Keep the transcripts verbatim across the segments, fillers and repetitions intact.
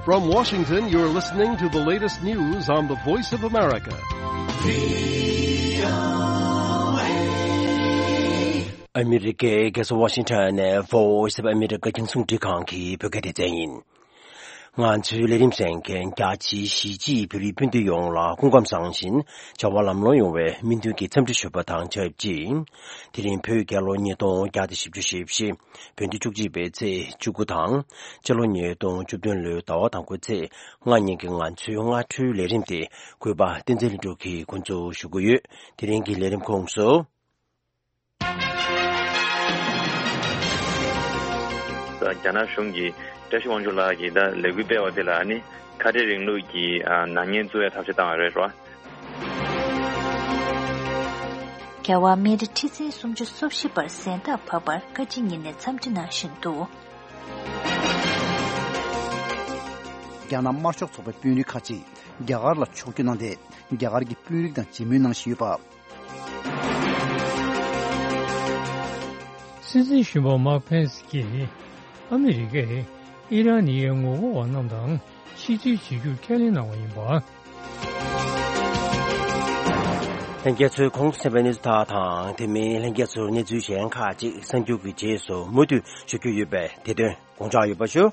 From Washington, you're listening to the latest news on the Voice of America. ཨ་མི་རི་ཀའི་རྒྱལ་ས་ཝ་ཤིང་ཊོན་ནས་Voice of America རྒྱང་སྲིང་རླུང་འཕྲིན་ཁང་གི་བོད་སྐད་སྡེ་ཚན་ཡིན། ང་ཚོའི་ལས་རིམ་གསན་མཁན་རྒྱ་ཆེའི་གཞིས་བྱེས་བོད་རིགས་སྤུན་ཟླ་ཡོངས་ལ་སྐུ་ཁམས་བཟང་ཞིང་བྱ་བ་ལམ་ལྷོང་ཡོང་བའི་སྨོན་འདུན་གྱི་འཚམས་འདྲི་ཞུ་བ་དང་ཆབས་ཅིག་དེ་རིང་བོད་རྒྱལ་ལོ་ཉིས་སྟོང་བརྒྱ་དང་བཞི་བཅུ་ཞེ་བཞི། བོད་ཟླ་བཅུ་གཅིག་པའི་ཚེས་བཅུ་དགུ་དང་། སྤྱི་ལོ་ཉིས་སྟོང་བཅུ་བདུན་ལོའི་ཟླ་བ་དང་པོའི་ཚེས་ལྔ་ཉིན་གྱི་ང་ཚོའི་སྔ་དྲོའི་ལས་རིམ་དེ་གུས་པ་བསྟན་འཛིན་ལྷུན་གྲུབ་ཀྱིས་འགོ་འཛུགས་ཞུ་གི་ཡོད། དེ་རིང་གི་ལས་རིམ་ཁོངས་སུ། རྒྱ་ནག་གཞུང་གིས་བཀྲ་ཤིས་དབང་ཕྱུག་ལགས་ཀྱིས་ད་ལས་འགུལ་སྤེལ་བ་དེ་ལ་ཨ་ནི་ཁ་བྲལ་རིང་ལུགས་ཀྱི་ཨ་ནག་ཉེས་བཙུགས་ཡ་ཐབས་ཤེས་བཏང་བ་རེད་རོ། རྒྱལ་བ་མེ་ཏྲི་ཁྲི་སྲིང་སུམ་ཅུ་སོ་བཞི་པར་གཟེངས་རྟགས་བབས་པར་བཀའ་སྤྱི་ཉིན་ནས་འཚམས་འདྲི་གནང་བཞིན་འདུག་རྒྱ་ནག་དམར་ཤོག་ཚོགས་པའི་དཔོན་རིགས་ཁག་ཅིག་རྒྱ་གར་ལ་ཕྱོགས་བསྐྱོད་གནང་སྟེ། རྒྱ་གར་གྱི་དཔོན་རིགས་དང་མཇལ་མོལ་གནང་བཞིན་ཡོད་པ། སྲིད་འཛིན་གཞོན་པ་མཱག་ཕེན་སི་ཀྱིས་ཨ་མི་རི་ཀས་ཨི་རན་ནི་ཡའི་ངོ་རྒོལ་བ་རྣམས་དང་ཕྱི་འབྲེལ་བྱེད་རྒྱུར་ཁས་ལེན་གནང་བ་ཡིན་པ། ལྷན་རྒྱས་ཚོས་གོང་དུ་གསན་པའི་གནས་ཚུལ་དག་དང་དེ་མིན་ལྷན་རྒྱས་ཚོར་གནས་ཚུལ་གཞན་ཁག་ཅིག་གསར་འགྱུར་གྱི་རྗེས་སུ་མུ་མཐུད་ཞུ་རྒྱུ་ཡོད་པས་དེ་དོན་དགོངས་འཇགས་ཡོད་པ་ཞུ།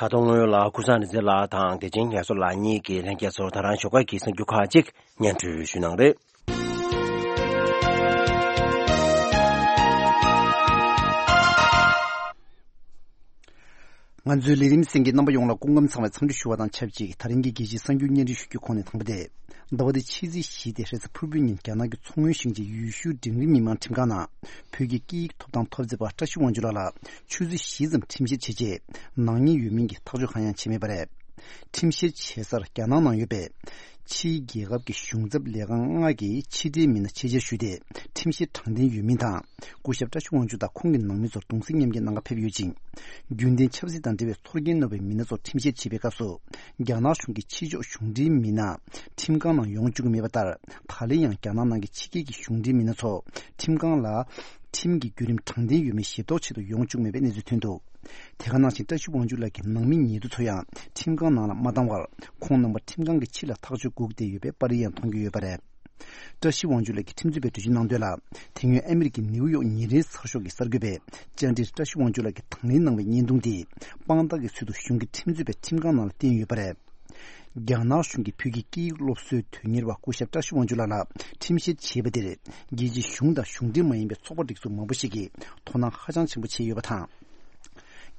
ད་དུང་སྔོན་ལ་ཀུན་བཟང་རིག་འཛིན་ལགས་དང་བདེ་ཆེན་ངལ་གསོ་ལགས་གཉིས་ཀྱིས་ལྷན་རྒྱས་ཚོར་ད་རང་ཞོགས་ཀ་གི་གསར་འགྱུར་ཁག་ཅིག་སྙན་སྒྲོན་ཞུ་གནང་རེད། ང་ཚོའི་ལས་རིམ་གསན་མཁན་རྣམ་པ་ཡོངས་ལ་སྐུ་ཁམས་བཟང་བའི་འཚམས་འདྲི་ཞུ་བ་དང་ཆབས་ཅིག་ད་རིང་གི་རྒྱལ་སྤྱིའི་གསར་འགྱུར་སྙན་སྒྲོན་ཞུ་རྒྱུའི་ཁོངས་ནས་དང་པོ་དེ། ཟླ་བ་འདིའི་ཕྱི་ཚེས་བཞི་སྟེ་རེས་གཟའ་ཕུར་བུའི་ཉིན་རྒྱ་ནག་གི་མཚོ་སྔོན་ཞིང་ཆེན་ཡུལ་ཤུལ་འབྲིང་རིམ་མི་དམངས་ཁྲིམས་ཁང་ནང་བོད་ཀྱི་སྐད་ཡིག་ཐོབ་ཐང་འཐབ་རྩོད་པ་བཀྲ་ཤིས་དབང་ཕྱུག་ལགས་ལ་ཆུ་ཚོད་བཞི་ཙམ་ཁྲིམས་བཤེར་བྱས་རྗེས་ནག་ཉེས་ཡོད་མིན་གྱི་ཐག་གཅོད་གང་ཡང་བྱས་མེད་པ་རེད། ཁྲིམས་བཤེར་བྱེད་སར་རྒྱ་ནག་ནང་ཡོད་པའི་ཕྱིའི་རྒྱལ་ཁབ་ཀྱི་གཞུང་ཚབ་ལས་ཁང་ལྔ་གི་ཕྱི་འབྲེལ་མི་སྣ་ཆེད་བཅར་ཞུས་ཏེ་ཁྲིམས་བཤེར་དྲང་བདེན་ཡོད་མིན་དང་། སྐུ་ཞབས་བཀྲ་ཤིས་དབང་ཕྱུག་དང་ཁོང་གི་ནང་མི་ཚོར་གདུང་སེམས་མཉམ་སྐྱེད་གནང་གར་ཕེབས་ཡོད་ཅིང་། རྒྱུན་ལྡན་ཆབ་སྲིད་དང་འབྲེལ་བའི་ཚོར་སྐྱེན་རྣོ་བའི་མི་སྣ་ཚོར་ཁྲིམས་བཤེར་བྱེད་པའི་སྐབས་སུ། རྒྱ་ནག་གཞུང་གི་ཕྱི་ཕྱོགས་གཞུང་འབྲེལ་མི་སྣ་ཁྲིམས་ཁང་ནང་ཡོང་བཅུག་གི་མེད་པ་ལྟར། ད་ལན་ཡང་རྒྱ་ནག་ནང་གི་ཕྱི་རྒྱལ་གྱི་གཞུང་འབྲེལ་མི་སྣ་ཚོ་ཁྲིམས་ཁང་ལ་ཁྲིམས་ཀྱི་བརྒྱུད་རིམ་དྲང་བདེན་ཡོད་མེད་ཞིབ་རྟོག་ཆེད་དུ་ཡོང་བཅུག་མེད་པའི་གནས་ཚུལ་ཐོན་འདུག་དེ་ག་ནང་བཞིན་བཀྲ་ཤིས་དབང་ཕྱུག་ལགས་ཀྱི་ནང་མི་ཉེ་དུ་ཚོ་ཡང་ཁྲིམས་ཁང་ནང་ལ་མ་བཏང་བར་ཁོང་རྣམ་པ་ཁྲིམས་ཁང་གི་ཕྱི་ལ་ཐག་གཅོད་སྒུག་བསྡད་ཡོད་པའི་པར་རིས་ཡང་མཐོང་རྒྱུ་ཡོད་པ་རེད། བཀྲ་ཤིས་དབང་ཕྱུག་ལགས་ཀྱིས་ཁྲིམས་རྩོད་པའི་འགྲེལ་བརྗོད་གནང་དོན་ལ། དེ་སྔོན་ཨ་མི་རི་ཀའི་ནིའུ་ཡོག་ཉིན་རེའི་ཚགས་ཤོག་གི་གསར་འགོད་པས་བཅར་འདྲིར་བཀྲ་ཤིས་དབང་ཕྱུག་ལགས་ཀྱིས་དང་ལེན་གནང་བའི་བརྙན་ཐུང་དེ་དཔང་རྟགས་ཀྱི་ཚུལ་དུ་གཞུང་གི་ཁྲིམས་རྩོད་པས་ཁྲིམས་ཁང་ནང་ལ་བསྟན་ཡོད་པ་རེད། རྒྱ་ནག་གཞུང་གིས་བོད་ཀྱི་སྐད་ཡིག་སློབ་གསོའི་དོན་གཉེར་བ་སྐུ་ཞབས་བཀྲ་ཤིས་དབང་ཕྱུག་ལགས་ལ་ཁྲིམས་བཤེར་བྱས་པ་དེར་རྒྱལ་སྤྱིའི་གཞུང་དང་གཞུང་འབྲེལ་མ་ཡིན་པའི་ཚོགས་པ་སྒྲིག་འཛུགས་མང་པོ་ཞིག་གིས་དོ་སྣང་ཧ་ཅང་ཆེན་པོ་བྱས་ཡོད་པ་དང་།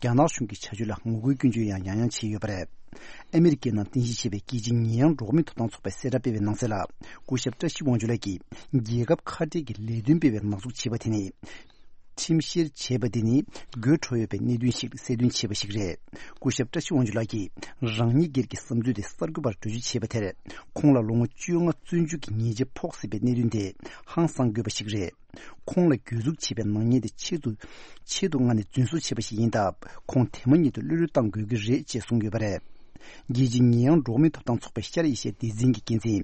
རྒྱ་ནག་གཞུང་གི་བྱ་སྤྱོད་ལ་ངོ་རྒོལ་སྐྱོན་བརྗོད་ཡང་ཡང་ཡང་བྱས་ཡོད་པ་རེད། ཨ་མི་རི་ཀའི་ནང་རྟེན་གཞི་བྱས་པའི་རྒྱལ་སྤྱིའི་ཉེས་ཡངས་འགྲོ་བ་མིའི་ཐོབ་ཐང་ཚོགས་པས་གསལ་བསྒྲགས་སྤེལ་བའི་ནང་གསལ་ལ། སྐུ་ཞབས་བཀྲ་ཤིས་དབང་ཕྱུག་ལགས་ཀྱིས་རྒྱལ་ཁབ་ཁ་བྲལ་གྱི་ལས་དོན་སྤེལ་བའི་ནག་འཛུགས་བྱས་པ་དེ་ནི། ཁྲིམས་བཤེར་བྱས་པ་དེ་ནི་དགོད་བྲོ་ཡོད་པའི་གནད་དོན་ཞིག་གསལ་སྟོན་བྱས་པ་ཞིག་རེད། སྐུ་ཞབས་བཀྲ་ཤིས་དབང་ཕྱུག་ལགས་ཀྱིས་རང་ཉིད་སྒེར་གྱི་བསམ་ཚུལ་དེ་གསར་འགོད་པར་འགྲེལ་བརྗོད་བྱས་པ་དེར། ཁོང་ལ་ལོ་ངོ་བཅོ་ལྔ་བཙོན་འཇུག་གི་ཉེས་ཆད་ཕོག་སྲིད་པའི་གནད་དོན་དེ་ཧང་སང་དགོས་པ་ཞིག་རེད། ཁོང་ལ་གྱོད་འཛུགས་བྱས་པའི་ནག་ཉེས་དེ་ཆེད་དུ་ཆེད་དུ་མངགས་ནས་རྫུན་བཟོ་བྱས་པ་ཞིག་ཡིན་སྟབས། ཁོང་དེ་མ་ཉིད་དུ་གློད་གྲོལ་གཏང་དགོས་ཀྱི་རེད་ཅེས་གསུངས་ཡོད་པ་རེད། རྒྱལ་སྤྱིའི་ཉེས་ཡངས་འགྲོ་བ་མིའི་ཐོབ་ཐང་ཚོགས་པའི་ཤར་ཨེ་ཤི་ཡའི་སྡེ་ཚན་གྱི་འགན་འཛིན་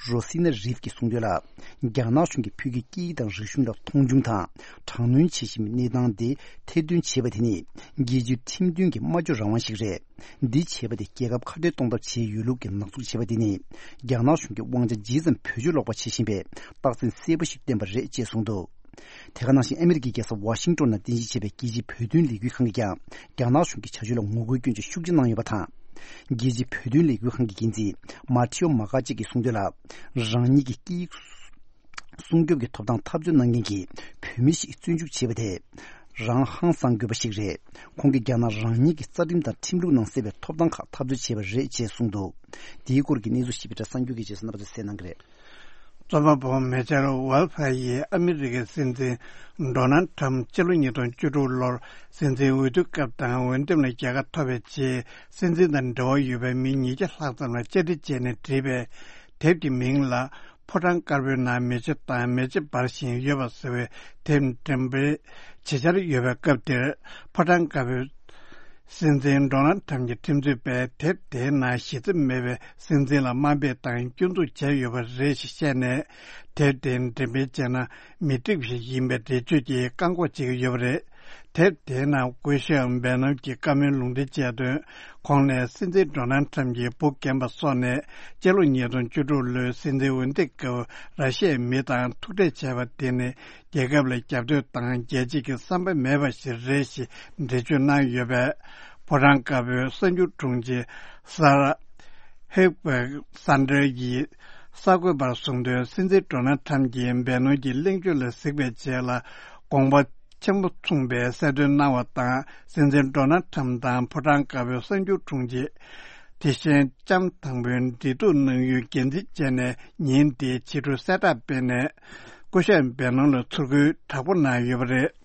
རོ་སི་ན་རིབ་ཀྱིས་གསུངས་དོན་ལ། རྒྱ་ནག་གཞུང་གིས་བོད་ཀྱི་སྐད་ཡིག་དང་རིག་གཞུང་ལ་མཐོང་ཆུང་དང་དྲག་གནོན་བྱེད་བཞིན་པའི་གནས་སྟངས་དེ་ཐེར་འདོན་བྱས་པ་དེ་ནི་རྒྱལ་སྤྱིའི་ཁྲིམས་མཐུན་གྱི་སྨྲ་བརྗོད་རང་དབང་ཞིག་རེད། འདི་བྱས་པ་དེ་རྒྱལ་ཁབ་ཁ་བྲལ་གཏོང་ཐབས་བྱས་ཡོད་ལུགས་ཀྱི་ནག་འཛུགས་བྱས་པ་དེ་ནི་རྒྱ་ནག་གཞུང་གིས་དབང་ཆ་ཇི་ཙམ་བེད་སྤྱོད་ལོག་པ་བྱེད་བཞིན་པའི་རྟགས་མཚན་གསལ་པོ་ཞིག་བསྟན་པ་རེད་ཅེས་གསུངས་འདུག་དེ་ག་ནང་བཞིན་ཨ་མི་རི་ཀའི་རྒྱལ་ས་ཝ་ཤིང་ཏོན་ནང་རྟེན་གཞི་བྱས་པའི་རྒྱལ་སྤྱིའི་བོད་དོན་ལས་འགུལ་ཁང་གིས་ཀྱང་རྒྱ་ནག་གཞུང་གི་བྱ་སྤྱོད་ལ་ངོ་རྒོལ་སྐྱོན་བརྗོད་ཤུགས་ཆེ་གནང་ཡོད་པ་དང་། རྒྱལ་སྤྱིའི་བོད་དོན་ལས་འགུལ་ཁང་གི་འགན་འཛིན་མ་ཐེའོ་མ་ཀ་ཅིག་གིས་གསུངས་དོན་ལ། རང་ཉིད་ཀྱི་སྐད་ཡིག་སྲུང་སྐྱོབ་ཀྱི་ཐོབ་ཐང་འཐབ་རྩོད་གནང་མཁན་གྱི་བོད་མི་ཞིག་བཙོན་འཇུག་བྱས་པ་དེ་རང་ཧང་སང་དགོས་པ་ཞིག་རེད། ཁོང་གིས་རྒྱ་ནག་རང་ཉིད་ཀྱི་རྩ་ཁྲིམས་དང་ཁྲིམས་ལུགས་ནང་གསལ་བའི་ཐོབ་ཐང་ཁག་འཐབ་རྩོད་བྱས་པ་རེད་ཅེས་གསུངས་འདུག་དེའི་སྐོར་གྱི་གནས་ཚུལ་ཞིབ་ཕྲ་གསར་འགྱུར་གྱི་རྗེས་སུ་རྣམ་པ་ཚོས་གསན་གནང་གི་རེད། རྩོམ་པ་པོ་མེ་ཆར་ཝལ་ཕ་ཡིས་ཨ་མི་རི་ཀའི་སྲིད་འཛིན་ཌོ་ནལ་ཁྲམ་སྤྱི་ལོ་ཉིས་སྟོང་བཅུ་དྲུག་ལོར་སྲིད་འཛིན་འོས་བསྡུ་སྐབས་དང་འོས་འདེམས་ལ་རྒྱལ་ཁ་ཐོབ་པའི་རྗེས་སྲིད་འཛིན་དང་འབྲེལ་བ་ཡོད་པའི་མི་ཉིས་བརྒྱ་ལྷག་ཙམ་ལ་བཅར་འདྲི་བྱས་ནས་བྲིས་པའི་དེབ་ཀྱི་མིང་ལ་ཕོ་བྲང་དཀར་པོའི་ནང་མེ་ལྕེ་དང་མེ་ལྕེ་འབར་བཞིན་ཡོད་པ་ཟེར་བའི་དེབ་འགྲེམས་སྤེལ་བྱེད་འཆར་ཡོད་པའི་སྐབས་དེར་ཕོ་བྲང་དཀར་པོའི་ སྲིད་འཛིན་ཌོ་ནལ་ཁྲམ་གྱི་ཁྲིམས་རྩོད་པས་དེབ་དེའི་ནང་གཞི་རྩ་མེད་པའི་སྲིད་འཛིན་ལ་དམའ་འབེབས་དང་སྐྱོན་འཛུགས་བྱས་ཡོད་པ་རེད་ཞེས་བཤད་ནས། དེབ་དེ་འགྲེམས་སྤེལ་བྱས་ན་མི་འགྲིག་པ་ཞིག་ཡིན་པའི་འགྲེལ་བརྗོད་ཀྱིས་བཀག་འགོག་བྱེད་ཀྱི་ཡོད་པ་རེད། དེབ་དེའི་ནང་སྐུ་ཞབས་བེ་ནོམ་གྱིས་བཀའ་མོལ་ལུང་འདྲེན་བྱས་དོན། ཁོང་ནས་སྲིད་འཛིན་ཌོ་ནལ་ཁྲམ་གྱི་བུ་རྒན་པ་སོགས་ནས་སྤྱི་ལོ་ཉིས་སྟོང་བཅུ་དྲུག་ལོའི་སྲིད་འཛིན་འོས་འདེམས་སྐབས་ར་ཤི་ཡའི་མི་དང་ཐུག་འཕྲད་བྱས་པ་དེ་ནི། རྒྱལ་ཁབ་ལ་རྒྱབ་གཏོད་དང་རྒྱལ་སྤྱི་གི་བསམ་པ་མེད་པ་ཞིག་རེད་ཞེས་འགྲེལ་བརྗོད་གནང་ཡོད་པས། ཕོ་བྲང་དཀར་པོའི་གསར་འགྱུར་དྲུང་ཆེ་ས་ར་ཧེབ་སན་ཌར་གྱིས་གསར་འགོད་པར་གསུངས་དོན། སྲིད་འཛིན་ཌོ་ནལ་ཁྲམ་གྱིས་བེ་ནོན་གྱི་གླེང་བརྗོད་ལ་གཟིགས་པའི་རྗེས་ལ་དགོངས་པ་ཆེན་པོ་མཚུངས་པའི་གསལ་སྟོན་གནང་བ་དང་། སྲིད་འཛིན་ཌོ་ནལ་ཁྲམ་དང་ཕོ་བྲང་དཀར་པོའི་གསར་འགྱུར་དྲུང་ཆེ། དེ་བཞིན་ལྕམ་དང་པོའི་འབྲེལ་གཏུག་གནང་ཡུལ་འགན་འཛིན་བྱས་ནས། ཉིན་དེའི་ཕྱི་དྲོ་གསལ་བསྒྲགས་སྤེལ་ནས། སྐུ་ཞབས་བེ་ནོན་ལ་ཚུར་རྒོལ་དྲག་པོ་གནང་ཡོད་པ་རེད།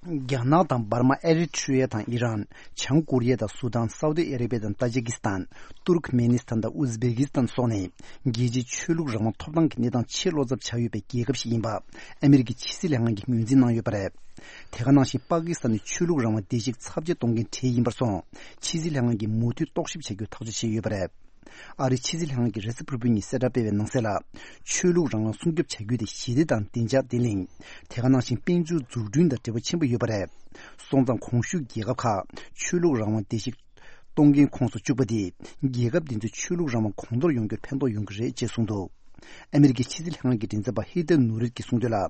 རྒྱ་ནག་དང་འབར་མ། ཨེ་རི་ཊི་རི་ཡ་དང་ཨི་རན། བྱང་ཀོ་རི་ཡ་དང་སུ་དཱན། སའུ་ཏི་ཨ་རེ་བྷི་ཡ་དང་ཏཱ་ཇི་ཀི་སི་ཐན། ཏུར་ཁི་མེ་ནི་སི་ཐན་དང་ཨུ་ཛི་བེ་ཀི་སི་ཐན་སོགས་ནི། རྒྱལ་སྤྱིའི་ཆོས་ལུགས་རང་དབང་ཐོབ་ཐང་གི་གནས་སྟངས་ཆེས་བློ་འཚབ་ཆགས་ཡོད་པའི་རྒྱལ་ཁབ་ཞིག་ཡིན་པ། ཨ་མི་རི་ཀའི་ཕྱི་སྲིད་ལྷན་ཁང་གིས་ངོས་འཛིན་གནང་ཡོད་པ་རེད། དེ་ག་ནང་བཞིན་པ་ཀི་སི་ཐན་ནི་ཆོས་ལུགས་རང་དབང་བརྡལ་བཤིག་ཚབས་ཆེ་གཏོང་མཁན་གྲས་ཡིན་པར་སོང་། ཕྱི་སྲིད་ལྷན་ཁང་གིས་མུ་མཐུད་རྟོག་ཞིབ་བྱ་རྒྱུའི་ཐག་གཅོད་བྱས་ཡོད་པ་རེད། ཨ་རིའི་ཕྱི་སྲིད་ལྷན་ཁང་གིས་རེས་གཟའ་ཕུར་བུའི་ཉིན་གསལ་བསྒྲགས་སྤེལ་བའི་ནང་གསལ་ལ། ཆོས་ལུགས་རང་དབང་སྲུང་སྐྱོབ་བྱ་རྒྱུ་དེ་ཞི་བདེ་དང་བདེ་འཇགས་ལྡན་ལྷིང་། དེ་ག་ནང་བཞིན་དཔལ་འབྱོར་འཛུགས་སྐྲུན་དང་འབྲེལ་བ་ཆེན་པོ་ཡོད་པ་རེད། སོང་ཙང་གོང་ཞུས་རྒྱལ་ཁབ་ཁག་ཆོས་ལུགས་རང་དབང་བརྡལ་བཤིག་གཏོང་མཁན་ཁོངས་སུ་བཅུག་པ་དེས། རྒྱལ་ཁབ་དེ་ཚོའི་ཆོས་ལུགས་རང་དབང་གོང་མཐོར་ཡོང་རྒྱུར་ཕན་ཐོགས་ཡོང་གི་རེད་ཅེས་གསུངས་འདུག་ཨ་མི་རི་ཀའི་ཕྱི་སྲིད་ལྷན་ཁང་གི་མགྲིན་ཚབ་པ་ཧི་ཐར་ནུ་རིད་ཀྱིས་གསུངས་དོན་ལ།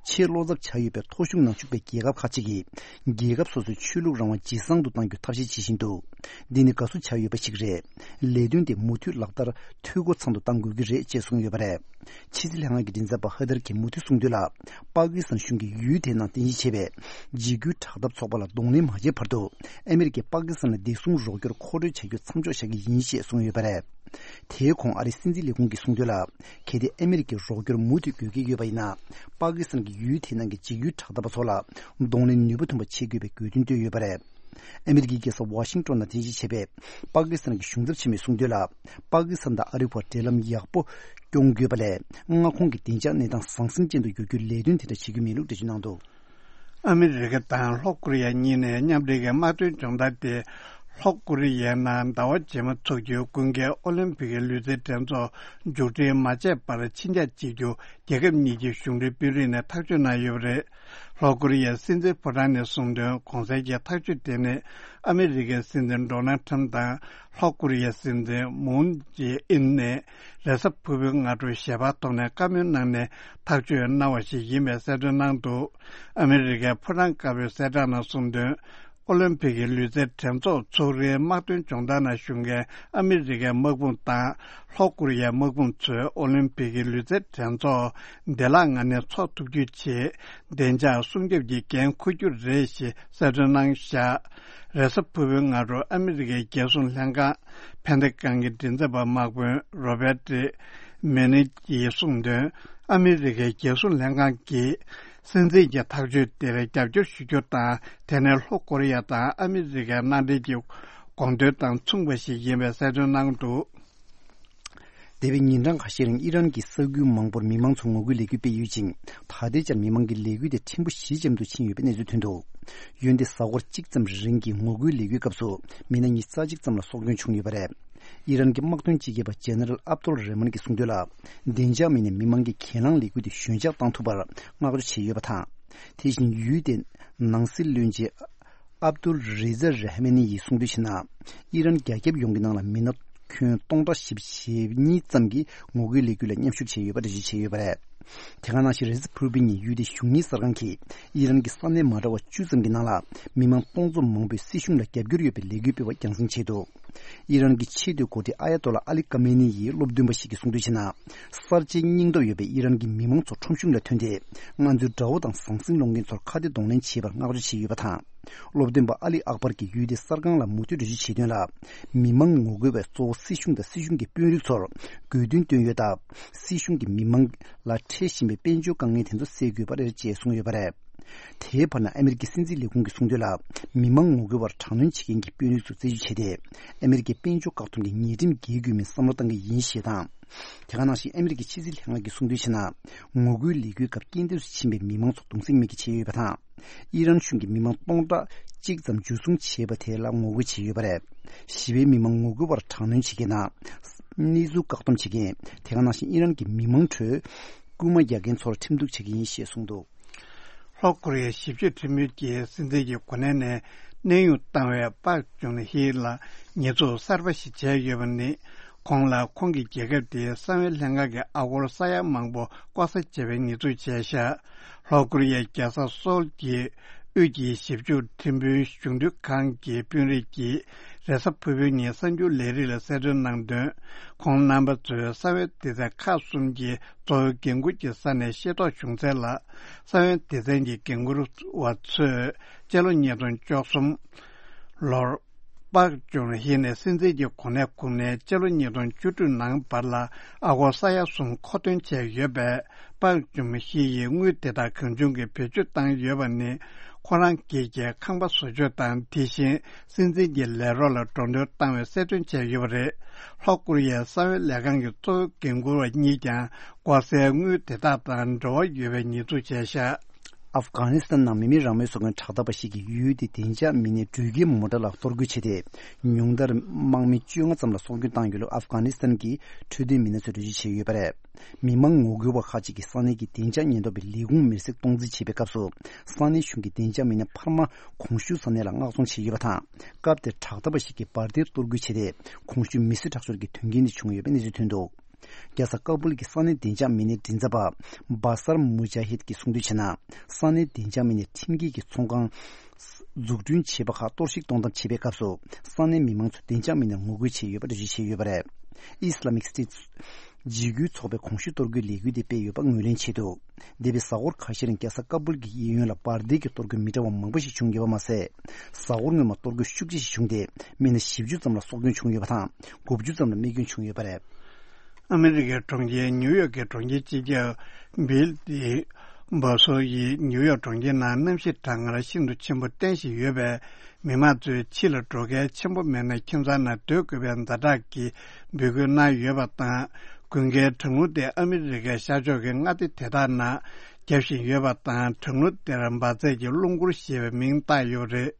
ཆེས་བློ་འཚབ་ཆགས་ཡོད་པའི་ཐོ་གཞུང་ནང་བཅུག་པའི་རྒྱལ་ཁབ་ཁག་ཅིག་གིས། རྒྱལ་ཁབ་སོ་སོའི་ཆོས་ལུགས་རང་དབང་ཇེ་བཟང་དུ་གཏང་རྒྱུའི་ཐབས་ཤེས་བྱེད་བཞིན་འདུག་འདི་ནི་དགའ་བསུ་བྱ་འོས་པ་ཞིག་རེད། ལས་དོན་དེ་མུ་མཐུད་ལག་བསྟར་འཐུས་སྒོ་ཚང་དུ་གཏང་དགོས་ཀྱི་རེད་ཅེས་གསུངས་ཡོད་པ་རེད། ཕྱི་སྲིད་ལྷན་ཁང་གི་མགྲིན་ཚབ་པ་ཧ་ཐར་གྱིས་མུ་མཐུད་གསུངས་དོན་ལ། པ་ཀི་སི་ཐན་གཞུང་གིས་ཡུལ་དེའི་ནང་རྟེན་གཞི་བྱས་པའི་འཇིགས་སྐུལ་དྲག་འཐབ་ཚོགས་པ་ལ་གདོང་ལེན་མ་བྱས་བར་དུ། ཨ་མི་རི་ཀས་པ་ཀི་སི་ཐན་ལ་བདེ་སྲུང་རོགས་སྐྱོར་མཁོ་སྤྲོད་བྱ་རྒྱུ་མཚམས་འཇོག་བཞག་གི་ཡིན་ཞེས་གསུངས་ཡོད་པ་རེད། དེའི་གོང་ཨ་རིའི་སྲིད་འཛིན་ལས་ཁུངས་ཀྱིས་གསུངས་དོན་ལ། གལ་ཏེ་ཨ་མི་རི་ཀས་རོགས་སྐྱོར་མུ་མཐུད་དགོས་ཀྱི་ཡོད་པ་ཡིན་ན། པ་ཀི་སི་ཐན་གྱིས་ཡུལ་དེའི་ནང་གི་འཇིགས་སྐུལ་དྲག་འཐབ་པ་ཚོ་ལ་གདོང་ལེན་ནུས་པ་ཐོན་པ་བྱེད་དགོས་པའི་དགོས་འདུན་བཏོན་ཡོད་པ་རེད། ཨ་མི་རི་ཀའི་རྒྱལ་ས་ཝ་ཤིང་ཏོན་ནང་རྟེན་གཞི་བྱས་པའི་པ་ཀི་སི་ཐན་གྱི་གཞུང་ཚབ་ཆེན་མོས་གསུངས་དོན་ལ། པ་ཀི་སི་ཐན་དང་ཨ་རིའི་བར་འབྲེལ་ལམ་ཡག་པོ་སྐྱོང་དགོས་པ་ལས། མངའ་ཁོངས་ཀྱི་བདེ་འཇགས་གནས་སྟངས་ཟང་ཟིང་ཅན་དུ་འགྱུར་རྒྱུའི་ལས་དོན་དེ་འདྲ་བྱེད་རྒྱུ་མེད་ལུགས་འགྲེལ་བརྗོད་གནང་འདུག་ཨ་མི་རི་ཀ་དང་ལྷོ་ཀོ་རི་ཡ་གཉིས་ནས་མཉམ་འབྲེལ་གྱི་དམག་དོན་སྦྱོང་བརྡར་དེ། ལྷོ་ཀོ་རི་ཡའི་ནང་ཟླ་བ་རྗེས་མ་འཚོགས་རྒྱུའི་དགུན་ཁའི་ཨོ་ལིམ་ཕིག་གི་ལུས་རྩལ་འགྲན་ཚོགས་མཇུག་སྒྲིལ་མ་བྱས་པར་ཕྱི་འགྱངས་བྱེད་རྒྱུ། རྒྱལ་ཁབ་གཉིས་ཀྱི་གཞུང་འབྲེལ་དཔོན་རིགས་ནས་ཐག་གཅོད་གནང་ཡོད་པ་རེད། ལྷོ་ཀོ་རི་ཡའི་སྲིད་འཛིན་ཕོ་བྲང་ནས་གསུངས་དོན། གོང་གསལ་གྱི་ཐག་གཅོད་དེ་ནི། ཨ་མི་རི་ཀའི་སྲིད་འཛིན་ཌོ་ནལ་ཁྲམ་དང་། ལྷོ་ཀོ་རི་ཡའི་སྲིད་འཛིན་མུན་ཇེ་ཨིན་ནས། རེས་གཟའ་ཕུར་བུའི་སྔ་དྲོ་ཞལ་པར་ཐོག་ནས་བཀའ་མོལ་གནང་ནས་ཐག་གཅོད་གནང་བ་ཞིག་ཡིན་པའི་གསལ་སྟོན་གནང་འདུག་ཨ་མི་རི་ཀའི་ཕོ་བྲང་དཀར་པོའི་གསལ་བསྒྲགས་ནང་གསུངས་དོན། ཨོ་ལིམ་ཕིག་གི་ལུས་རྩལ་འགྲན་ཚོགས་འཚོགས་རིང་དམག་དོན་སྦྱོང་བརྡར་ནང་ཞུགས་མཁན་ཨ་མི་རི་ཀའི་དམག་དཔུང་དང་། ལྷོ་ཀོ་རི་ཡའི་དམག་དཔུང་ཚོས་ཨོ་ལིམ་ཕིག་གི་ལུས་རྩལ་འགྲན་ཚོགས་བདེ་བླག་ངང་ནས་འཚོགས་ཐུབ་རྒྱུའི་ཆེད། བདེ་འཇགས་སྲུང་སྐྱོབ་ཀྱི་འགན་འཁུར་རྒྱུ་རེད་ཞེས་གསལ་སྟོན་གནང་བཞག་རེས་གཟའ་ཕུར་བུའི་སྔ་དྲོ་ཨ་མི་རི་ཀའི་རྒྱལ་སྲུང་ལྷན་ཁང་། ཕན་ཐེ་ཀང་གི་མགྲིན་ཚབ་པ་དམག་དཔོན་རོ་བེ་ཏི་མེ་ནི་ཡིས་གསུངས་དོན། ཨ་མི་རི་ཀའི་རྒྱལ་སྲུང་ལྷན་ཁང་གིས། སྲིད་འཛིན་གྱི་ཐག་གཅོད་དེར་རྒྱབ་སྐྱོར་ཞུ་རྒྱུ་དང་། དེ་ནས་ལྷོ་ཀོ་རི་ཡ་དང་ཨ་མི་རི་ཀའི་མནའ་འབྲེལ་གྱི་དགོངས་དོན་དང་མཚུངས་པ་ཞིག་ཡིན་པའི་གསལ་སྟོན་གནང་འདུག་འདས་པའི་ཉིན་གྲངས་ཁ་ཤས་རིང་ཨི་རན་གྱི་ས་ཁུལ་མང་པོར་མི་མང་ཚོ་ངོ་རྒོལ་ལས་འགུལ་སྤེལ་ཡོད་ཅིང་། ད་ལྟའི་ཆར་མི་མང་གི་ལས་འགུལ་དེ་ཕྲན་བུ་ཞི་འཇམ་དུ་ཕྱིན་ཡོད་པའི་གནས་ཚུལ་ཐོན་འདུག་འོན་ཏེ་གཟའ་འཁོར་གཅིག་ཙམ་རིང་གི་ངོ་རྒོལ་ལས་འགུལ་སྐབས་སུ་མི་སྣ་ཉི་ཤུ་རྩ་གཅིག་ཙམ་ལ་སྲོག་སྐྱོན་བྱུང་ཡོད་པ་རེད། ཨི་རན་གྱི་དམག་དོན་སྤྱི་ཁྱབ་པ་ཇེ་ནེ་རལ་ཨབ་ཏུལ་རེ་མན་གྱིས་གསུངས་དོན་ལ། བདེ་འཇགས་མི་སྣས་མི་མང་གི་གྱེན་ལངས་ལས་འགུལ་དེ་ཞོད་འཇགས་བཏང་ཐུབ་པར་བསྔགས་བརྗོད་བྱས་ཡོད་པ་དང་། དེ་བཞིན་ཡུལ་དེའི་ནང་སྲིད་བློན་ཆེན་ཨབ་ཏུལ་རི་ཛ་རེ་ཧ་མེ་ནི་ཡིས་གསུངས་དོན་བྱས་ན། ཨི་རན་རྒྱ་ཁྱབ་ཡོངས་ཀྱི་ནང་ལ་མི་སྣ་ཁྱོན་སྟོང་ཕྲག་བཞི་བཅུ་ཞེ་གཉིས་ཙམ་གྱིས་ངོ་རྒོལ་ལས་འགུལ་ལ་མཉམ་ཞུགས་བྱས་ཡོད་པ་འགྲེལ་བརྗོད་བྱས་ཡོད་པ་རེད། དེ་ག་ནང་བཞིན་རེས་གཟའ་ཕུར་བུའི་ཉིན་ཡུལ་དེའི་གཞུང་གཉེར་གསར་ཁང་གིས་ཨི་རན་གྱི་ས་གནས་མ་འདྲ་བ་བཅུ་ཙམ་གྱི་ནང་ལ་མི་མང་སྟོང་ཚོ་མང་པོས་སྲིད་གཞུང་ལ་རྒྱབ་སྐྱོར་ཡོད་པའི་ལས་འགུལ་སྤེལ་བ་རྒྱང་སྲིང་བྱས་འདུག་ཨི་རན་གྱི་ཆེས་མཐོའི་འགོ་ཁྲིད་ཨ་ཡ་ཏོ་ལ་ཨ་ལི་ཀ་མེ་ནི་ཡིས་སློབ་སྟོན་པ་ཞིག་གིས་གསུངས་དོན་བྱས་ན། གསར་བརྗེའི་སྙིང་སྟོབས་ཡོད་པའི་ཨི་རན་གྱི་མི་མང་ཚོ་ཁྲོམ་གཞུང་ལ་ཐོན་ཏེ། ང་ཚོའི་དགྲ་བོ་དང་ཟང་ཟིང་སློང་མཁན་ཚོར་ཁ་གཏད་གདོང་ལེན་བྱེད་པར་བསྔགས་བརྗོད་བྱས་ཡོད་པ་དང་། སློབ་སྟོན་པ་ཨ་ལི་ཨག་པར་གྱིས་ཡུལ་དེའི་གསར་ཁང་ལ་མུ་མཐུད་འགྲེལ་བརྗོད་བྱས་དོན་ལ། མི་མང་ངོ་རྒོལ་བས་གཙོ་བོ་སྲིད་གཞུང་དང་སྲིད་གཞུང་གི་དཔོན་རིགས་ཚོར་དགོས་འདུན་བཏོན་ཡོད་སྟབས། སྲིད་གཞུང་གིས་མི་མང་ལ་འཕྲད་བཞིན་པའི་དཔལ་འབྱོར་དཀའ་ངལ་དེ་ཚོ་སེལ་དགོས་པ་རེད་ཅེས་གསུངས་ཡོད་པ་རེད། དེའི་བར་ན་ཨ་མེ་རི་ཀའི་སྲིད་འཛིན་ལས་ཁུངས་ཀྱིས་གསུངས་དོན་ལ། མི་མང་ངོ་རྒོལ་བར་དྲག་གནོན་བྱེད་མཁན་གྱི་དཔོན་རིགས་ཚོ་རྩད་གཅོད་བྱས་ཏེ། ཨ་མེ་རི་ཀའི་དཔལ་འབྱོར་བཀག་སྡོམ་གྱི་ཉེས་ཁྲིམས་འགེལ་དགོས་མིན་བསམ་བློ་གཏང་གི་ཡིན་ཞེས་དང་། དེ་ག་ནང་བཞིན་ཨ་མེ་རི་ཀའི་ཕྱི་སྲིད་ལྷན་ཁང་གིས་གསུངས་དོན་བྱས་ན། ངོ་རྒོལ་ལས་འགུལ་སྐབས་རྐྱེན་འདས་སུ་ཕྱིན་པའི་མི་མང་ཚོ་གདུང་སེམས་མེད་ཀྱི་བྱས་ཡོད་པ་དང་། ཨི་རན་གཞུང་གིས་མི་མང་སྟོང་ཕྲག་གཅིག་ཙམ་འཇུ་བཟུང་བྱས་པ་དེ་ལ་ངོ་རྒོལ་བྱས་ཡོད་པ་རེད། ཞི་བའི་མི་མང་ངོ་རྒོལ་བར་དྲག་གནོན་བྱེད་མཁན་དང་། གནས་ཚུལ་བཀག་སྡོམ་བྱེད་མཁན། དེ་ག་ནང་བཞིན་ཨི་རན་གྱི་མི་མང་ཁྲོད་རྐུན་མ་རྒྱག་མཁན་ཚོར་ཁྲིམས་གཏུག་བྱེད་ཀྱི་ཡིན་ཞེས་གསུངས་འདུག་ལྷོ་ཀོ་རི་ཡའི་ཞིབ་དཔྱོད་ཁྲིམས་དཔོན་གྱིས་སྲིད་འཛིན་གྱི་གོ་གནས་ནས་གནས་དབྱུང་བཏང་བའི་པག་ཅུན་ཧི་ལ་ཉེས་འཛུགས་གསར་པ་ཞིག་བྱས་ཡོད་པ་ནི། ཁོང་ལ་ཁོང་གི་རྒྱལ་ཁབ་དེའི་གསང་བའི་ལྷན་ཁང་གི་ཨ་སྒོར་ས་ཡ་མང་པོ་ལྐོག་ཟ་བྱས་པའི་ཉེས་འཛུགས་བྱས་ཤག་ལྷོ་ཀོ་རི་ཡའི་རྒྱལ་ས་སོལ་གྱི་དབུས་ཀྱི་ཞིབ་འཇུག་ཁྲིམས་དཔོན་གཞུང་དོན་ཁང་གི་དཔོན་རིགས་ཀྱིས་རེས་གཟའ་ཕུར་བུའི་ཉིན་གསར་འགྱུར་ལས་རིགས་ལ་གསལ་སྟོན་གནང་དོན། ཁོང་རྣམ་པ་ཚོས་གསང་བའི་སྡེ་ཚན་ཁག་གསུམ་གྱི་གཙོ་བོའི་འགན་འཁུར་གྱི་ས་ནས་ཤེས་རྟོགས་བྱུང་གསལ་ལ། གསང་བའི་སྡེ་ཚན་གྱི་འགན་འཁུར་བ་ཚོས་སྤྱི་ལོ་ཉིས་སྟོང་བཅུ་གསུམ་ལོར། པག་ཅུན་ཧི་ནས་སྲིད་འཛིན་གྱི་གོ་གནས་ཁུར་ནས་སྤྱི་ལོ་ཉིས་སྟོང་བཅུ་དྲུག་ནང་བར་ལ་ཨ་སྒོར་ས་ཡ་གསུམ་མཁོ་འདོན་བྱས་ཡོད་པས། པག་ཅུན་ཧི་ཡིས་དངུལ་དེ་དག་གང་བྱུང་གིས་བེད་སྤྱོད་བཏང་ཡོད་པ་ནི། ཁོ་རང་སྒེར་གྱི་ཁང་པ་བཟོ་བཅོས་དང་། དེ་བཞིན་སྲིད་འཛིན་གྱི་ལས་རོགས་ལ་འགྲོ་གྲོན་བཏང་བའི་གསལ་སྟོན་བྱས་ཡོད་པ་རེད། ལྷོ་ཀོ་རི་ཡའི་གསང་བའི་ལས་ཁང་གི་གཙོ་བོ་འགན་འཁུར་བ་གཉིས་ཀྱང་། ལྐོག་ཟའི་དངུལ་དེ་དག་དང་འབྲེལ་བ་ཡོད་པའི་ཉེས་འཛུགས་བྱས་ཤག་ཨབ་གྷ་ནི་སི་ཐན་ནང་མི་མེད་རང་མོས་སོགས་ཀྱི་དྲག་འཐབ་པ་ཞིག་གིས་ཡུལ་དེའི་བདེ་འཇགས་མི་སྣས་འགྲུལ་སྐྱེལ་མོ་ཊ་ལ་གཏོར་རྒོལ་བྱས་ཏེ། ཉུང་མཐར་དམག་མི་བཅོ་ལྔ་ཙམ་ལ་སྲོག་སྐྱོན་བཏང་ཡོད་ལུགས་ཨབ་གྷ་ནི་སི་ཐན་གྱི་འཕྲོད་བསྟེན་མི་སྣ་ཚོས་འགྲེལ་བརྗོད་བྱས་ཡོད་པ་རེད། མི་མང་ངོ་རྒོལ་བ་ཁག་ཅིག་གིས་ས་གནས་ཀྱི་བདེ་འཇགས་ཉེན་རྟོག་པའི་ལས་ཁུངས་མེར་སྲེག་གཏོང་རྩིས་བྱེད་པའི་སྐབས་སུ། ས་གནས་གཞུང་གི་བདེ་འཇགས་མི་སྣ་འཕར་མ་གོང་ཞུས་ས་གནས་ལ་མངགས་གཏོང་བྱས་ཡོད་པ་དང་། སྐབས་དེར་དྲག་འཐབ་པ་ཞིག་གིས་འབར་མདེལ་གཏོར་རྒོལ་བྱས་ཏེ། གོང་ཞུས་མི་གསོད་ཁྲག་སྦྱོར་གྱི་དོན་རྐྱེན་དེ་བྱུང་ཡོད་པའི་གནས་ཚུལ་ཐོན་འདུག་རྒྱལ་ས་ཀ་སྦུལ་གྱི་ས་གནས་བདེ་འཇགས་མི་སྣའི་མགྲིན་ཚབ་པ་བ་སར་མུ་ཇཱ་ཧིད་ཀྱིས་གསུངས་དོན་བྱས་ན། ས་གནས་བདེ་འཇགས་མི་སྣས་ཁྲིམས་འགལ་གྱི་ཚོང་ཁང་འཛུགས་སྐྲུན་བྱས་པ་ཁག་གཏོར་བཤིག་གཏོང་ཐབས་བྱེད་པའི་སྐབས་སུ། ས་གནས་མི་མང་ཚོས་བདེ་འཇགས་མི་སྣར་ངོ་རྒོལ་བྱས་ཡོད་པ་འགྲེལ་བརྗོད་བྱས་ཡོད་པ་རེད། ཨི་སི་ལ་མིག་སི་ཊེཊ་འཇིགས་སྐུལ་ཚོགས་པས་གོང་ཞུས་གཏོར་རྒོལ་ལས་འགུལ་དེ་སྤེལ་ཡོད་པ་ངོས་ལེན་བྱས་འདུག་འདས་པའི་གཟའ་འཁོར་ཁ་ཤས་རིང་རྒྱལ་ས་ཀ་སྦུལ་གྱི་གཡས་གཡོན་ལ་འབར་མདེལ་གྱི་གཏོར་རྒོལ་མི་འདྲ་བ་མང་པོ་ཞིག་བྱུང་ཡོད་པ་མ་ཟད། གཟའ་འཁོར་སྔོན་མ་གཏོར་རྒོལ་ཤུགས་ཆེ་ཞིག་བྱུང་སྟེ། མི་སྣ་བཞི་བཅུ་ཙམ་ལ་སྲོག་སྐྱོན་བྱུང་ཡོད་པ་དང་། དགུ་བཅུ་ཙམ་ལ་རྨས་སྐྱོན་བྱུང་ཡོད་པ་རེད། ཨ་མི་རི་ཀའི་གྲོང་ཁྱེར་ཉིའུ་ཡོག་གི་གྲོང་ཁྱེར་སྤྱི་ཁྱབ་བྷིལ་ཏི་འབོ་སོ་ཡིས་ཉིའུ་ཡོག་གྲོང་ཁྱེར་ནང་གནམ་གཤིས་གྲང་ངར་ཤིན་ཏུ་ཆེན་པོ་བསྟན་བཞིན་ཡོད་པས། མི་མང་ཚོས་ཕྱི་ལ་འགྲོ་གལ་ཆེན་པོ་མེད་ན་ཁྱིམ་ཚང་ནང་སྡོད་དགོས་པའི་ཛ་དྲག་གི་འབོད་སྐུལ་གནང་ཡོད་པ་དང་། དགུན་ཁའི་གྲང་རླུང་དེ་ཨ་མི་རི་ཀའི་ཤར་ཕྱོགས་ཀྱི་མངའ་སྡེ་དེ་དག་ནང་རྒྱབ་བཞིན་ཡོད་པ་དང་། གྲང་རླུང་དེར་འབར་རྫས་ཀྱི་རླུང་འཁོར་ཞེས་པའི་མིང་བཏགས་ཡོད་པ་རེད།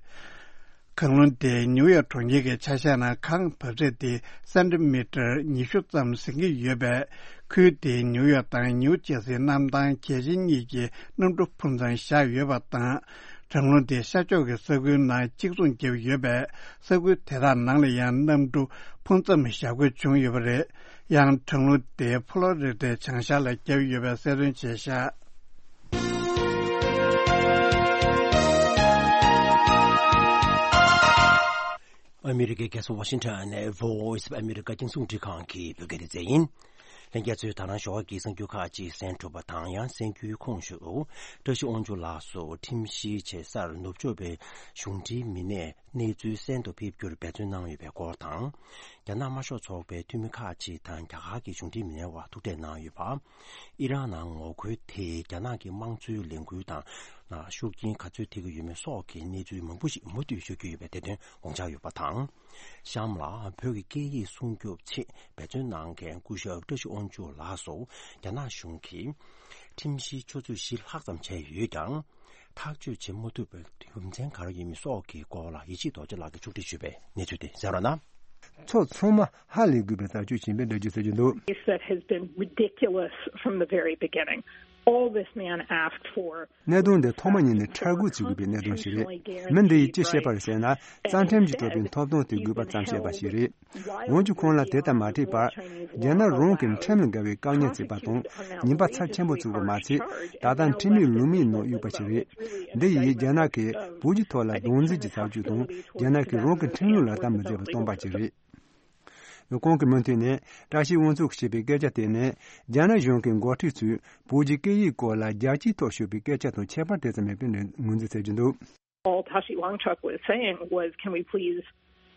གངས་རླུང་དེས་ཉིའུ་ཡོག་གྲོང་ཁྱེར་གྱི་ཆ་ཤས་ནང་གངས་འབབ་ཚད་དེ་སེན་ཏི་མི་ཊར་ཉི་ཤུ་ཙམ་ཟིན་གྱི་ཡོད་པས། ཁུལ་དེའི་ཉིའུ་ཡོག་དང་ནིའུ་ཇེར་སིའི་གནམ་ཐང་གལ་ཆེན་གཉིས་ཀྱི་གནམ་གྲུ་ཕུན་ཚོགས་བཞག་ཡོད་པ་དང་། གྲང་རླུང་དེས་ཤར་ཕྱོགས་ཀྱི་ས་ཁུལ་ནང་གཅིག་མཚུངས་བརྒྱབ་ཡོད་པས། ས་ཁུལ་དེ་དག་ནང་ལ་ཡང་གནམ་གྲུ་ཕུང་མཚམས་བཞག་དགོས་བྱུང་ཡོད་པ་རེད། ཡང་གྲང་རླུང་དེ་ཕྷོ་ལོ་རི་ཌའི་བྱང་ཤར་ལ་བརྒྱབ་ཡོད་པའི་གསལ་སྟོན་བྱས་ཤག་ཨ་མི་རི་ཀའི་རྒྱལ་ས་ཝ་ཤིང་ཊོན་ནས་Voice of America རྒྱང་སྲིང་རླུང་འཕྲིན་ཁང་གི་བོད་སྐད་སྡེ་ཚན་ཡིན། ལྷན་རྒྱས་ཚོས་ད་རང་ཞོགས་ཀྱི་གསར་འགྱུར་ཁག་ཅིག་གསན་གྲུབ་པ་དང་། ཡང་གསར་འགྱུར་ཁོངས་ཞུགས་བཀྲ་ཤིས་དབང་ཕྱུག་ལགས་སུ་ཁྲིམས་གཞིའི་བྱེད་སར་ནུབ་ཕྱོགས་པའི་གཞུང་འབྲེལ་མི་སྣས་གནས་ཚུལ་གསན་དུ་ཕེབས་རྒྱུར་འབད་བརྩོན་གནང་ཡོད་པའི་སྐོར་དང་། རྒྱ་ནག་དམར་ཤོག་ཚོགས་པའི་འཐུས་མི་ཁག་ཅིག་དང་རྒྱ་གར་གྱི་གཞུང་འབྲེལ་མི་སྣའི་དབར་ཐུག་འཕྲད་གནང་ཡོད་པ། ཨི་རན་ནང་ངོ་རྒོལ་དེས་རྒྱ་ནག་གི་དམངས་གཙོའི་ལས་འགུལ་དང་ཤུགས་རྐྱེན་ག་ཚོད་ཐེབས་ཀྱི་ཡོད་མེད་སོགས་ཀྱི་གནས་ཚུལ་མང་པོ་ཞིག་མུ་མཐུད་ཤོད་ཀྱི་ཡོད་པའི་བདེ་དོན་དགོངས་འཆར་ཡོད་པ་དང་། གཤམ་ལ་བོད་ཀྱི་སྐད་ཡིག་སྲུང་སྐྱོབ་ཆེད་འབད་བརྩོན་གནང་མཁན་སྐུ་ཞབས་བཀྲ་ཤིས་དབང་ཕྱུག་ལགས་སུ་རྒྱ་ནག་གཞུང་གིས་ཁྲིམས་གཞིའི་ཆུ་ཚོད་བཞི་ལྷག་ཙམ་བྱས་ཡོད་ཀྱང་། ཐག་གཅོད་བྱེད་མ་ཐུབ་པའི་རྒྱུ་མཚན་ག་རེ་ཡིན་མིན་སོགས་ཀྱི་སྐོར་ལ་ཡེ་ཤེས་རྡོ་རྗེ་ལགས་ཀྱིས་ཕྱོགས་སྒྲིག་ཞུས་པའི་གནས་ཚུལ་དེ་གསན་རོགས་གནང་། ཕྱོགས་ཚང་མ་ཧ་ལས་དགོས་པའི་ཐག་གཅོད་བྱིན་པའི་འགྲེལ་བརྗོད་ཟེར་གྱི་འདུག That has been ridiculous from the very beginning. All this man asked for གནད་དོན་འདི་ཐོག་མ་ཉིད་ནས་ཁྲལ་དགོས་བྱེད་དགོས་པའི་གནད་དོན་ཞིག་རེད། མི་འདི་ཡིས་ཅི་བཤད་པ་རེད་ཟེར་ན། རྩ་ཁྲིམས་ཀྱིས་སྤྲད་པའི་ཐོབ་ཐང་དེ་དགོས་པ་ཙམ་བཤད་པ་ཞིག་རེད། འོན་ཀྱང་ཁོང་ལ་དེ་དང་མ་འཕྲད་པར། རྒྱ་ནག་རང་གི་ཁྲིམས་ལ་འགལ་བའི་བཀག་ཉར་བྱས་པ་དང་། ཉེས་པ་ཚབས་ཆེན་པོ་བཙུགས་པ་མ་ཚད། ད་ལྟ་ཁྲིམས་མེད་ལུགས་མེད་ནང་གཡུགས་པ་ཞིག་རེད། འདི་ཡིས་རྒྱ་ནག་གིས་བོད་ཀྱི་ཐོག་ལ་སྡང་འཛིན་གྱི་ཚབས་ཆེ་དང་། རྒྱ་ནག་གིས་རང་གི་ཁྲིམས་ལུགས་ལག་བསྟར་མི་མཛད་པར་སྟོན་པ་ཞིག་རེད། ཁོང་གིས་མུ་མཐུད་ནས། བཀྲ་ཤིས་དབང་ཕྱུག་གིས་བཤད་པའི་སྐད་ཆ་དེ་ནི། རྒྱ་ནག་གཞུང་གི་འགོ་ཁྲིད་ཚོས་བོད་ཀྱི་སྐད་ཡིག་སྐོར་ལ་རྒྱལ་སྤྱིའི་ཐོག་ཤོད་པའི་སྐད་ཆ་དང་ཁྱད་པར་དེ་ཙམ་མེད་པའི་ངོས་འཛིན་བྱེད་ཀྱི་འདུག All Tashi Wangchuk was saying was, "Can we please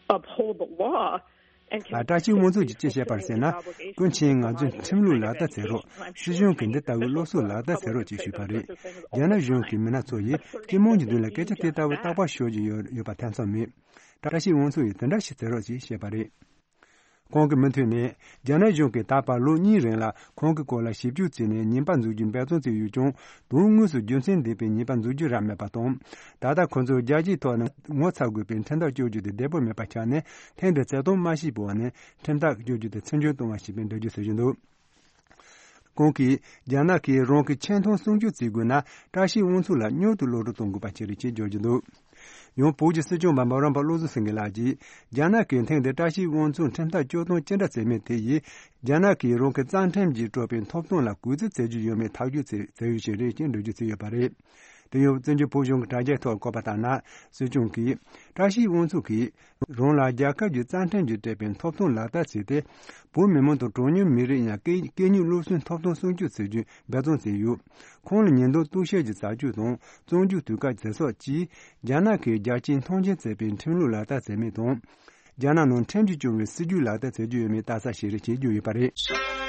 uphold the law?" བཀྲ་ཤིས་དབང་ཕྱུག་གིས་ཅི་བཤད་པ་རེད་ཟེར་ན། སྐུ་མཁྱེན། ང་ཚོས་ཁྲིམས་ལུགས་ལག་བསྟར་བྱེད་རོགས། སྲིད་གཞུང་གིས་འདི་ལྟ་བུའི་སློབ་གསོ་ལག་བསྟར་བྱེད་རོགས་ཅེས་ཞུས་པ་རེད། རྒྱ་ནག་གཞུང་གི་མི་སྣ་ཚོ་ཡིས་སྤྱི་དམངས་ཀྱི་མདུན་ལ་སྐད་ཆ་དེ་ལྟ་བུ་རྟག་པར་ཤོད་ཀྱི་ཡོད་ཡོད་པ་ཐེ་ཚོམ་མེད། བཀྲ་ཤིས་དབང་ཕྱུག་ཡིས་དེ་འདྲ་ཞིག་བྱེད་རོགས་ཅེས་བཤད་པ་རེད། ཁོང་གི་མུ་མཐུད་ནས། རྒྱ་ནག་གཞུང་གིས་ད་བར་ལོ་གཉིས་རིང་ལ་ཁོང་གི་སྐོར་ལ་ཞིབ་འཇུག་བྱས་ནས་ཉེས་པ་འཛུགས་རྒྱུ་འབད་བརྩོན་བྱས་ཡོད་ཀྱང་། དོན་དངོས་སུ་རྒྱུ་མཚན་ལྡན་པའི་ཉེས་པ་འཛུགས་རྒྱུ་རག་མེད་པ་དང་། ད་ལྟ་ཁོ་ཚོས་རྒྱལ་སྤྱིའི་ཐོག་ནས་ངོ་ཚ་དགོས་པའི་ཁྲིམས་ཐག་གཅོད་རྒྱུ་དེ་བདེ་པོ་མེད་པ་ཆགས་ནས། ཐེངས་འདིར་བྱེད་སྟངས་མ་ཤེས་པའི་འོག་ནས་ཁྲིམས་ཐག་གཅོད་རྒྱུ་དེ་ཚིག་འཇོག་གཏོང་བ་ཞིག་པའི་འགྲེལ་བརྗོད་བྱེད་བཞིན་འདུག། ཁོང་གིས། རྒྱ་ནག་གིས་རང་གི་ཆེ་མཐོང་སྲུང་སྐྱོབ་བྱེད་དགོས་ན། བཀྲ་ཤིས་དབང་ཕྱུག་ལ་མྱུར་དུ་གློད་གྲོལ་གཏོང་དགོས་པ་ཞིག་རེད་ཅེས་བརྗོད་ཀྱི་འདུག། ཡང་བོད་ཀྱི་སྲིད་སྐྱོང་འབའ་འབའ་རམ་པ་བློ་བཟང་སེང་གེ་ལགས་ཀྱིས། རྒྱ་ནག་གིས་ཐེངས་འདིར་བཀྲ་ཤིས་དབང་ཕྱུག་ཁྲིམས་ཐག་གཅོད་སྟངས་ཅི་འདྲ་བྱས་མིན་དེ་ཡིས། རྒྱ་ནག་གིས་རང་གི་རྩ་ཁྲིམས་ཀྱིས་སྤྲོད་པའི་ཐོབ་ཐང་ལ་གུས་བརྩི་བྱེད་ཀྱི་ཡོད་མེད་ཐག་གཅོད་བྱེད་བྱེད་ཡུལ་ཞིག་རེད་ཅེས་འགྲེལ་བརྗོད་བྱས་ཡོད་པ་རེད། དེ་ཡང་བཙན་བྱོལ་བོད་གཞུང་གི་དྲ་རྒྱའི་ཐོག་བཀོད་པ་ལྟར་ན། སྲིད་སྐྱོང་གིས། བཀྲ་ཤིས་དབང་ཕྱུག་གིས། རང་ལ་རྒྱལ་ཁབ་ཀྱི་རྩ་ཁྲིམས་ཀྱིས་སྤྲད་པའི་ཐོབ་ཐང་ལག་བསྟར་བྱས་ཏེ། བོད་མི་མང་དང་གྲངས་ཉུང་མི་རིགས་ཡང་སྐད་སྐད་གཉིས་སློབ་གསོའི་ཐོབ་ཐང་སྲུང་སྐྱོབ་བྱེད་རྒྱུའི་འབད་བརྩོན་བྱས་ཡོད། ཁོང་ལ་ཉེས་འདུན་གཏུག་བཤེར་གྱི་བྱ་སྤྱོད་དང་བཙོན་འཇུག་དུས་བཀག་ཟེར་སོགས་ཀྱིས། རྒྱ་ནག་གིས་རྒྱལ་སྤྱིའི་མཐོང་མཆན་བྱས་པའི་ཁྲིམས་ལུགས་ལག་བསྟར་བྱས་མིན་དང་། རྒྱ་ནག་ནང་ཁྲིམས་ཀྱིས་སྐྱོང་བའི་སྲིད་ཇུས་ལག་བསྟར་བྱེད་རྒྱུ་ཡོད་མེད་ལྟ་ས་ཞིག་རེད་ཅེས་བརྗོད་ཡོད་པ་རེད།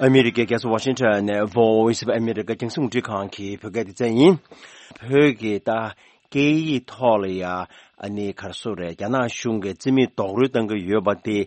ཨ་མི་རི་ཀའི་རྒྱལ་ས་ཝ་ཤིང་ཊོན་ནས་Voice of America རྒྱང་སྲིང་རླུང་འཕྲིན་ཁང་གི་བོད་སྐད་སྡེ་ཚན་ཡིན། བོད་ཀྱི་ད་སྐད་ཡིག་ཐོག་ལ་ཡ་ཨ་ནི་ག་རེ་ཟེར་རེད། རྒྱ་ནག་གཞུང་གིས་རྩིས་མེད་རྡོག་རོལ་བཏང་གི་ཡོད་པ་དེ།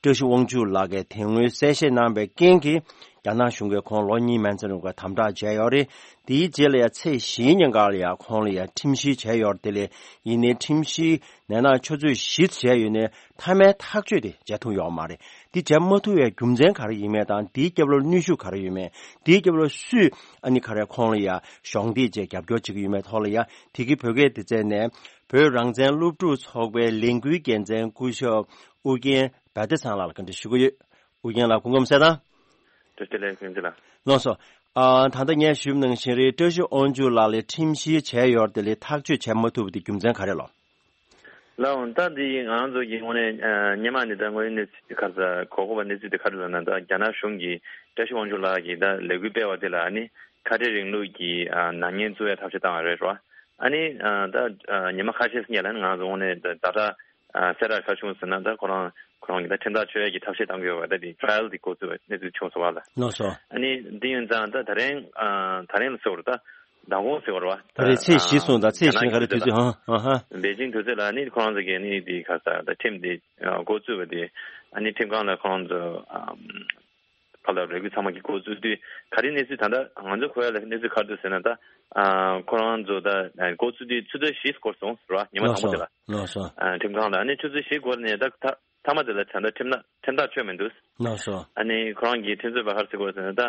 བཀྲ་ཤིས་དབང་ཕྱུག་ལགས་ཀྱིས་དེ་སྔོན་གསལ་བཤད་གནང་བའི་རྐྱེན་གྱིས། རྒྱ་ནག་གཞུང་གིས་ཁོང་ལོ་གཉིས་མན་ཚད་རིང་ག་དམ་དྲག་བྱས་ཡོད་རེད། དེའི་རྗེས་ལ་ཡ་ཚེས་བཞིའི་ཉིན་ག་ལ་ཡ་ཁོང་ལ་ཡ་ཁྲིམས་བཤེར་བྱས་ཡོད་རེད། དེ་ལས་ཡིན་ནའི་ཁྲིམས་བཤེར་ནས་ན་ཆུ་ཚོད་བཞི་བྱས་ཡོད་ནའི་མཐའ་མའི་ཐག་གཅོད་དེ་བྱས་ཐུབ་ཡོད་མ་རེད། དེ་བྱས་མ་ཐུབ་པའི་རྒྱུ་མཚན་ག་རེ་ཡིན་མིན་དང་། དེའི་རྒྱབ་ལོགས་གནོན་ཤུགས་ག་རེ་ཡོད་མེད། དེའི་རྒྱབ་ལོགས་སུས་ཨ་ནི་ག་རེ་ཁོང་ལ་ཡ་གཞོགས་འདེགས་བྱས་རྒྱབ་སྐྱོར་བྱེད་ཀྱི་ཡོད་མེད་ཐོག་ལ་ཡ། དེ་གི་བོད་སྐད་སྡེ་ཚན་ནས་བོད་རང་བཙན་སློབ་ཕྲུག་ཚོགས་པའི་ལས་འགུལ་འགན་འཛིན་སྐུ་ཞབས་ཨུ་རྒྱན་བ་དེ་ཚང་ལགས་ལ་བཀའ་འདྲི་ཞུ་གི་ཡོད། ཨུ་རྒྱན་ལགས་སྐུ་ཁམས་བཟང་། བཀྲ་ཤིས་བདེ་ལེགས། ལགས་སོ། ཨ། ད་ལྟ་ངས་ཞུས་པ་ནང་བཞིན་རེད། བཀྲ་ཤིས་དབང་ཕྱུག་ལགས་ལ་ཁྲིམས་བཤེར་བྱས་ཡོད་རེད། དེ་ལས་ཐག་གཅོད་བྱས་མ་ཐུབ་པ་དེ་རྒྱུ་མཚན་ག་རེ་ལགས། ལགས་འོང་། ད་འདི་ང་རང་ཚོ་གི་དངོས་གནས་ཨ་སྔོན་མ་ནས་ད་དངོས་ཡོད་གནས་ཚུལ་དེ་ག་རེ་ཟེར། གོ་དགོས་པ་གནས་ཚུལ་དེ་ག་རེ་ལབ་ན། ད་རྒྱ་ནག་གཞུང་གིས་བཀྲ་ཤིས་དབང་ཕྱུག་ལགས་ཀྱིས་ད་ལས་འགུལ་སྤེལ་བ་དེ་ལ་ཨ་ནི་ཁ་བྲལ་རིང་ལུགས་ཀྱི་ཨ་ནག་ཉེས་བཙུགས་ཡ་ཐབས་ཤེས་བཏང་བ་རེད་རོ། ཨ་ནི་ཨ་ད་ཨ་ཉི་མ་ཁ་ཤས་སྔོན་ལ་ནི་ང་རང་ཚོ་དངོས་གནས་ད་ད་ལྟ་ཨ་གསལ་བསྒྲགས་ག་རེ་བྱུང་ཟེར་ན། ད་ཁོ་རང་ཁོ་རང་གིས་ད་ཁྲིམས་ཐག་གཅོད་ཡ་གི་ཐབས་ཤེས་བཏང་གི་ཡོད་པ། ད་དེ་ཊྲ་ཡལ་དེ་འགོ་བཙུགས་པའི་གནས་ཚུལ་བྱུང་སོང་བ་ལ། ལགས་སོ། ཨ་ནི་འདི་ཡིན་ཙང་ད་ད་རིང་ཨ་ད་རིང་ལ་ཟེར་བ་རེད། ད་མདང་དགོང་ཟེར་བ་རེད་བ། ད་རེས་ཚེས་བཞི་སོང་། ད་ཚེས་བཞི་ག་རེ་དུས་ཚོད། ཧང་ཧང་ཧང་། པེ་ཅིང་དུས་ཚོད་ལ་ནི་ཁོ་རང་ཚོ་གིས་ནི་དེ་ག་ས་ད་ཁྲིམས་དེ་འགོ་བཙུགས་པ་དེ། ཨ་ནི་ཁྲིམས་ཁང་ལ་ཁོ་རང་ཚོ་ཨམ་ག་ལ་རེ་སྐུལ་ཚང་མ་གི་འགོ་བཙུགས་དུས་ག་རེ་གནས་ཚུལ། ད་ལྟ་ང་ཚོ་གོ་ཡ་ལ་གནས་ཚུལ་ག་རེ་འདུག་ཟེར་ན། ད་ཨ་ཁོ་རང་ཚོ་ད་འགོ་བཙུགས་དུས་ཆུ་ཚོད་བཞི་འགོར་སོང་ཟེར་བ། ཉི་མ་དང་པོ་དེ་ལ། ལགས་སོ། ཨ་ཁྲིམས་ཁང་ལ་ཨ་ནི་ཆུ་ཚོད་བཞི་འགོར་ནས་ད་ད་མཐའ་མ་དེ་ལ་ད་ལྟ་ཁྲིམས་ན་ཁྲིམས་ཐག་ཆོད་མི་འདུག། ལགས་སོ། ཨ་ནི་ཁོ་རང་གིས་ཁྲིམས་རྩོད་པ་ག་རེ་ཟེར་གོ་ཟེར་ན། ད་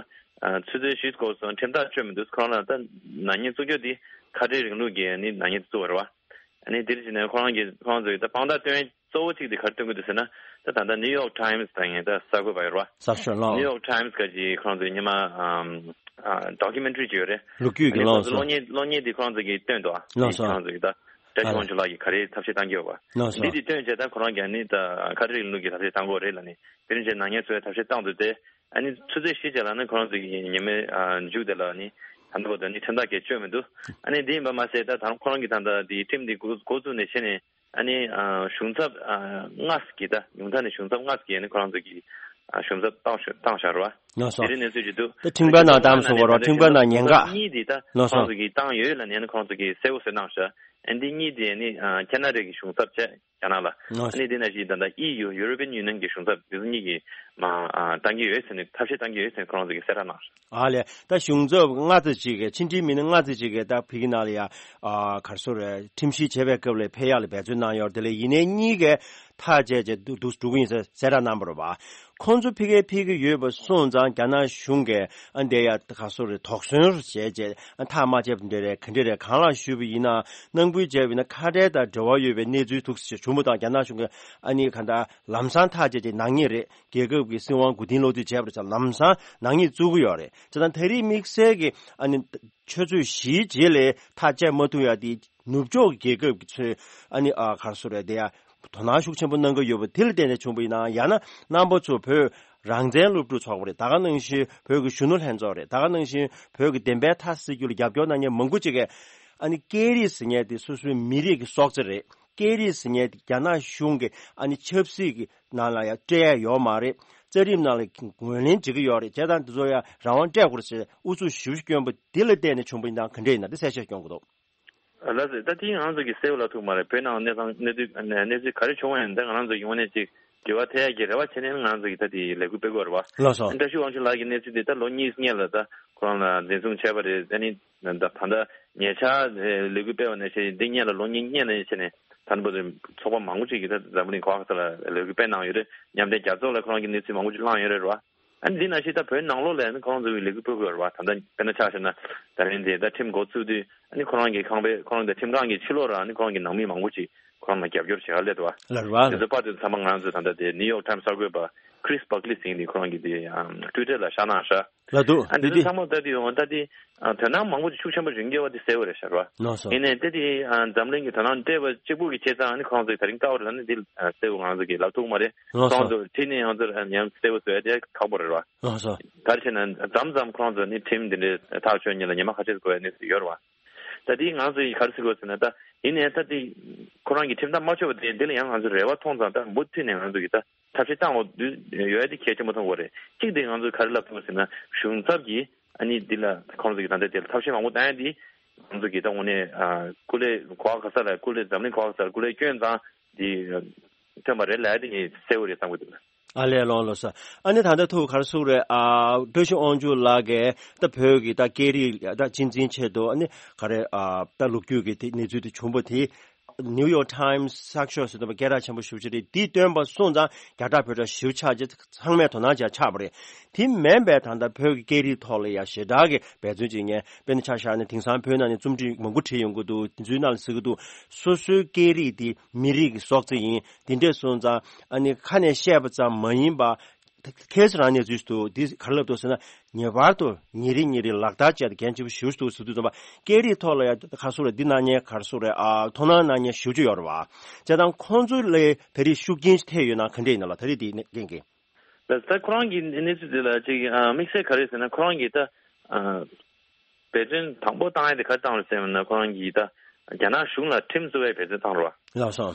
ཨ་ཆུ་ཚོད་བཞི་འགོར་སོང་། ཁྲིམས་ཐག་ཆོད་མི་འདུག། ཁོ་རང་ལ་ད་ནག་ཉེས་བཙུགས་རྒྱུ་དེ་ཁ་བྲལ་རིང་ལུགས་ཀྱི་ཨ་ནི་ནག་ཉེས་བཙུགས་པ་རེད་བ། ཨ་ནི་འདིར་བྱས་ནས་ཁོ་རང་གིས་ཁོ་རང་ཚོ་གིས་ད་དཔང་རྟགས་སྟོན་གཙོ་བོ་གཅིག་དེ་ག་རེ་སྟོན་གྱི་འདུག་ཟེར་ན། ད་ད་ལྟ་ནིའུ་ཡོག་ཊའིམ་སི་དང་ངས་ད་གསར་འགོད་པ་ཡོད་རེད་བ། གསར་ཤོག་ལགས། ནིའུ་ཡོག་ཊའིམ་སི་ག་ཅིག་ཁོ་རང་ཚོའི་སྔོན་མ་ཨམ་ཨ་ཌོ་ཀུ་མེན་ཊ་རི་ཅིག་ཡོད་རེད། ལོ་རྒྱུས་ཀྱི། ཨ་ནི་ལགས་སོ། གློག་བརྙན་གློག་བརྙན་དེ་ཁོ་རང་ཚོ་གིས་བཏོན་འདུག་ཨ། ལགས་སོ། ཁོ་རང་ཚོ་གིས་ད་བཀྲ་ཤིས་དབང་ཕྱུག་ལགས་ཀྱིས་ག་རེ་ཐབས་ཤེས་བཏང་གི་ཡོད་པ། ལགས་སོ། འདི་དེ་བཏོན་བྱས་ད་ཁོ་རང་གིས་ཨ་ནི་ད་ཁ་བྲལ་རིང་ལུགས་ཀྱི་ཐབས་ཤེས་བཏང་གི་ཡོད་རེད་ལབ་ནས། དེ་རིང་བྱས་ནག་ཉེས་བཟོ་བའི་ཐབས་ཤེས་བཏང་འདུག་སྟེ། ཨ་ནི་ཆུ་ཚོད་བཞི་རྗེས་ལ་ནི་ཁོ་རང་ཚོ་གི་ཉི་མའི་ཨ་མཇུག་དེ་ལ་ནི་ད་ལྟ་བར་དུ་ནི་ཁྲིམས་ཐག་གིས་གཅོད་མི་འདུག། ཨ་ནི་འདི་ཡིན་པ་མ་ཟད། ད་ད་ཁོ་རང་གིས་ད་ལྟ་འདི་ཁྲིམས་འདི་འགོ་འགོ་བཙུགས་ནས་བྱས་ནས། ཨ་ནི་ཨ་གཞུང་ཚབ་ཨ་ལྔ་ཙམ་གྱིས། ད་ཉུང་མཐའ་ནས་གཞུང་ཚབ་ལྔ་ཙམ་གྱིས་ནི་ཁོ་རང་ཚོ་གི་ཨ་གཞུང་ཚབ་བཏང་བཞག་བཏང་བཞག་རེད་བ། ལགས་སོ། དེ་རིང་གནས་ཚུལ་ཅིག་འདུག། ད་ཁྲིམས་ཁང་ནང་བཏང་སོང་བ་རེད་བ། ཁྲིམས་ཁང་ནང་ཉེན་ཁ། ལྔ་ཙམ་དེ་ད་ལགས་སོ། ཁོ་རང་ཚོ་གིས་བཏང་ཡོད་ལབ་ནས་ནི་ཁོ་རང་ཚོ་གིས་གསལ་པོ་བཟོས་གནང་བཞག། ཨ་ནི་འདི་གཉིས་དེ་ནི་ཨ་ཁེ་ན་ཌ་གི་གཞུང་ཚབ་བྱས། རྒྱ་ནག་ལ། ལགས་སོ། ཨ་ནི་འདི་ན་ཞིག་ད་ལྟ་ཨི་ཡུ། ཡུ་རོ་པི་ཡན་ཡུ་ནི་ཡན་གྱི་གཞུང་ཚབ་འདི་ཚོ་གཉིས་ཀྱིས་མ་ཨ་བཏང་གི་ཡོད་ཟེར་ནས། ཐབས་ཤེས་བཏང་གི་ཡོད་ཟེར་ནས་ཁོ་རང་ཚོ་གིས་གསལ་བསྒྲགས་གནང་སོང་། ཨ་ལས། ད་གཞུང་ཚབ་ལྔ་ཙམ་ཅིག་གིས། ཕྱི་འབྲེལ་མི་སྣ་ལྔ་ཙམ་ཅིག་གིས་ད་ཕ་གི་ནང་ལ་ཡ་ཨ་ག་རེ་ཟེར་རེད། ཁྲིམས་བཤེར་བྱེད་པའི་སྐབས་ལ་ཕེབས་ཡག་ལ་འབད་བརྩོན་གནང་ཡོད་རེད། དེ་ལས་ཡིན་ནའི་གཉིས་ཀས་ཐག་བཅད་བྱས་འདུག་འདུག་འགྲོ་གི་ཡིན་ཟེར་གསལ་བསྒྲགས་གནང་བ་རེད་བ། ཁོང་ཚོ་ཕ་གིར་ཕེབས་ཀྱི་ཡོད་པ་སོང་ཙང་རྒྱ་ནག་གཞུང་གིས་ཨ་འདི་ཡ་ག་སོ་རེད་དོགས་ཟོན་བྱས་བྱས་ཨ་ཐག་མ་བཅད་པ་འདི་རེད་ག་འདྲ་རེད་གང་ལ་ཞུས་པ་ཡིན་ན་ནང་ཁུལ་བྱས་པ་ཡིན་ན་ཁ་བྲལ་དང་འབྲེལ་བ་ཡོད་པའི་གནས་ཚུལ་འདུག་ཟེར་བྱུང་བ་དང་རྒྱ་ནག་གཞུང་གིས་ཨ་ནི་ག་འདྲ་ལམ་སང་ཐག་བཅད་བྱས་ནག་ཉེས་རེད། རྒྱལ་ཁབ་ཀྱི་སྲིད་དབང་མགོ་རྟིང་སློག་རྩིས་བྱས་པ་རེད་ཙང་ལམ་སང་ནག་ཉེས་བཙུགས་ཀྱི་ཡོད་རེད། བྱས་ཙང་ད་རེས་དམིགས་བསལ་གྱི་ཨ་ནི་ཆུ་ཚོད་བཞིའི་རྗེས་ལས་ཐག་བཅད་མ་ཐུབ་ཡ་དེ་ནུབ་ཕྱོགས་ཀྱི་རྒྱལ་ཁབ་ཀྱི་ཚོས་ཨ་ནི་ཨ་ག་རེ་ཟེར་རེད་དེ་ཡ་དོ་སྣང་ཤུགས་ཆེན་པོ་གནང་གི་ཡོད་པ་དེ་ལ་བརྟེན་ནས་བྱུང་བ་ཡིན་ནའང་ཡང་ན་རྣམ་པ་ཚོ་བོད་རང་བཙན་སློབ་ཕྲུག་ཚོགས་པ་རེད། ད་ག་ནང་བཞིན་བོད་ཀྱི་གཞོན་ནུ་ལྷན་ཚོགས་རེད། ད་ག་ནང་བཞིན་བོད་ཀྱི་བདེན་པའི་མཐའ་གསལ་རྒྱུ་ལ་རྒྱབ་སྐྱོར་གནང་མཁན་མང་པོ་ཅིག་གིས་ཨ་ནི་སྐད་རིགས་ཟེར་མཁན་དེ་སོ་སོའི་མི་རིགས་ཀྱི་སྲོག་རྩ་རེད། སྐད་རིགས་ཟེར་མཁན་དེ་རྒྱ་ནག་གཞུང་གི་ཨ་ནི་ཆབ་སྲིད་ཀྱི་ནང་ལ་ཡང་སྤྲད་ཡ་ཡོད་མ་རེད། རྩ་ཁྲིམས་ནང་ལ་ངོས་ལེན་བྱེད་ཀྱི་ཡོད་རེད། བྱས་ཙང་འདི་ཚོ་ཡང་རང་དབང་སྤྲད་དགོས་རེད་ཟེར་ཨུ་ཚུགས་ཞེ་པོ་བསྐྱོན་པ་འདི་ལ་བརྟེན་ནས་བྱུང་བ་ཡིན་ན་ག་འདྲ་ཡིན་ན་འདི་གསལ་བཤད་སྐྱོན་དགོས་འདུག་ལགས་སོ། ད་དེ་ང་རང་ཚོ་གི་གསལ་བོ་ལབ་ཐུབ་མ་རེད། བོད་ནང་གནས་སྟངས་གནས་ཚུལ་གནས་ཚུལ་ག་རེ་བྱུང་བ་ཡིན་ད་ང་རང་ཚོ་ཡོང་ནས་ཅིག་འགྱུར་བ་ཐེབས་ཡ་གི་རེ་བ་བྱས་ནས་ང་རང་ཚོ་གི་ད་དེ་ལས་འགུལ་སྤེལ་དགོས་རེད་བ། ལགས་སོ། བཀྲ་ཤིས་དབང་ཕྱུག་ལགས་ཀྱི་གནས་ཚུལ་དེ་ད་ལོ་གཉིས་སྔོན་ལ་ད་ཁོ་རང་ལ་འཛིན་བཟུང་བྱས་པ་རེད། ཨ་ནི་ད་ད་ལྟ་ཉེ་ཆར་ལས་འགུལ་སྤེལ་བ་ནས་བྱས་འདི་སྔོན་ལ་ལོ་གཉིས་སྔོན་ལ་བྱས་ནས་ད་ནི་བར་དུ་ཚོགས་པ་མང་པོ་ཅིག་གིས་ད་འཛམ་བུ་གླིང་ག་བ་ག་ས་ལ་ལས་འགུལ་སྤེལ་གནང་ཡོད་རེད། མཉམ་འབྲེལ་རྒྱལ་ཚོགས་ལ་ཁོ་རང་གི་གནས་ཚུལ་མང་པོ་ཅིག་བླངས་ཡོད་རེད་བ། ཨ་ནི་འདི་ནང་བཞིན་ད་བོད་ནང་ལོགས་ལ་ཨ་ནི་ཁོ་རང་ཚོ་གི་ལས་འགུལ་སྤེལ་དགོས་རེད་བ། ད་ལྟ་དཔེར་ན་ཆ་བཞག་ན་ད་རིང་འདི་ད་ཁྲིམས་འགོ་ཚུགས་དུས་ཨ་ནི་ཁོ་རང་གི་ཁང་པའི་ཁོ་རང་གི་ཁྲིམས་ཁང་གི་ཕྱི་ལོགས་ར་ཨ་ནི་ཁོ་རང་གི་ནང་མི་མང་པོ་ཅིག་ཁོ་རང་ལ་རྒྱབ་སྐྱོར་བྱེད་ག་སླེབས་འདུག་བ། ལགས་རེད་བ། དེ་ཚོ་པར་དེ་ཚོ་ཚང་མ་ང་ཚོ་ད་ལྟ་དེ་ནིའུ་ཡོག་ཊའིམ་སི་གསར་འགོད་པ་ཁི་རིས་བྷག་ལི་ཟེར་མཁན་དེ་ཁོ་རང་གི་དེ་ཊུའི་ཊར་ལ་བཞག་གནང་ཤག་ལ་འདུག་ཨ་འདི་འདི་ཚོ་ཚང་མ་ལྟ་དུས་ཡོང་ད་དེ་དོ་སྣང་མང་པོ་ཅིག་ཤུགས་ཆེན་པོ་རིང་རྒྱས་པ་དེ་གསལ་བོ་རེད་ཤག་ར། ལགས་སོ། ཡིན་ནའི་དེ་དེ་འཛམ་གླིང་གི་དོ་སྣང་སྤྲད་པ་གཅིག་པུ་གི་བྱས་ཙང་ཨ་ནི་ཁོང་ཚོས་ད་རིང་དཀའ་བ་རེད་ལབ་ནི་དེ་གསལ་བོ་ང་ཚོ་གིས་ལབ་ཐུབ་མ་རེད། ལགས་སོ། ཁོང་ཚོ་ཁྲིད་ནས་ང་ཚོར་ཡང་གསལ་བོ་བཟོ་ཡ་དེ་ཁག་པོ་རེད་ར། ལགས་སོ། ག་རེ་བྱས་ན་མཚམས་མཚམས་ཁོང་ཚོ་ནི་ཁྲིམས་འདི་འདྲའི་ཐག་ཆོད་ཉིན་ལ་ཉི་མ་ཁ་ཤས་དགོས་ཡ་གནས་ཚུལ་ཡོད་ར་བ། ད་དེ་ང་ཚོས་ག་རེ་ཟེར་དགོས་ཟེར་ན་ད་ཡིན་ནའི་ད་དེ་ཁོ་རང་གི་ཁྲིམས་ཐག་མ་ཆོད་པ་དེ་འདི་ལ་ཡང་ང་ཚོས་རེ་བ་མཐོང་ཙང་ད་མུ་མཐུད་ནས་ང་ཚོ་གིས་ད། ཐབས་ཤེས་བཏང་འོ་དུས་ཡོད་དེ་གལ་ཆེན་པོ་མཐོང་དགོས་རེད། གཅིག་དེ་ང་ཚོས་ག་རེ་ལབ་ཐུབ་ཟེར་ན་གཞུང་ཚབ་ཀྱིས་ཨ་ནི་འདི་ལ་ཁོང་ཚོ་གི་ད་ལྟ་དེ་ལ་ཐབས་ཤེས་མང་པོ་བཏང་ཡ་འདི་ང་ཚོ་གི་ད་དངོས་གནས་ཨ་སྐུ་ལས་གོ་བ་ག་ས་ལ་སྐུ་ལས་འཛམ་གླིང་གོ་བ་ག་ས་ལ་སྐུ་ལས་བསྐྱོན་ཙང་འདི་ཐོན་པ་རེད་ལབ་ཡ་དེ་ངས་གསལ་བོ་རེད་བསམ་གི་འདུག་ཨ་ལས་ལོང་ལོ་ས། ཨ་ནི་ད་ལྟ་ཐུག་ག་རེ་ཟེར་རེད་ཨ་བཀྲ་ཤིས་དབང་ཕྱུག་ལགས་ཀྱིས་ད་བོད་ཀྱི་ད་སྐད་རིགས་ད་གཅེས་འཛིན་ཆེད་དུ་ཨ་ནི་ག་རེ་ཨ་ད་ལོ་རྒྱུས་ཀྱི་དེ་གནས་ཚུལ་དེ་བྱུང་པ་དེ། ནིའུ་ཡོག་ཊའིམ་སི་གསར་ཤོག་ཟེར་དུས་སྐད་གྲགས་ཆེན་པོ་ཞེ་པོ་ཅིག་རེད། འདི་བཏོན་པ་སོང་ཙང་རྒྱ་གྲགས་བོད་གྲགས་ཞེ་པོ་ཆགས་རྗེས་ཚང་མས་དོ་སྣང་བྱས་ཆགས་པ་རེད། དེ་མིན་པའི་ད་ལྟ་བོད་ཀྱི་སྐད་རིགས་ཐོག་ལ་ཡང་ཞེ་དྲག་གི་འབད་བརྩོན་བྱེད་མཁན་དཔེར་ན་ཆ་བཞག་ན་དེང་སང་བོད་ནང་ནས་རྩོམ་སྒྲིག་མང་པོ་བྲིས་ཡོང་གི་འདུག་དེ་ཚོའི་ནང་ལ་ཟེར་གྱི་འདུག་སོ་སོའི་སྐད་རིགས་དེ་མི་རིགས་ཀྱི་སྲོག་རྩ་ཡིན། དེ་འདྲས་སོང་ཙང་ཨ་ནི་ཁ་ནས་བཤད་པ་ཙམ་མ་ཡིན་པ། ཁྱེད་ཚོ་རང་གནས་ཚུལ་དུ་འདི་ག་རེ་ལབ་འདུག་ཟེར་ན་ངེས་པར་དུ་ཉིན་རེ་ཉིན་རེ་ལག་བསྟར་བྱས་ཏེ་འགན་ཆེན་པོ་ཞེ་པོ་ཅིག་འདུག་ཟེར་དུས་ཙམ་པ་སྐད་རིགས་ཐོག་ལ་ཡང་ག་རེ་ཟེར་རེད། འདི་གནང་མཁན་ག་རེ་ཟེར་རེད་ཨ་དོ་སྣང་གནང་མཁན་ཞེ་པོ་ཅིག་ཡོད་རེད་བ། བྱས་ཙང་ཁོང་ཚོ་ལ་ད་རེས་ཤུགས་རྐྱེན་ཅིག་ཐེབས་ཡོད་ན་ག་འདྲས་ཡིན་ན་ལ་ད་རེས་འདི་རྐྱེན་གྱིས། ད་ད་ཁོ་རང་གི་གནས་ཚུལ་འདི་ལ་ཅིག་ཨ་དམིགས་བསལ་ག་རེ་ཟེར་ན་ཁོ་རང་གིས་ད་ཨ། འབད་བརྩོན་དང་པོ་བཏང་ཡ་དེ་ག་རེ་བཏང་རེད་ཟེར་ན་ཁོ་རང་གིས་ད་རྒྱ་ནག་གཞུང་ལ་ཁྲིམས་བཙུགས་པའི་འབད་བརྩོན་བཏང་རེད་བ། ལགས་སོ།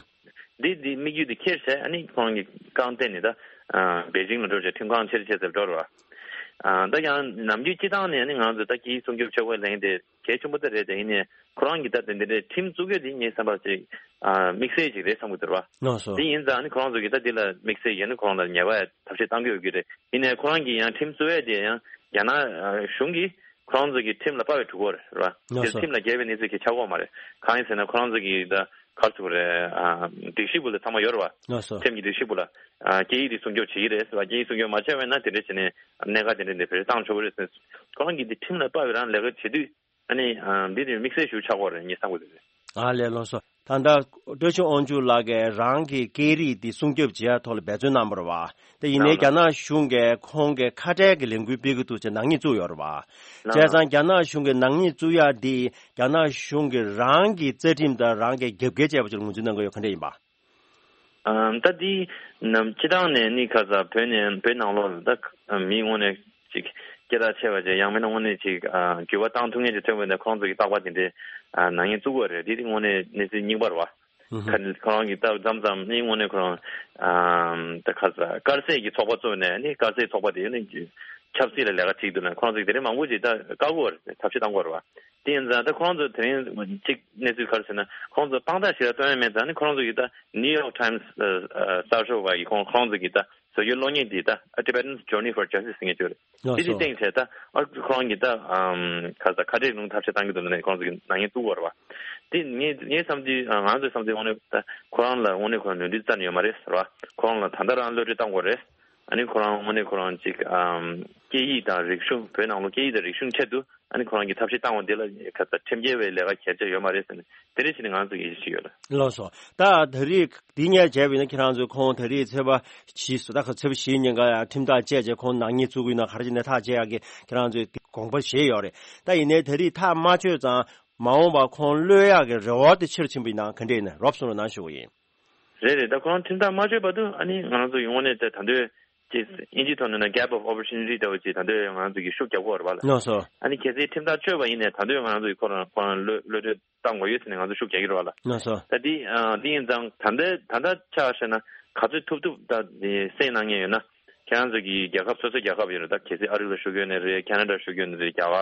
འདི་འདི་དམིགས་ཡུལ་འདི་ཁྱེར་བྱས་ཨ་ནི་ཁོ་རང་གིས་རྐང་སྟེང་ནས་ད་པེ་ཅིང་ལ་འགྲོ་བྱས་ཁྲིམས་ཁང་ཕྱིར་ཕྱིན་ཟེར་འགྲོ་རེད་བ། ད་ཡང་ནམ་རྒྱུན་སྤྱི་བཏང་ནས་ཨ་ནི་ང་ཚོ་ད་སྐད་ཡིག་སྲུང་སྐྱོབ་ཆོག་པའི་ལན་དེ་གལ་ཆེན་པོ་ད་རེད་དེ་ཡིན་ནའི་ཁོ་རང་གིས་ད་དེ་འདི་འདྲའི་ཁྲིམས་བཙུགས་ཡ་དེ་ངའི་བསམ་པར་ཅིག་དམིགས་བསལ་ཅིག་རེད་བསམ་གི་འདུག་རེད་བ། ལགས་སོ། དེ་ཡིན་ཙང་ཨ་ནི་ཁོ་རང་ཚོ་གིས་ད་འདི་ལ་དམིགས་བསལ་ཡིན་ན་ཁོ་རང་ལ་ཉེས་པ་ཐབས་ཤེས་བཏང་གི་ཡོད་ཀྱི་རེད། ཡིན་ནའི་ཁོ་རང་གིས་ཡང་ཁྲིམས་བཙུགས་ཡ་དེ་ཡང་རྒྱ་ནག་གཞུང་གིས་ཁོ་རང་ཚོ་གི་ཁྲིམས་ལ་དཔག་པའི་གྲུ་གུ་རེད་བ། ལགས་དེ་སོ། ཁྲིམས་ལ་འགལ་བའི་གནས་ཚུལ་གྱི་ཆགས་ཀྱི་ཡོད་མ་རེད། གང་ཡིན་ཟེར་ན་ཁོ་རང་ཚོ་གི་ད་ག་རེ་ཟེར་དགོས་རེད། ཨ་སྒྲིག་གཞི་བུ་ལ་ཚང་མ་ཡོད་རེད་བ། ལགས་སོ། ཁྲིམས་ཀྱི་སྒྲིག་གཞི་བུ་ལ། ཨ་སྐད་ཡིག་དེ་སྲུང་སྐྱོབ་བྱེད་ཀྱི་རེད་ཟེར་བ། སྐད་ཡིག་སྲུང་སྐྱོབ་མ་བྱས་པ་ཡིན་ན་དེ་འདྲ་བྱས་ནས་གནད་འགག་དེ་འདྲ་འདི་བེད་སྤྱོད་བཏང་ཆོག་གི་རེད་ཟེར། ཁོ་རང་གིས་འདི་ཁྲིམས་ལ་དཔག་པའི་རང་ལས་ཀ་བྱེད་དུས་ཨ་ནི་ཨ་འདི་དེ་དམིགས་བསལ་ཞིག་ཆགས་ཀྱི་ཡོད་རེད་ངས་བསམ་གི་འདུག་ཨ་ལས་ལགས་སོ། ད་ལྟ་བཀྲ་ཤིས་དབང་ཕྱུག་ལགས་ཀྱིས་རང་གི་སྐད་རིགས་འདི་སྲུང་སྐྱོབ་བྱེད་ཡ་ཐོག་ལ་འབད་བརྩོན་གནང་བ་རེད་བ། དེ་ཡིན་ནའི་རྒྱ་ནག་གཞུང་གིས་ཁོང་གི་ཁ་བྲལ་གྱི་ལས་འགུལ་སྤེལ་གྱི་འདུག་ཅེས་ནག་ཉེས་བཙུགས་ཡོད་རེད་བ། བྱས་ཙང་རྒྱ་ནག་གཞུང་གིས་ནག་ཉེས་བཙུགས་ཡ་འདི་རྒྱ་ནག་གཞུང་གིས་རང་གི་རྩ་ཁྲིམས་དང་རང་གི་རྒྱབ་འགལ་བྱས་པ་ཅིག་ལ་ངོས་འཛིན་གནང་གི་ཡོད། ག་འདྲ་ཡིན་པ། ཨ་ད་འདི་ནམ་སྤྱི་བཏང་ནས་ནི་ཁ་ས་བོད་ནས་བོད་ནང་ལོགས་ལ་ད་མི་དངོས་གནས་ཅིག་སྐད་གྲགས་ཆེ་བ་ཅིག་ཡང་མིན་ན་དངོས་གནས་ཅིག་ཨ་འགྱུར་བ་བཏང་ཐུབ་མཁན་ཅིག་ཐོན་པ་ཡིན་ན་ཁོང་ཚོ་གི་རྟག་པར་དེ་འདྲའི་ཨ་ནག་ཉེས་བཙུགས་པ་རེད། དེ་དེ་དངོས་གནས་གནས་ཚུལ་རྙིང་པ་རེད་བ། ཧུམ་ཧུམ། ཁ་ཁོ་རང་གི་ད་མཚམས་མཚམས་ནི་དངོས་གནས་ཁོ་རང་ཨ་ད་ཁ་ས་དཀར་ཟས་ཀྱི་ཚོགས་པ་བཙུགས་ནས་ནི་དཀར་ཟས་ཚོགས་པ་དེ་ནི་ཆབ་སྲིད་ལ་ལས་ཀ་བྱེད་འདུག་ན་ཁོང་ཚོ་གི་དེ་རིང་མང་པོ་ཅིག་ད་བཀག་དགོས་རེད། ཐབས་ཤེས་བཏང་དགོས་རེད་བ། དེ་ཡིན་ཙང་ད་ཁོང་ཚོ་དེ་རིང་གཅིག་གནས་ཚུལ་ག་རེ་ཟེར་ན་ཁོང་ཚོ་དཔང་རྟགས་ཞིག་ལ་སྟོན་ཡ་མེད་ཙང་ནི་ཁོ་རང་ཚོ་གིས་ད་ནིའུ་ཡོག་ཊའིམ་སི་གསར་ཤོག་པ་ཡིས་ཁོང་ཁོང་ཚོ་གིས་ད་བཟོ་རྒྱུའི་གློག་བརྙན་འདི་ད་Tibetans Journey for Justice ཟེར་མཁན་ཅིག་རེད། ལགས་འདི་འདི་སོ། སྟེང་བྱས་ད་ཨ་ཁོ་རང་གིས་ད་ག་ས་ཁ་བྲལ་ལུང་ཐབས་ཤེས་བཏང་གི་འདུག་ན་ནི་ཁོ་རང་ཚོ་གིས་ནག་ཉེས་བཙུགས་པ་རེད་བ། དེ་ངས་ངའི་བསམ་ཚུལ་ང་ཚོའི་བསམ་ཚུལ་དངོས་གནས་ད་ཁོ་རང་ལ་དངོས་གནས་ཁོ་རང་ནོར་འཁྲུལ་རྩ་ནས་ཡོད་མ་རེད་ཟེར་བ། ཁོ་རང་ལ་ད་ལྟ་རང་གློད་གྲོལ་བཏང་དགོས་རེད། ཨ་ནི་ཁོ་རང་དངོས་གནས་ཁོ་རང་ཅིག་ཨམ་སྐད་ཡིག་དང་རིག་གཞུང་བོད་ནང་ལོགས་སྐད་ཡིག་དང་རིག་གཞུང་ཆེད་དུ་ཨ་ནི་ཁོ་རང་གིས་ཐབས་ཤེས་བཏང་བ་འདི་ལ་ཁ་ཚ་ཁྲིམས་འགལ་བའི་ལས་ཀ་གལ་ཆེ་ཡོད་མ་རེད་ཟེར་ནས་དེ་འདྲ་བྱས་ནས་ང་ཚོ་ཡིད་ཆེས་ཡོད་ལ། ལགས་སོ། ད་ད་རེས་འདི་ཉལ་བྱས་པ་ཡིན་ན་ཁྱེད་རང་ཚོས་ཁོང་ད་རེས་ཚེས་པ་བཞི་སོ་ད་ཁ་ཚེས་པ་བཞི་ཉིན་ཀ་ཡང་ཁྲིམས་ཐག་བཅད་རྗེས་ཁོང་ནག་ཉེས་བཙུགས་ཀྱི་ཡོད་ན་ག་རེ་བྱས་ནས་ཐག་བཅད་ཡག་གི་ཁྱེད་རང་ཚོས་དགོངས་པ་བཞེས་ཡོད་རེད། ད་ཡིན་ནའི་ད་རེས་ཐག་མ་ཆོད་ཙང་མ་འོངས་པ་ཁོང་གློད་ཡག་གི་རེ་བ་དེ་ཆེ་རུ་ཕྱིན་པ་ཡིན་ན་ག་འདྲས་ཡིན་ན་རོབ་གསུང་རོགས་གནང་ཞུ་གི་ཡིན། རེད་རེད། ད་ཁོ་རང་ཁྲིམས་ཐག་མ་ཆོད་བར་དུ་ཨ་ནི་ང་རང་ཚོ་ཡོང་ནས་ད་ད་འདོད་ཅིག་ཨིན་ཇིའི་ཐོག་ནས་ན་gap of opportunity ལྟ་བུ་ཅིག་ད་འདོད་ང་རང་ཚོ་གི་ཤུགས་རྒྱག་དགོས་རེད་བ་ལ། ལགས་སོ། ཨ་ནི་གལ་སྲིད་ཁྲིམས་ཐག་ཆོད་པ་ཡིན་ནས་ད་འདོད་ང་རང་ཚོ་གི་ཁོ་རང་ཁོ་རང་གློད་གློད་གྲོལ་བཏང་དགོས་ཡོད་ཟེར་ནས་ང་ཚོ་ཤུགས་རྒྱག་གི་རེད་བ་ལ། ལགས་སོ། ད་འདི་ཨ་འདི་ཡིན་ཙང་ད་ལྟ་ད་ལྟ་ཆ་བཞག་ན་ག་ཚོད་ཐུབ་ཐུབ་ད་འདི་སེང་གནང་མཁན་ཡོད་ན་ཁྱེད་རང་ཚོ་གི་རྒྱལ་ཁབ་སོ་སོའི་རྒྱལ་ཁབ་ཡོད་རེད། ད་གལ་སྲིད་ཨ་རི་ལ་བཞུགས་ཡོད་ནི་རེད། ཁེ་ན་ཌ་བཞུགས་ཡོད་ནི་རེད། རྒྱ་གར་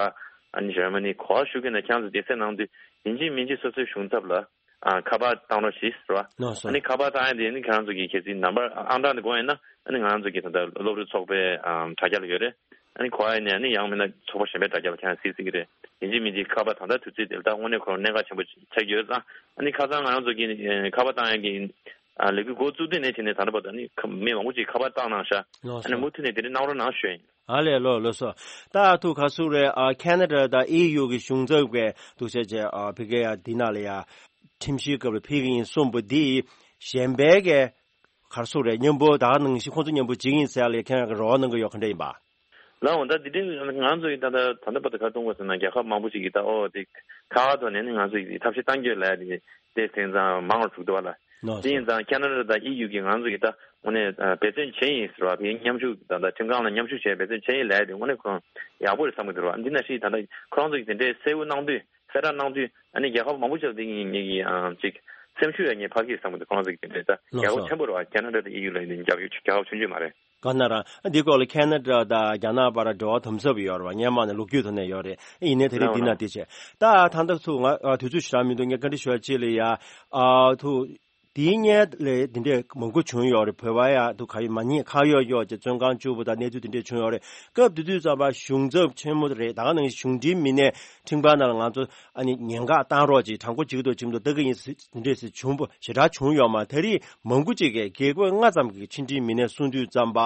ཨ་ནི་ཇར་མ་ནི་ག་པར་བཞུགས་ཡོད་ན་ཁྱེད་རང་ཚོ་དེ་སེང་གནང་དུས་ཡིན་གཅིག་མིན་གཅིག་སོ་སོའི་གཞུང་ཚབ་ལ། ཨ་ཁ་པར་བཏང་རོགས་ཞེས་ཟེར་བ། ལགས་སོ། ཨ་ནི་ཁ་པར་བཏང་ཡ་དེ་ནི་ཁྱེད་རང་ཚོ་གི་གལ་སྲིད་ནམ་བར་ཨང་གྲངས་དེ་དགོས་ཡིན་ན་ཨ་ནི་ང་རང་ཚོ་གི་ད་ལྟ་སློབ་ཕྲུག་ཚོགས་པའི་ཨམ་དྲ་རྒྱ་ལ་ཡོད་རེད། ཨ་ནི་གོ་ཡ་ཡིན་ན་ཨ་ནི་ཡང་མིན་ན་ཚོགས་པ་གཞན་པའི་དྲ་རྒྱ་ལ་ཁྱེད་རང་གཟིགས་སྲིད་ཀྱི་རེད། ཡིན་གཅིག་མིན་གཅིག་ཁ་པར་ད་ལྟ་དུས་ཚོད་དེ་ལ་ད་དངོས་གནས་ཁོ་རང་གནད་འགག་ཆེན་པོ་ཆགས་ཀྱི་ཡོད་ཙང་ཨ་ནི་ཁ་སང་ང་རང་ཚོ་གི་ཨེ་ཁ་པར་བཏང་ཡ་གི་ཨ་ལས་འགུལ་འགོ་བཙུགས་དུས་ནས་དེ་ནས་ད་ལྟ་བར་དུ་ཨ་ནི་ཁ་མི་མང་པོ་ཅིག་ཁ་པར་བཏང་གནང་ཤག་ལགས་ཨ་ནི་སོ། མུ་མཐུད་ནས་དེ་འདྲ་གནང་རོགས་གནང་ཞུ་ཡ་ཡིན། ཨ་ལས་ལོ་ལོ་སོ། ད་ཐུག་ག་སུ་རེད། ཨ་ཁེ་ན་ཌ་དང་ཨེ་ཡུ་གི་གཞུང་ཚབ་ཀྱིས་འདུག་བྱས་བྱས་ཨ་ཕ་གི་ཡ་འདི་ན་ལ་ཡ་ཁྲིམས་ཞིབ་སྐབས་ལ་ཕེབས་ཀྱི་ཡིན་གསུངས་པ་འདི་གཞན་པའི་གི་ག་སུ་རེད། མཉམ་པོ་ད་ག་ནང་བཞིན་ཁོང་ཚོ་མཉམ་པོ་བྱེད་ཀྱི་ཡིན་ཟེར་ལ་ཡ་ཁྱེད་རང་གི་རེ་བ་གནང་གི་ཡོད་ག་འདྲ་ཡིན་པ། ལའོ་ད་འདི་འདྲའི་ང་ཚོ་ཡི་ད་ལྟ་ད་ལྟ་བར་དུ་ག་གཏོང་དགོས་ཟེར་ན་རྒྱལ་ཁབ་མང་པོ་ཞིག་གིས་ད་ཨོ་དེ་ཁ་ཁ་ཐོག་ནས་ནི་ང་ཚོ་ཡི་ཐབས་ཤེས་གཏང་རྒྱུ་ལ་དེ་དེ་དེང་སང་མང་བར་བཅུག་འདུག་བ་ལ། ལགས་སོ། དེ་ཡིན་ཙང་ཁེ་ན་ཌ་དང་ཨི་ཡུ་གིས་ང་ཚོ་གི་ད་དངོས་གནས་འབད་བརྩོན་བྱས་ཡིན་ཟེར་བ་དེ་མཉམ་ཞུགས་དང་ད་ཁྲིམས་ཁང་ལ་མཉམ་ཞུགས་བྱས་འབད་བརྩོན་བྱས་ཡིན་ལབ་ཡ་དེ་དངོས་གནས་ཁོ་རང་ཡག་པོ་རེད་བསམ་གི་འདུག་ར། འདི་ནང་བཞིན་ད་ལྟ་ཁོ་རང་ཚོ་གི་དེ་འདྲའི་གསལ་བོ་གནང་དུས་གསལ་བསྒྲགས་གནང་དུས་ཨ་ནི་རྒྱལ་ཁབ་མང་པོ་ཅིག་ལ་དེ་ངེད་ཀྱི་ཅིག་སེམས་ཤུགས་ཡ་ངེད་ཕར་གི་བསམ་གི་འདུག་ཁོ་རང་ཚོ་གི་དེ་འདྲའི་ད་ལགས་སོ། ཡག་པོ་ཆེན་པོ་རེད་བ། ཁེ་ན་ཌ་དང་ཨི་ཡུ་ལ་ཡིན་རྒྱབ་ཡོད་རྒྱལ་ཁབ་ཆུང་ཆུང་མ་རེད། ག་ན་ར་འདི་སྐོར་ལ་ཁེ་ན་ཌ་དང་རྒྱ་ནག་བར་འབྲེལ་བ་དམ་ཟབ་ཡོད་རེད་བ། སྔན་མ་ནས་ལོ་རྒྱུས་ཐོག་ནས་ཡོད་རེད། ཡིན་ནའི་ད་རེས་འདི་ན་འདི་བྱས་ད་ད་ལྟ་ཚུ་ང་དུས་ཚོད་ཞེ་དྲག་མི་འདུག་ངས་བཀའ་འདྲི་ཞུ་བ་ཅིག་ལ་ཡ་ཨ་ཐུ་དེའི་སྔན་ལས་འདི་འདྲས་མང་པོ་བྱུང་ཡོད་རེད། བོད་པ་ཡ་ཐུ་ག་ཡོད་མ་ཉེས་ཁ་གཡོག་གཡོག་ཅེས་བཙོན་ཁང་བཅུག་པ་དང་གནས་ཚུལ་འདི་འདྲས་བྱུང་ཡོད་རེད། སྐབས་དེ་དུས་ཙམ་པ་གཞུང་ཚབ་ཆེན་མོ་རེད། ད་ག་ནང་བཞིན་གཞུང་འབྲེལ་མི་སྣས་ཁྲིམས་ཁང་ནང་ལ་ང་ཚོ་ཨ་ནི་ཉེན་བཀག་བཏང་རོགས་ཅིག་དྲང་པོ་བྱེད་ཀྱི་འདུག་བྱེད་མི་འདུག་ལྟ་གི་ཡིན་ཟེར་འདི་འདྲས་ཟེར་བྱུང་པོ་ཞེ་དྲག་བྱུང་ཡོད་མ་རེད། ད་རེས་མང་པོ་ཅིག་གིས་དགེ་བསྐོས་ལྔ་ཙམ་གྱི་ཕྱི་འབྲེལ་མི་སྣས་གསུངས་དུས་ཙམ་པ་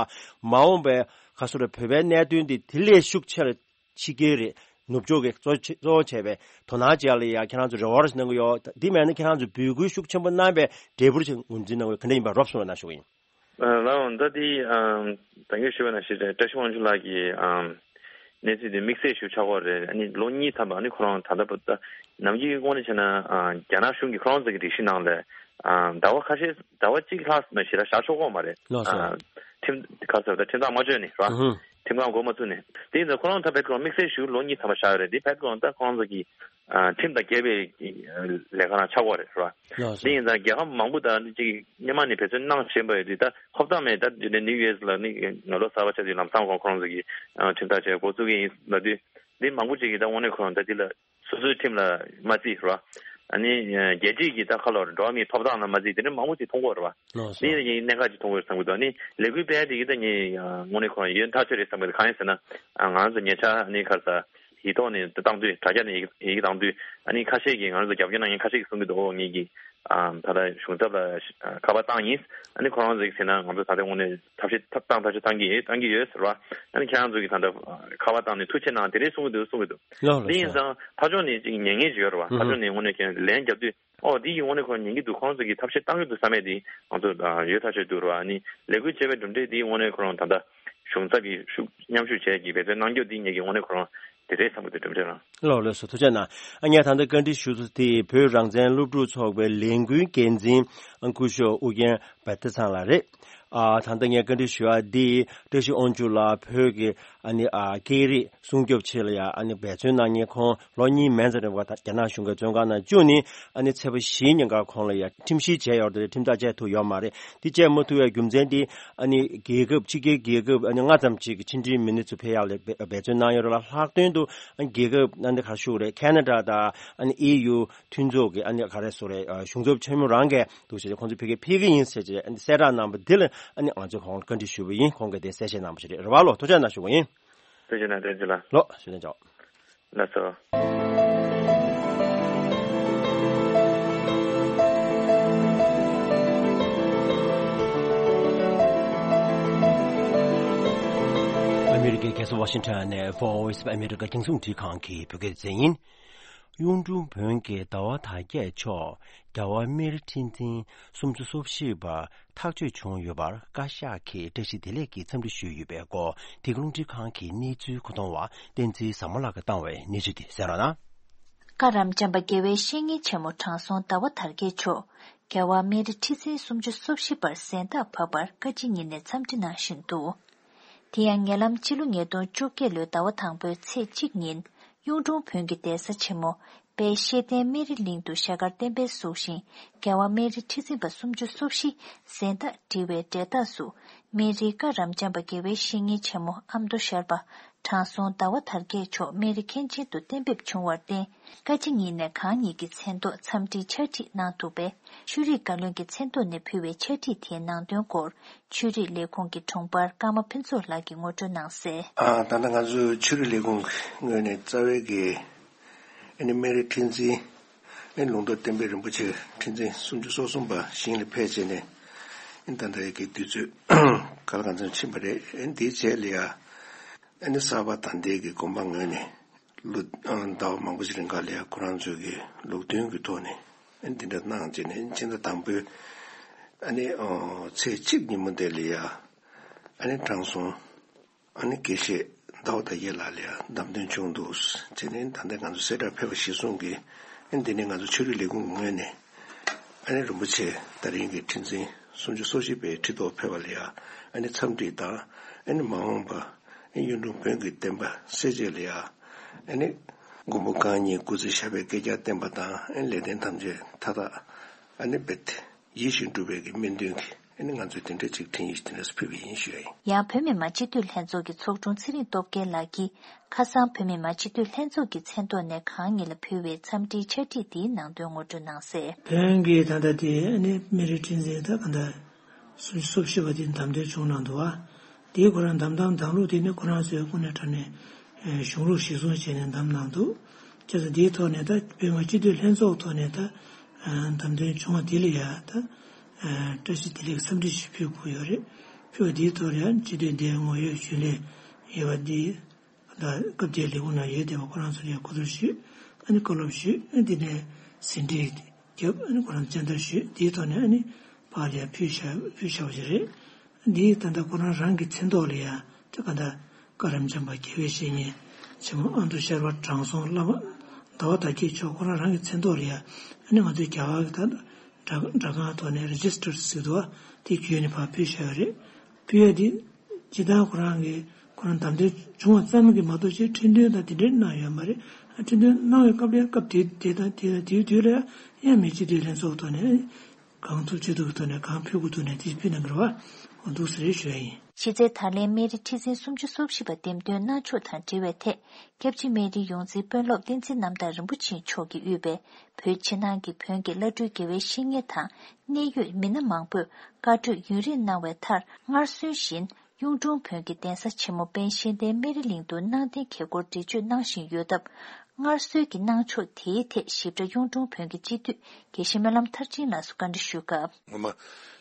མ་འོངས་པའི་ག་སོ་རེ་བོད་པའི་གནད་དོན་འདི་དེ་ལས་ཤུགས་ཆེ་རུ་ཕྱི་རྒྱལ་རེད། ནུབ་ཕྱོགས་ཀྱི་གཙོ་ཆེ་གཙོ་བོ་བྱས་པའི་དོ་སྣང་བྱས་ལ་ཡ་ཁྱེད་རང་ཚོ་རེ་བ་རེ་གནང་གི་ཡོད། འདི་མེད་ན་ཁྱེད་རང་ཚོ་འབོད་སྐུལ་ཤུགས་ཆེན་པོ་གནང་བའི་འབྲས་བུར་ཅིག་ངོས་འཛིན་གནང་བའི་ག་འདྲ་ཡིན་པ་རོབ་གསུངས་རོགས་གནང་ཞུ་གི་ཡིན། ལའོ་ད་དེ་ད་གིན་ཞུས་པ་ནང་བཞིན་བཀྲ་ཤིས་དབང་ཕྱུག་ལགས་ཀྱིས་གནས་ཚུལ་དེ་དམིགས་བསལ་ཞིག་ཆགས་ཀྱི་ཡོད་རེད། ཨ་ནི་ལོ་གཉིས་ཐམ་པ་ཨ་ནི་ཁོ་རང་ད་ལྟ་བར་དུ་ནམ་རྒྱུན་དངོས་གནས་བྱས་ན་རྒྱ་ནག་གཞུང་གིས་ཁོ་རང་ཚོ་གི་སྒྲིག་གཞི་ནང་ལ་ཟླ་བ་ཁ་ཤས་ཟླ་བ་གཅིག་ལྷག་མ་ཞེ་དྲག་བཞག་ཆོག་གི་མ་རེད། ལགས་སོ། ཁྲིམས་ཁ་ཟེར་བ་ད་ཁྲིམས་ཐག་མ་གཅོད་ནས་ར། ཁྲིམས་ཁང་འགོ་མ་བཙུགས་ནས། དེ་ཡིན་ཙང་ཁོ་རང་ད་ཕེབས་ཁོ་རང་དམིགས་བསལ་ཞུ་ལོ་གཉིས་ཐམ་པ་བཞག་ཡོད་རེད། དེ་ཕེབས་ཁོ་རང་ད་ཁོ་རང་ཚོ་གི་ཁྲིམས་དང་འགལ་བའི་ལས་ཀ་རང་ཆགས་ཀྱི་ཡོད་རེད་ར། ལགས་སོ། དེ་ཡིན་ཙང་རྒྱལ་ཁབ་མང་པོ་དང་ཅིག་སྔོན་མ་ནས་འབད་བརྩོན་གནང་བཞིན་པ་ཡོད་དུས་ད་ཧོབ་ཐང་མེད། ད་དེ་ནས་ནིའུ་ཡུ་ཨེས་ལ་ནི་ང་ལོ་གསར་པ་ཆགས་དུས་ལམ་སང་ཁོ་ཁོ་རང་ཚོ་གི་ཁྲིམས་ཐག་བཅད་འགོ་བཙུགས་ཀྱི་ཡིན་ལབ་དུས་འདི་མང་པོ་ཅིག་གིས་ད་དངོས་གནས་ཁོ་རང་ད་འདི་ལ། སོ་སོའི་ཁྲིམས་ལ་མ་བརྩི་ར། ཨ་ནི་རྒྱལ་སྤྱིའི་གི་ད་ཁ་ལོར་འགྲོ་བ་མིའི་ཐོབ་ཐང་ལ་མ་བརྩི་དེ་འདྲ་མང་པོ་ཅིག་མཐོང་གི་ཡོད་རེད་བ། ལགས་སོ། འདི་ཡིན་ན་ངས་གནད་འགག་ཅིག་མཐོང་གི་ཡོད་བསམ་གི་འདུག་ཨ་ནི་ལས་འགུལ་སྤེལ་དེ་གི་ད་ངས་དངོས་གནས་ཁོ་རང་ཡོན་ཐག་ཆོད་རེད་བསམ་གི་འདུག་གང་ཡིན་ཟེར་ན་ང་རང་ཚོ་ཉེ་ཆར་ཨ་ནི་ཁ་ས་ཡིག་ཐོག་ནས་བཏང་དུས་དྲ་རྒྱ་ནས་ཡི་གེ་བཏང་དུས་ཨ་ནི་ཁ་ཤས་ཀྱིས་ང་རང་ཚོ་རྒྱབ་སྐྱོར་གནང་མཁན་ཁ་ཤས་ཀྱིས་གསུང་གི་འདུག་ཨོ་ངེད་ཀྱིས་ད་ལྟ་གཞུང་ཚབ་ལ་ཁ་པར་བཏང་ཡིན། ཨ་ནི་ཁོ་རང་ཚོ་གིས་ཟེར་ན་ང་ཚོ་ད་ལྟ་དངོས་གནས་ཐབས་ཤེས་ཐབས་བཏང་ཐབས་ཤེས་བཏང་གི་ཡོད་བཏང་གི་ཡོད་ཟེར་བ། ཨ་ནི་ཁྱེད་རང་ཚོ་གིས་ད་ལྟ་ཁ་པར་བཏང་ནས་ཐུགས་ཆེ་གནང་དེ་རེད་གསུང་གི་འདུག་གསུང་གི་འདུག་ལགས་ལགས། དེ་ཡིན་ཙང་ཕར་ཕྱོགས་ནས་ཅིག་ཉན་མཁན་ཅིག་ཡོད་རེད་བ། ཕར་ཕྱོགས་ནས་དངོས་གནས་ཀྱང་ལན་རྒྱབ་དུས་ཨོ་འདི་ཡིན་དངོས་གནས་ཁོ་རང་ཉན་གྱི་འདུག་ཁོ་རང་ཚོ་གིས་ཐབས་ཤེས་བཏང་གི་འདུག་བསམ་ཡས་དེ་ང་ཚོ་ཡོད་ཐག་ཆོད་འདུག་རེད་བ། ཨ་ནི་ལས་འགུལ་བྱས་པའི་གྲུབ་འབྲས་དེ་དངོས་གནས་ཁོ་རང་ད་ལྟ་གཞུང་ཚབ་ཀྱིས་ཤུགས་མཉམ་ཞུགས་བྱས་ཀྱི་འབད་བརྩོན་གནང་རྒྱུ་འདི་ངེད་ཀྱི་དངོས་གནས་ཁོ་རང་དེ་རེད་བསམ་གྱི་འདུག་གྲུབ་འབྲས་རང་། ལགས་ལགས་སོ། ཐུགས་རྗེ་གནང་། ཨ་ངས་ད་ལྟ་བཀའ་འདྲི་ཞུ་ས་དེ་བོད་རང་བཙན་སློབ་ཕྲུག་ཚོགས་པའི་ལས་འགུལ་འགན་འཛིན་སྐུ་ཞབས་ཨུ་རྒྱན་བྷ་དྷ་ཚང་ལགས་རེད། ཨ་ད་ལྟ་ངས་བཀའ་འདྲི་ཞུ་ཡ་འདི་བཀྲ་ཤིས་དབང་ཕྱུག་ལགས་བོད་ཀྱི་ཨ་ནི་ཨ་སྐད་རིགས་སྲུང་སྐྱོབ་ཆེད་ལ་ཡ་ཨ་ནི་འབད་བརྩོན་གནང་མཁན་ཁོང་ལོ་གཉིས་མན་ཙམ་རིང་པ་རྒྱ་ནག་གཞུང་གིས་བཙོན་ཁང་ནང་བཅུག་ནས་ཨ་ནི་ཚེས་པ་བཞིའི་ཉིན་ཀར་ཁོང་ལ་ཡ་ཁྲིམས་ཞིབ་བྱས་ཡོད་རེད་དེ་ཁྲིམས་ཐག་བཅད་ཐུབ་ཡོད་མ་རེད། འདི་བཅད་མ་ཐུབ་པའི་རྒྱུ་མཚན་འདི་ཨ་ནི་རྒྱལ་ཁབ་ཕྱི་རྒྱལ་རྒྱལ་ཁབ་ཨ་ནི་ལྔ་ཙམ་ཅིག་གི་ཕྱི་འབྲེལ་མི་སྣ་ཚོ་ཕེབས་ཡག་ལ་འབད་འབད་བརྩོན་གནང་ཡོད་རེད་ལ། ལྷག་དོན་དུ་ཨ་ནི་རྒྱལ་ཁབ་ཨ་ནི་ག་རེ་ཞུ་དགོས་རེད། ཁེ་ན་ཌ་དང་ཨ་ནི་ཨེ་ཡུ་མཐུན་ཚོགས་ཀྱི་ཨ་ནི་ག་རེ་ཟེར་དགོས་རེད། གཞུང་ཚབ་ཆེན་མོ་རང་གིས་འདུག་ཟེར་ཏེ་ཁོང་ཚོ་ཕ་གིར་ཕེབས་ཀྱི་ཡིན་ཟེར་ཏེ་གསལ་བསྒྲགས་གནང་བ་འདི་ལ་ཨ་ནི་ང་ཚོས་ཁོང་ལ་བཀའ་འདྲི་ཞུས་པ་ཡིན། ཁོང་གིས་དེ་གསལ་བཤད་གནང་བ་ཞིག་རེད། རེད་བ་ལོ། ཐུགས་རྗེ་གནང་། བཀྲ་ཤིས་བདེ་ལེགས། ལོ་ཞུ་ལན་ཆོག་ལགས་སོ། Washington ནས Voice of America རྒྱང་སྲིང་འཕྲིན་ཁང་གི་བོད་སྐད་སྡེ་ཚན་ཡིན། གཡུང་དྲུང་བོན་གྱི་ཟླ་བ་དར་རྒྱས་མཆོག་རྒྱལ་བ་སྨན་རི་ཁྲི་འཛིན་སུམ་ཅུ་སོ་བཞི་པ་ཐག་གཅོད་བྱུང་ཡོད་པར་བཀའ་ཤག་གིས་བཀྲ་ཤིས་བདེ་ལེགས་ཀྱི་འཚམས་འདྲི་ཞུས་ཡོད་པའི་སྐོར། འདི་ག་རླུང་འཕྲིན་ཁང་གི་གནས་ཚུལ་མཁོ་གཏོང་བ་བསྟན་འཛིན་བཟང་མོ་ལགས་ཀྱིས་བཏང་བའི་གནས་ཚུལ་དེ་གསན་རོགས་གནང་། བཀའ་རམས་བྱམས་པ་དགེ་བའི་བཤེས་གཉེན་ཆེན་མོ་དྲང་སྲོང་ཟླ་བ་དར་རྒྱས་མཆོག་རྒྱལ་བ་སྨན་རི་ཁྲི་འཛིན་སུམ་ཅུ་སོ་བཞི་པར་གཟེངས་རྟགས་བབས་པར་བཀའ་སྤྱི་ཉིན་ནས་འཚམས་འདྲི་གནང་བཞིན་འདུག་དེ་ཡང་ཉེ་ལམ་ཕྱི་ལོ་ཉིས་སྟོང་བཅོ་བརྒྱད་ལོའི་ཟླ་བ་དང་པོའི་ཚེས་གཅིག་ཉིན། གཡུང་དྲུང་བོན་གྱི་གདན་ས་ཆེན་མོ་དཔལ་ཤེར་ལྡན་སྨན་རི་གླིང་དུ་ཞྭ་དཀར་བསྟན་པའི་གཟུགས་ཤིང་རྒྱལ་བ་སྨན་རི་ཁྲི་འཛིན་པ་སུམ་ཅུ་སོ་བཞི་གཟེངས་རྟགས་བྲིས་པའི་འབྲས་རྟགས་སུ། སྨན་རིའི་བཀའ་རམས་བྱམས་པ་དགེ་བའི་བཤེས་གཉེན་ཆེན་མོ་ཨ་མདོ་ཤར་པ་དྲང་སྲོང་ཟླ་བ་དར་རྒྱས་མཆོག་སྨན་རི་མཁན་ཆེན་དུ་གཏན་འབེབས་བྱུང་བར་བརྟེན། བཀའ་སྤྱི་ཉིན་ནས་གང་ཉིད་ཀྱི་མཚན་ཐོག་འཚམས་འདྲིའི་ཕྱག་བྲིས་གནང་འདུག་པས། ཆོས་རིག་བཀའ་བློན་གྱི་མཚན་ཐོག་ནས་ཕུལ་བའི་ཕྱག་བྲིས་དེའི་ནང་དོན་སྐོར། ཆོས་རིག་ལས་ཁུངས་ཀྱི་དྲུང་འཕར་ཀརྨ་ཕུན་ཚོགས་ལགས་ཀྱིས་ངོ་སྤྲོད་གནང་གསལ། ཨ། ད་ལྟ་ང་ཚོའི་ཆོས་རིག་ལས་ཁུངས་ངོས་ནས་རྩ་བའི་གི་ཨ་ནི་སྨན་རི་ཁྲི་འཛིན། ཨ་ནི་ལུང་རྟོགས་བསྟན་པའི་རིན་པོ་ཆེ་ཁྲི་འཛིན་སུམ་ཅུ་སོ་གསུམ་པ་ཞིང་ལ་ཕེབས་བྱས་ནས། ཨ་ནི་ད་ལྟ་ཡི་གི་དུས་ཚོད་ག་ལ་གང་འཚམ་ཕྱིན་པ་རེད། ཨ་ནི་དེའི་རྗེས་ལ་ཡ། ཨ་ནི་གསར་པ་དང་འདས་ཀྱི་དགོན་པ་ངོས་ནས། ལོ་ཟླ་བ་མང་པོ་ཞིག་རིང་ག་ལ་ཡ་ཁོ་རང་ཚོའི་གི་ལུགས་མཐུན་གྱི་ཐོག་ནས་ཨ་ནི་འདི་འདྲ་གནང་བྱས་ནས། ཕྱི་ཟླ་དང་པོའི་ཨ་ནི་ཚེས་གཅིག་ཉིན་མོ་དེ་ལ་ཡ་ཨ་ནི་དྲང་སྲོང་ཨ་ནི་དགེ་བཤེས་ཟླ་བ་དར་རྒྱས་ལགས་ལ་ཡ་བདམས་ཐོན་བྱུང་འདུག་བྱས་ནས། ད་ལྟ་ང་ཚོ་གསལ་བསྒྲགས་ཕེབས་པ་གཞིར་བཟུང་གིས་ཨ་ནི་འདི་ནས་ང་ཚོ་ཆོས་རིག་ལས་ཁུངས་ངོས་ནས་ཨ་ནི་རིན་པོ་ཆེ་ད་རིང་གི་ཁྲི་འཛིན་སུམ་ཅུ་སོ་བཞི་པའི་ཁྲི་ཐོག་ཕེབས་པ་ལ་ཡ་ཨ་ནི་འཚམས་འདྲི་དང་། ཨ་ནི་མ་འོངས་པ། གཡུང་དྲུང་བོན་གྱི་བསྟན་པ་གསལ་བྱེད་ལ་ཡ། ཨ་ནི་མགོན་པོ་གང་ཉིད་སྐུ་ཚེ་ཞབས་པད་བསྐལ་བརྒྱར་བརྟན་པ་དང་། ཨ་ནི་ལས་དོན་ཐམས་ཅད་མཐའ་དག་ཨ་ནི་རྦད་ཡིད་བཞིན་འགྲུབ་པའི་གི་སྨོན་འདུན་གྱིས། ཨ་ནི་ང་ཚོས་དེ་འདྲ་ཅིག་འཕྲིན་ཡིག་དེ་འདྲ་ཕུལ་བ་ཡིན་ཞུ་ཡ་ཡིན། ཡང་བོད་མི་མང་སྤྱི་འཐུས་ལྷན་ཚོགས་ཀྱི་ཚོགས་དྲུང་ཚེ་རིང་སྟོབས་རྒྱལ་ལགས་ཀྱིས་ཁ་སང་བོད་མི་མང་སྤྱི་འཐུས་ལྷན་ཚོགས་ཀྱི་མཚན་ཐོག་ནས་གང་ཉིད་ལ་ཕུལ་བའི་འཚམས་འདྲིའི་ཕྱག་བྲིས་དེའི་ནང་དོན་ངོ་སྤྲོད་གནང་གསལ། བོན་གྱི་ད་ལྟ་དེ་ཨ་ནི་སྨན་རི་ཁྲི་འཛིན་ད་ག་འདྲ། སུམ་ཅུ་སོ་བཞི་པ་དེ་བདམས་ཐོན་བྱུང་གནང་འདུག་བ། དེའི་ཁོ་རང་བདམས་ཐོན་བདམས་ལུགས་དེ་ནི་ཁོ་རང་ཚོའི་ཁོ་ནས་དྲ་ནས་གཞུང་ལུགས་གཞིར་བཟུང་བྱས་ནས་བདམས་གནང་འདུག་བྱས་ཙང་དེའི་ཐོག་ནས་ད་བོད་མི་སྤྱི་འཐུས་ལྷན་ཚོགས་ཐོག་ནས་ད་བདམས་ཐོན་བྱུང་བ་དེ་ལ་ཡ་ད་བཀྲ་ཤིས་བདེ་ལེགས་འཚམས་འདྲི་ཞིག་ཕུལ་དགོས་ཡོད་རེད། ཕུལ་བ་དེའི་ཐོག་ལ་ཡ་སྤྱི་འཐུས་འདིའི་ངོ་ཡོད་རྒྱུན་ལས་ཡོད་པ་འདི། ད་སྐབས་དེའི་ལས་ཁུངས་ནང་ཡོད་བསྡད་པ་ཁོ་རང་ཚོར་ཡང་གོ་བསྡུར་ཞུས། ཨ་ནི་བཀའ་སློབ་ཞུས། ཨ་ནི་དེ་ནས་ཟིན་བྲིས་བརྒྱབ། ཨ་ནི་ཁོ་རང་སྤྱན་བསྟར་ཞུས། དེའི་ཐོག་ནས་ཨ་ནི་ཕར་ལ་ཡང་ཕུལ་བཞག་ཕུལ་བཞག་པ་ཞིག་རེད། འདིའི་ད་ལྟ་ཁོ་རང་རང་གི་མཚན་ཐོག་ལ་ཡང་ད་ག་ད་བཀའ་རམས་བྱམས་པ་དགེ་བའི་བཤེས་གཉེན་ཆེན་མོ་ཨ་མདོ་ཤར་པ་དྲང་སྲོང་བླ་མ་ཟླ་བ་དར་རྒྱས་མཆོག་ཁོ་རང་རང་གི་མཚན་ཐོག་ལ་ཡང་ཨ་ནི་ང་ཚོའི་རྒྱ་གར་གྱི་ད་སྒྲ་སྒྲ་ཁང་ཐོག་ནས་རི་ཇི་སི་ཊར་ཟེར་འདུག་བ། དེ་བརྒྱུད་ནས་ཕར་ཕུལ་བཞག་ཡོད་རེད། ཕུལ་ཡ་དེ། སྤྱིར་བཏང་ཁོ་རང་གིས་ཁོ་རང་བདམས་ཐོན་བྱུང་བ་ཙམ་གྱིས་མ་གཏོགས་ཅིག་ཁྲི་འདོན་དང་དེ་འདྲའི་གནང་ཡོད་མ་རེད། ཨ་ཁྲི་འདོན་གནང་བའི་སྐབས་ལ་སྐབས་དེ་དེ་དང་དེ་དང་དེའི་དུས་ལ་ཡང་མི་སྤྱི་འཐུས་ལྷན་ཚོགས་ཐོག་ནས་གང་ཐུབ་ཅི་ཐུབ་ཀྱི་ཐོག་ནས་གང་ཕུལ་དགོས་ཐུབ་ནས་དེ་ཕུལ་གནང་གི་རེད་བ། འོ་འདུག་ཟེར་ཞུ་ཡ་ཡིན། གཞི་རྩའི་དར་ལེན་སྨན་རི་ཁྲི་འཛིན་སུམ་ཅུ་སོ་བཞི་པ་འདེམས་ཐོན་གནང་ཕྱོགས་དང་འབྲེལ་བའི་ཐད། སྐྱབས་རྗེ་སྨན་རིའི་ཡོངས་འཛིན་དཔོན་སློབ་བསྟན་འཛིན་རྣམ་དག་རིན་པོ་ཆེ་མཆོག་གིས་དབུས་པའི་བོད་ཕྱི་ནང་གི་བོན་གྱི་བླ་སྤྲུལ་དགེ་བའི་བཤེས་གཉེན་དང་གནད་ཡོད་མི་སྣ་མང་པོས་བཀའ་གྲོས་ཡུན་རིང་གནང་བའི་མཐར། སྔར་སྲོལ་བཞིན་གཡུང་དྲུང་བོན་གྱི་གདན་ས་ཆེན་མོ་དཔལ་ཤེར་ལྡན་སྨན་རི་གླིང་དུ་གནང་གཏན་གྱི་སྐོར་འགྲེལ་བརྗོད་གནང་བཞིན་ཡོད་སྟབས། སྔར་སྲོལ་གྱི་གནང་ཕྱོགས་དེའི་ཐད་ཞིབ་ཕྲ་གཡུང་དྲུང་བོན་གྱི་སྤྱི་འཐུས་དགེ་བཤེས་སྨོན་ལམ་མཐར་ཕྱིན་ལགས་སུ་བཀའ་འདྲི་ཞུས་སྐབས། སྔོན་མ་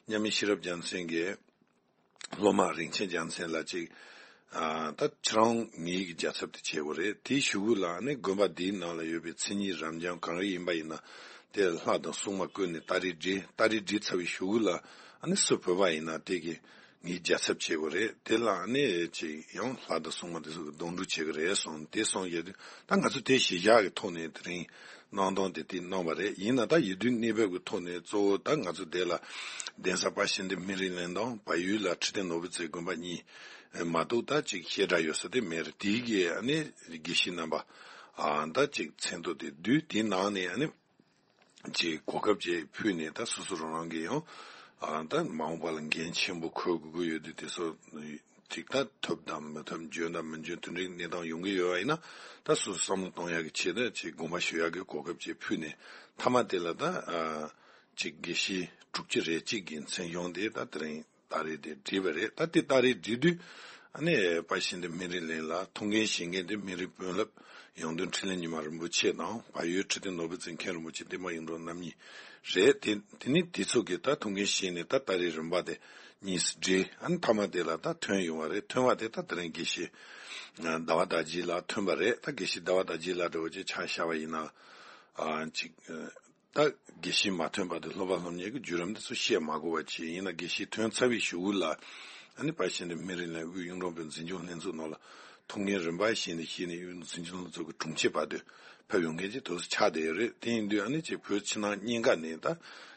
མཉམ་མེད་ཤེས་རབ་རྒྱལ་མཚན་གྱིས། སློབ་མ་རིན་ཆེན་རྒྱལ་མཚན་ལགས་ཅིག་ཨ། ད་ཁྱེད་རང་ངེད་ཀྱི་རྒྱལ་ཚབ་དེ་བྱེད་དགོས་རེད། དེའི་གཞུག་གུ་ལ་ནི་དགོན་པ་འདིའི་ནང་ལ་ཡོད་པའི་མཚན་ཉིད་རབ་འབྱམས་གང་རེ་ཡིན་པ་ཡིན་ན། དེ་ལྷ་དང་སྲུང་མ་བསྐོས་ནས་ཏཱ་རེ་སྒྲིག་ཏཱ་རེ་སྒྲིག་ཚར་བའི་གཞུག་གུ་ལ་ཨ་ནི་སུ་བོས་པ་ཡིན་ན་དེ་གི་ངེད་རྒྱལ་ཚབ་བྱེད་དགོས་རེད། དེ་ལ་ཨ་ནི་ཅིག་ཡང་ལྷ་དང་སྲུང་མ་དེ་ཚོ་གི་སྡོང་ཕྲུག་བྱེད་ཀྱི་རེད་གསུངས། དེ་གསུངས་ཡོད་དུས་ད་ང་ཚོ་དེ་གཞི་བཞག་གི་ཐོག་ནས་དེ་རིང་གནང་སྟངས་དེ་དེ་གནང་བ་རེད། ཡིན་ན་ད་ཡིན་དུས་གནས་བབ་ཀྱི་ཐོག་ནས་གཙོ་བོ་ད་ང་ཚོ་དེ་ལ་གདན་ས་དཔལ་ཤེར་ལྡན་སྨན་རི་གླིང་དང་བལ་ཡུལ་ལ་ཁྲི་བརྟན་ནོར་བུ་རྩེ་དགོན་པ་གཉིས་མ་གཏོགས་ད་ཅིག་བཤད་གྲྭ་ཡོད་ས་དེ་མེད་རེད། དེའི་གི་ཨ་ནི་དགེ་བཤེས་རྣམ་པ་ཨ་ད་ཅིག་མཚན་ཐོ་དེ་བསྡུས། དེའི་ནང་ནས་ཨ་ནི་ཅིག་གོ་སྐབས་ཅིག་ཕུལ་ནས་ད་སོ་སོ་རང་རང་གི་ཡང་ཨ་ད་མ་འོངས་པ་ལ་འགན་ཆེན་པོ་འཁུར་དགོས་ཀྱི་ཡོད་དུས་དེ་ཚོ་ཅིག་ད་ཐོབ་དང་མི་ཐོབ་འཇོན་དང་མི་འཇོན་དེ་འདྲའི་གནས་སྟངས་ཡོང་གི་ཡོད་པ་ཡིན་ན། ད་སོ་སོ་བསམ་བློ་གཏོང་ཡག་གི་ཆེད་དུ་ཅིག་དགོངས་པ་ཞུ་ཡག་གི་གོ་སྐབས་ཅིག་ཕུལ་ནས། མཐའ་མ་དེ་ལ་ད་ཨ་ཅིག་དགེ་བཤེས་དྲུག་ཅུ་རེ་གཅིག་གི་མཚན་གཞུང་དེ་ད་དེ་རིང་ཏཱ་རེ་དེ་བསྒྲིགས་པ་རེད། ད་དེ་ཏཱ་རེ་བསྒྲིགས་དུས་ཨ་ནི་དཔལ་ཤེར་ལྡན་སྨན་རི་གླིང་ལ་ཐུགས་འགན་བཞེས་མཁན་དེ་སྨན་རིའི་དཔོན་སློབ་ཡང་སྟོན་འཕྲིན་ལས་ཉི་མ་རིན་པོ་ཆེ་དང་། བལ་ཡུལ་ཁྲི་བརྟན་ནོར་བུ་རྩེ་མཁན་རིན་པོ་ཆེ་བསྟན་པ་ཡིད་འཕྲོག་རྣམ་གཉིས་རེད། དེ་དེ་ནི་དེ་ཚོ་གིས་ད་ཐུགས་འགན་བཞེས་ནས་ད་ཏཱ་རེ་རིམ་པ་དེ་གཉིས་སུ་བསྒྲིགས། ཨ་ནི་མཐའ་མ་དེ་ལ་ད་ཐོན་ཡོང་བ་རེད། ཐོན་པ་དེ་ད་དེ་རིང་དགེ་བཤེས་ ཟླ་བ་དར་རྒྱས་ལགས་ཐོན་པ་རེད། ད་དགེ་བཤེས་ཟླ་བ་དར་རྒྱས་ལགས་འདྲ་བོ་ཅིག་ཆ་བཞག་པ་ཡིན་ན། ཨ་ཅིག་ད་དགེ་བཤེས་མ་ཐོན་བར་དུ་སློབ་པ་སློབ་གཉེར་གྱི་བརྒྱུད་རིམ་དེ་ཚོ་བཤད་མ་དགོས་པ་བྱས། ཡིན་ན་དགེ་བཤེས་ཐོན་ཚར་བའི་གཞུག་གུ་ལ་ཨ་ནི་ཕར་བཞིན་དུ་སྨན་རི་ལ་དབུས་གཡུང་དྲུང་བོན་འཛིན་སྐྱོང་ལྷན་ཚོགས་ནང་ལ་ཐུགས་འགན་རིམ་པ་བཞིན་དུ་བཞེས་ནས་དབུས་འཛིན་སྐྱོང་ལྷན་ཚོགས་ཀྱི་དྲུང་ཆེ་བར་དུ་ཕེབས་ཡོང་མཁན་ཅིག་དེ་ཚོ་ཆགས་བསྡད་ཡོད་རེད། དེ་ཡིན་དུས་ཨ་ནི་ཅིག་བོད་ཕྱི་ནང་གཉིས་ཀ་ནས་ད་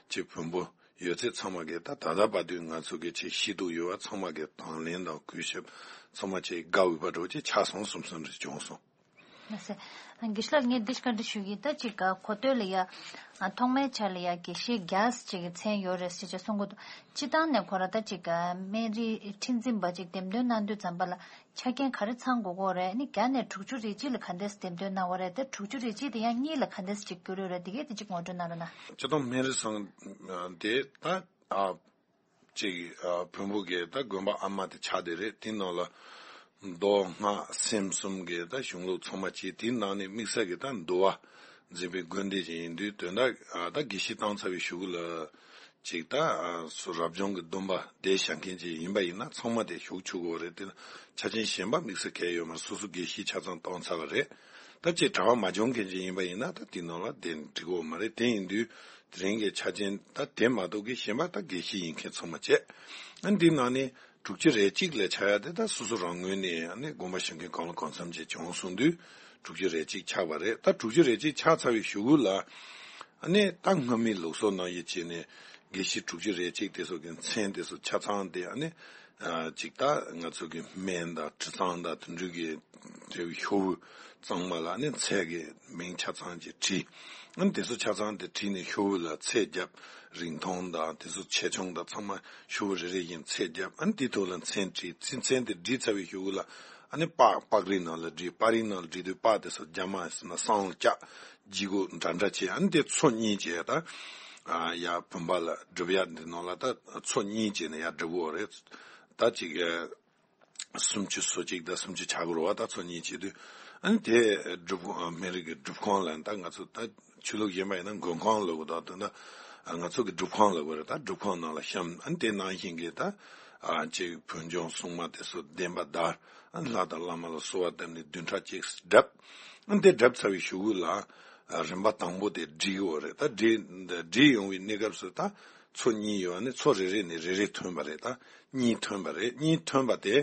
ཅིག་བོན་པོ་ཡོད་ཚད་ཚང་མ་གིས་ད་ད་ལྟ་བར་དུ་ང་ཚོ་གི་ཆེས་ཤེས་རྟོགས་ཡོད་པ་ཚང་མ་གིས་དང་ལེན་དང་གུས་ཞབས་ཚང་མ་ཆེས་དགའ་འོས་པ་འདྲ་བོ་ཅིག་ཆགས་སོང་བསམ་བསམ་རེ་བྱུང་སོང་། ལགས་སོ། དགེ་བཤེས་ལགས་ངས་འདི་བཀའ་འདྲི་ཞུ་གི་ཡིན། ད་ཅིག་གོ་ཐོས་ལ་ཡ། ཐོག་མའི་ཆར་ལ་ཡ་དགེ་བཤེས་བརྒྱ་ཅིག་གི་མཚན་ཡོད་རེད་ཟེར་ཅིག་གསུང་གི་འདུག་སྤྱི་བཏང་ནས་ཁོ་ར་ད་ཅིག་སྨན་རིའི་ཁྲི་འཛིན་པ་ཅིག་འདེམས་ཐོན་གནང་དུས་ཙམ་པ་ལ་ཆ་རྐྱེན་ག་རེ་ཚང་དགོས་ཀྱི་ཡོད་རེད། ཨ་ནི་བརྒྱ་ནས་དྲུག་ཅུ་རེ་གཅིག་ལ་ག་འདྲས་འདེམས་ཐོན་གནང་བ་རེད། ད་དྲུག་ཅུ་རེ་གཅིག་དེ་ཡང་གཉིས་ལ་ག་འདྲས་ཅིག་གྱུར་ཡོད་རེད། དེ་གས་དེ་ཅིག་ངོ་སྤྲོད་གནང་རོགས་གནང་། སྤྱི་བཏང་སྨན་རི་ཚང་དེ་ད་ཨ་ཅིག་ཨ་བོན་པོ་གི་ད་དགོན་པ་ཨ་མ་དེ་ཆགས་བསྡད་རེད། དེ་ནང་ལ་མདོ་སྔགས་སེམས་གསུམ་གི་ད་གཞུང་ལུགས་ཚང་མ་བྱས། དེའི་ནང་ནས་དམིགས་བསལ་གྱི་ད་འདུལ་བ་འཛིན་པའི་དགོན་སྡེ་ཅིག་ཡིན་དུས། དོན་དག་ཨ་ད་དགེ་བཤེས་བཏང་ཚར་བའི་གཞུག་གུ་ལ་ཅིག་ད་ཨ་སུ་རབ་བྱུང་གི་སྡོམ་པ་བསྡད་བཞག་མཁན་ཅིག་ཡིན་པ་ཡིན་ན་ཚང་མ་དེ་ཞུགས་ཆོག་གི་ཡོད་རེད། དེ་ལ་ཆ་རྐྱེན་གཞན་པ་དམིགས་བསལ་གང་ཡང་ཡོད་མ་རེད། སོ་སོ་དགེ་བཤེས་ཆ་ཚང་བཏང་ཚར་བ་རེད། ད་ཅིག་གྲྭ་པ་མ་བྱུང་མཁན་ཅིག་ཡིན་པ་ཡིན་ན་ད་དེ་ནང་ལ་བསྡད་འགྲིག་གི་ཡོད་མ་རེད། དེ་ཡིན་དུས་དེ་རིང་གི་ཆ་རྐྱེན་ད་དེ་མ་གཏོགས་ཀྱི་གཞན་པ་ད་དགེ་བཤེས་ཡིན་མཁན་ཚང་མ་བྱས། ཨ་འདི་ནང་ནས་དྲུག་ཅུ་རེ་གཅིག་ལས་བྱ་ཡ་དེ་ད་སོ་སོ་རང་ངོས་ནས་ཨ་ནི་དགོངས་པ་ཞུ་མཁན་གང་ལ་གང་འཚམ་ཅིག་བྱུང་སོང་དུས་དྲུག་ཅུ་རེ་གཅིག་ཆགས་པ་རེད། ད་དྲུག་ཅུ་རེ་གཅིག་ཆགས་ཚར་བའི་གཞུག་གུ་ལ་ཨ་ནི་ད་སྔ་མའི་ལུགས་སྲོལ་ནང་བཞིན་བྱས་ནས་དགེ་བཤེས་དྲུག་ཅུ་རེ་གཅིག་དེ་ཚོ་གི་མཚན་དེ་ཚོ་ཆ་ཚང་དེ་ཨ་ནི་ཨ་ཅིག་ད་ང་ཚོ་གི་སྨན་དང་དྲི་གཙང་དང་དེ་འདྲ་གི་དེ་ཤོག་བུ་གཙང་མ་ལ་ཨ་ནི་མཚན་གི་མིང་ཆ་ཚང་ཅིག་བྲིས། ཨ་ནི་དེ་ཚོ་ཆ་ཚང་དེ་བྲིས་ནས་ཤོག་བུ་ལ་ཚད་བརྒྱབ། རིང་ཐུང་དང་དེ་ཚོ་ཆེ་ཆུང་དང་ཚང་མ་ཤོག་བུ་རེ་རེ་བཞིན་ཚད་བརྒྱབ། ཨ་ནི་དེའི་ཐོག་ལ་མཚན་བྲིས། ཚེ་མཚན་དེ་བྲིས་ཚར་བའི་གཞུག་གུ་ལ་ཨ་ནི་པགས་པགས་རིལ་ནང་ལ་བྲིས། པགས་རིལ་ནང་ལ་བྲིས་དུས་པགས་དེ་ཚོ་རྒྱ་མ་ཟེར་ན་སྲང་ལ་བཀྱག་ལྗིད་ཁོག་འདྲ་འདྲ་བྱས། ཨ་ནི་དེ་ཚོ་གཉིས་བྱས་ད་ཨ་ཡ་བུམ་པ་ལ་སྒྲུབ་ཡ་འདི་ནང་ལ་ད་ཚོ་གཉིས་བྱས་ནས་ཡ་སྒྲུབ་དགོས་རེད། ད་ཅིག་ཨ། སུམ་ཅུ་སོ་གཅིག་དང་སུམ་ཅུ་ཆ་དགུ་རེད་པ། ད་ཚོ་གཉིས་བྱེད་དུས་ཨ་ནི་དེ་སྒྲུབ་ཁང་སྨན་རི་གི་སྒྲུབ་ཁང་ལ་ད་ང་ཚོ་ད་ཆོས་ལུགས་གཞན་པ་ཡིན་ན་མགོན་ཁང་ལབ་དགོས། ད་དོན་དག་ང་ཚོ་གི་སྒྲུབ་ཁང་ལབ་དགོས་རེད། ད་སྒྲུབ་ཁང་ནང་ལ་བཤམས། ཨ་ནི་དེ་ནང་བཞིན་གྱི་ད་ཨ་ཅིག་བོད་ལྗོངས་སྲུང་མ་དེ་ཚོ་བདེན་པ་བདར། ཨ་ནི་ལྷ་དང་བླ་མ་ལ་གསོལ་བ་བཏབ་ནས་བདུན་ཕྲག་གཅིག་བསྒྲུབས། ཨ་ནི་དེ་བསྒྲུབས་ཚར་བའི་གཞུག་གུ་ལ་ཨ་རིམ་པ་དང་པོ་དེ་བསྒྲིལ་ཡོད་རེད། ད་བསྒྲིལ་བསྒྲིལ་ཡོང་བའི་གནས་སྐབས་སུ་ད་ཚོ་གཉིས་ཡོད། ཨ་ནི་ཚོ་རེ་རེ་ནས་རེ་རེ་ཐོན་པ་རེད། ད་གཉིས་ཐོན་པ་རེད། གཉིས་ཐོན་པ་དེ་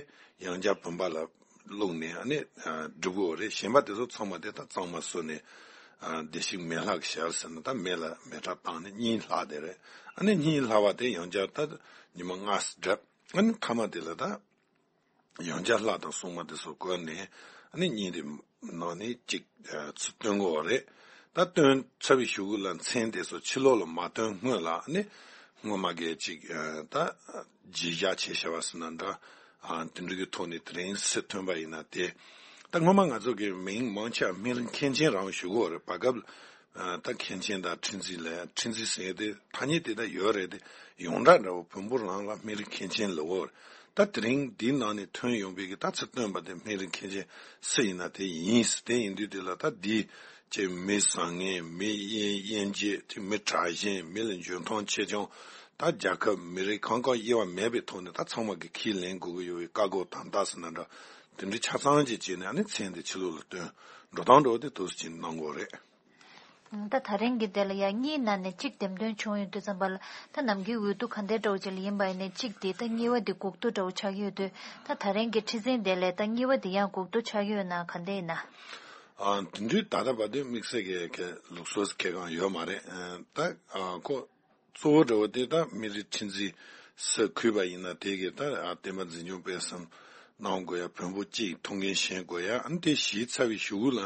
ཡང་བསྐྱར་བུམ་པ་ལ་བླུགས་ནས་ཨ་ནི་ཨ་སྒྲུབ་དགོས་རེད། གཞན་པ་དེ་ཚོ་ཚང་མ་དེ་ད་གཙང་མ་བཟོས་ནས་ཨ་བདེ་གཤེགས་མེ་ལྷ་གི་ཞལ་ཟེར་ན་ད་མེ་ལ་མེ་སྲེག་བཏང་ནས་གཉིས་ལྷག་དེ་རེད། ཨ་ནི་གཉིས་ལྷག་པ་དེ་ཡང་བསྐྱར་ད་ཉི་མ་ལྔ་བསྒྲུབས། ཨ་ནི་མཐའ་མ་དེ་ལ་ད་ཡང་བསྐྱར་ལྷ་དང་སྲུང་མ་དེ་ཚོ་བཀོད་ནས་ཨ་ནི་གཉིས་དེ་ནང་ནས་གཅིག་ཨ་ཚུར་བཏོན་དགོས་པ་རེད། ད་བཏོན་ཚར་བའི་གཞུག་གུ་ལ་མཚན་དེ་ཚོ་ཕྱི་ལོགས་ལ་མ་བཏོན་སྔོན་ལ་ཨ་ནི་སྔོན་མ་གི་གཅིག་ཨ་ད་བརྗེ་བཞག་བྱས་བཞག་པ་ཟེར་ན་འདྲ། ཨ་དེ་འདྲ་གི་ཐོག་ནས་དེ་རིང་སུ་ཐོན་པ་ཡིན་ན་དེ། ད་སྔོན་མ་ང་ཚོ་གི་མིང་མང་ཆེ་བ་སྨན་རི་མཁན་ཆེན་རང་ཞུ་གི་ཡོད་རེད། བར་སྐབས་ཨ་ད་མཁན་ཆེན་དང་ཁྲི་འཛིན་ལབ་ཡ། ཁྲི་འཛིན་ཟེར་ཡ་དེ་ཐ་སྙད་དེ་ད་ཡོད་རེད་དེ། ཡོངས་གྲགས་འདྲ་བོ་བོན་པོ་རང་ལ་སྨན་རི་མཁན་ཆེན་ལབ་ཡོད་རེད། ད་དེ་རིང་འདིའི་ནང་ནས་ཐོན་ཡོང་བའི་གི་ད་ཚུར་བཏོན་པ་དེ་སྨན་རི་མཁན་ཆེན་སུ་ཡིན་ན་དེ་ཡིན། དེ་ཡིན་དུས་དེ་ལ་ད་འདི་ཅེ་མི་བཟང་ངན། མི་དབྱེ་དབྱེ་འབྱེད་དེ། མི་དྲག་ཞན། མི་ལ་འཇོན་ཐང་ཆེ་ཆུང་། ད་རྒྱལ་ཁབ་མི་རིགས་གང་གང་དབྱེ་བ་མེད་པའི་ཐོག་ནས་ད་ཚང་མ་གི་ཁས་ལེན་དགོས་ཀྱི་ཡོད་པའི་བཀའ་བསྒོ་དམ་བཏགས་ཟེར་ན་འདྲ། དེ་འདྲའི་ཆ་ཚང་ཅིག་བྱས་ནས་ཨ་ནི་མཚན་དེ་ཕྱི་ལོགས་ལ་བཏོན་འགྲོ་སྟངས་འདྲ་བོ་དེ་འདུག་སེ་ཅིག་གནང་དགོས་རེད། ད་ད་རིང་གི་དེ་ལ་ཡང་གཉིས་ནང་ནས་གཅིག་འདེམས་ཐོན་བྱུང་ཡོང་དུས་ཙམ་པ་ལ་ད་ནམ་རྒྱུན་འོས་བསྡུ་ག་འདྲའི་འདྲ་བོ་ཅིག་ལ་ཡིན་པ་ཡིན་ནའི་གཅིག་དེ་ད་གཉིས་པ་དེ་སྒུག་བསྡུ་འདྲ་བོ་ཆགས་ཀྱི་ཡོད་དུས། ད་ད་རིང་གི་ཁྲི་འཛིན་དེ་ལས་ད་གཉིས་པ་དེ་ཡང་སྒུག་བསྡུ་ཆགས་ཀྱི་ཡོད་ན་ག་འདྲ་ཡིན་ན། ཨ་དེ་འདྲའི་ད་ལྟ་བར་དུ་དམིགས་བསལ་གྱི་གི་ལུགས་སྲོལ་གང་ཡང་ཡོད་མ་རེད། ཨ་ད་ཨ་ཁོ་གཙོ་བོ་འདྲ་བོ་དེ་ད་སྨན་རི་ཁྲི་འཛིན་སུ་གུས་པ་ཡིན་ན་དེ་གི་ད་ཨ་བསྟན་པ་འཛིན་སྐྱོང་སྤེལ་གསུམ་གནང་དགོས་ཡ། བོན་པོ་གཅིག་ཐུགས་འགན་བཞེས་དགོས་ཡ། ཨ་ནི་དེ་བཞེས་ཚར་བའི་གཞུག་གུ་ལ་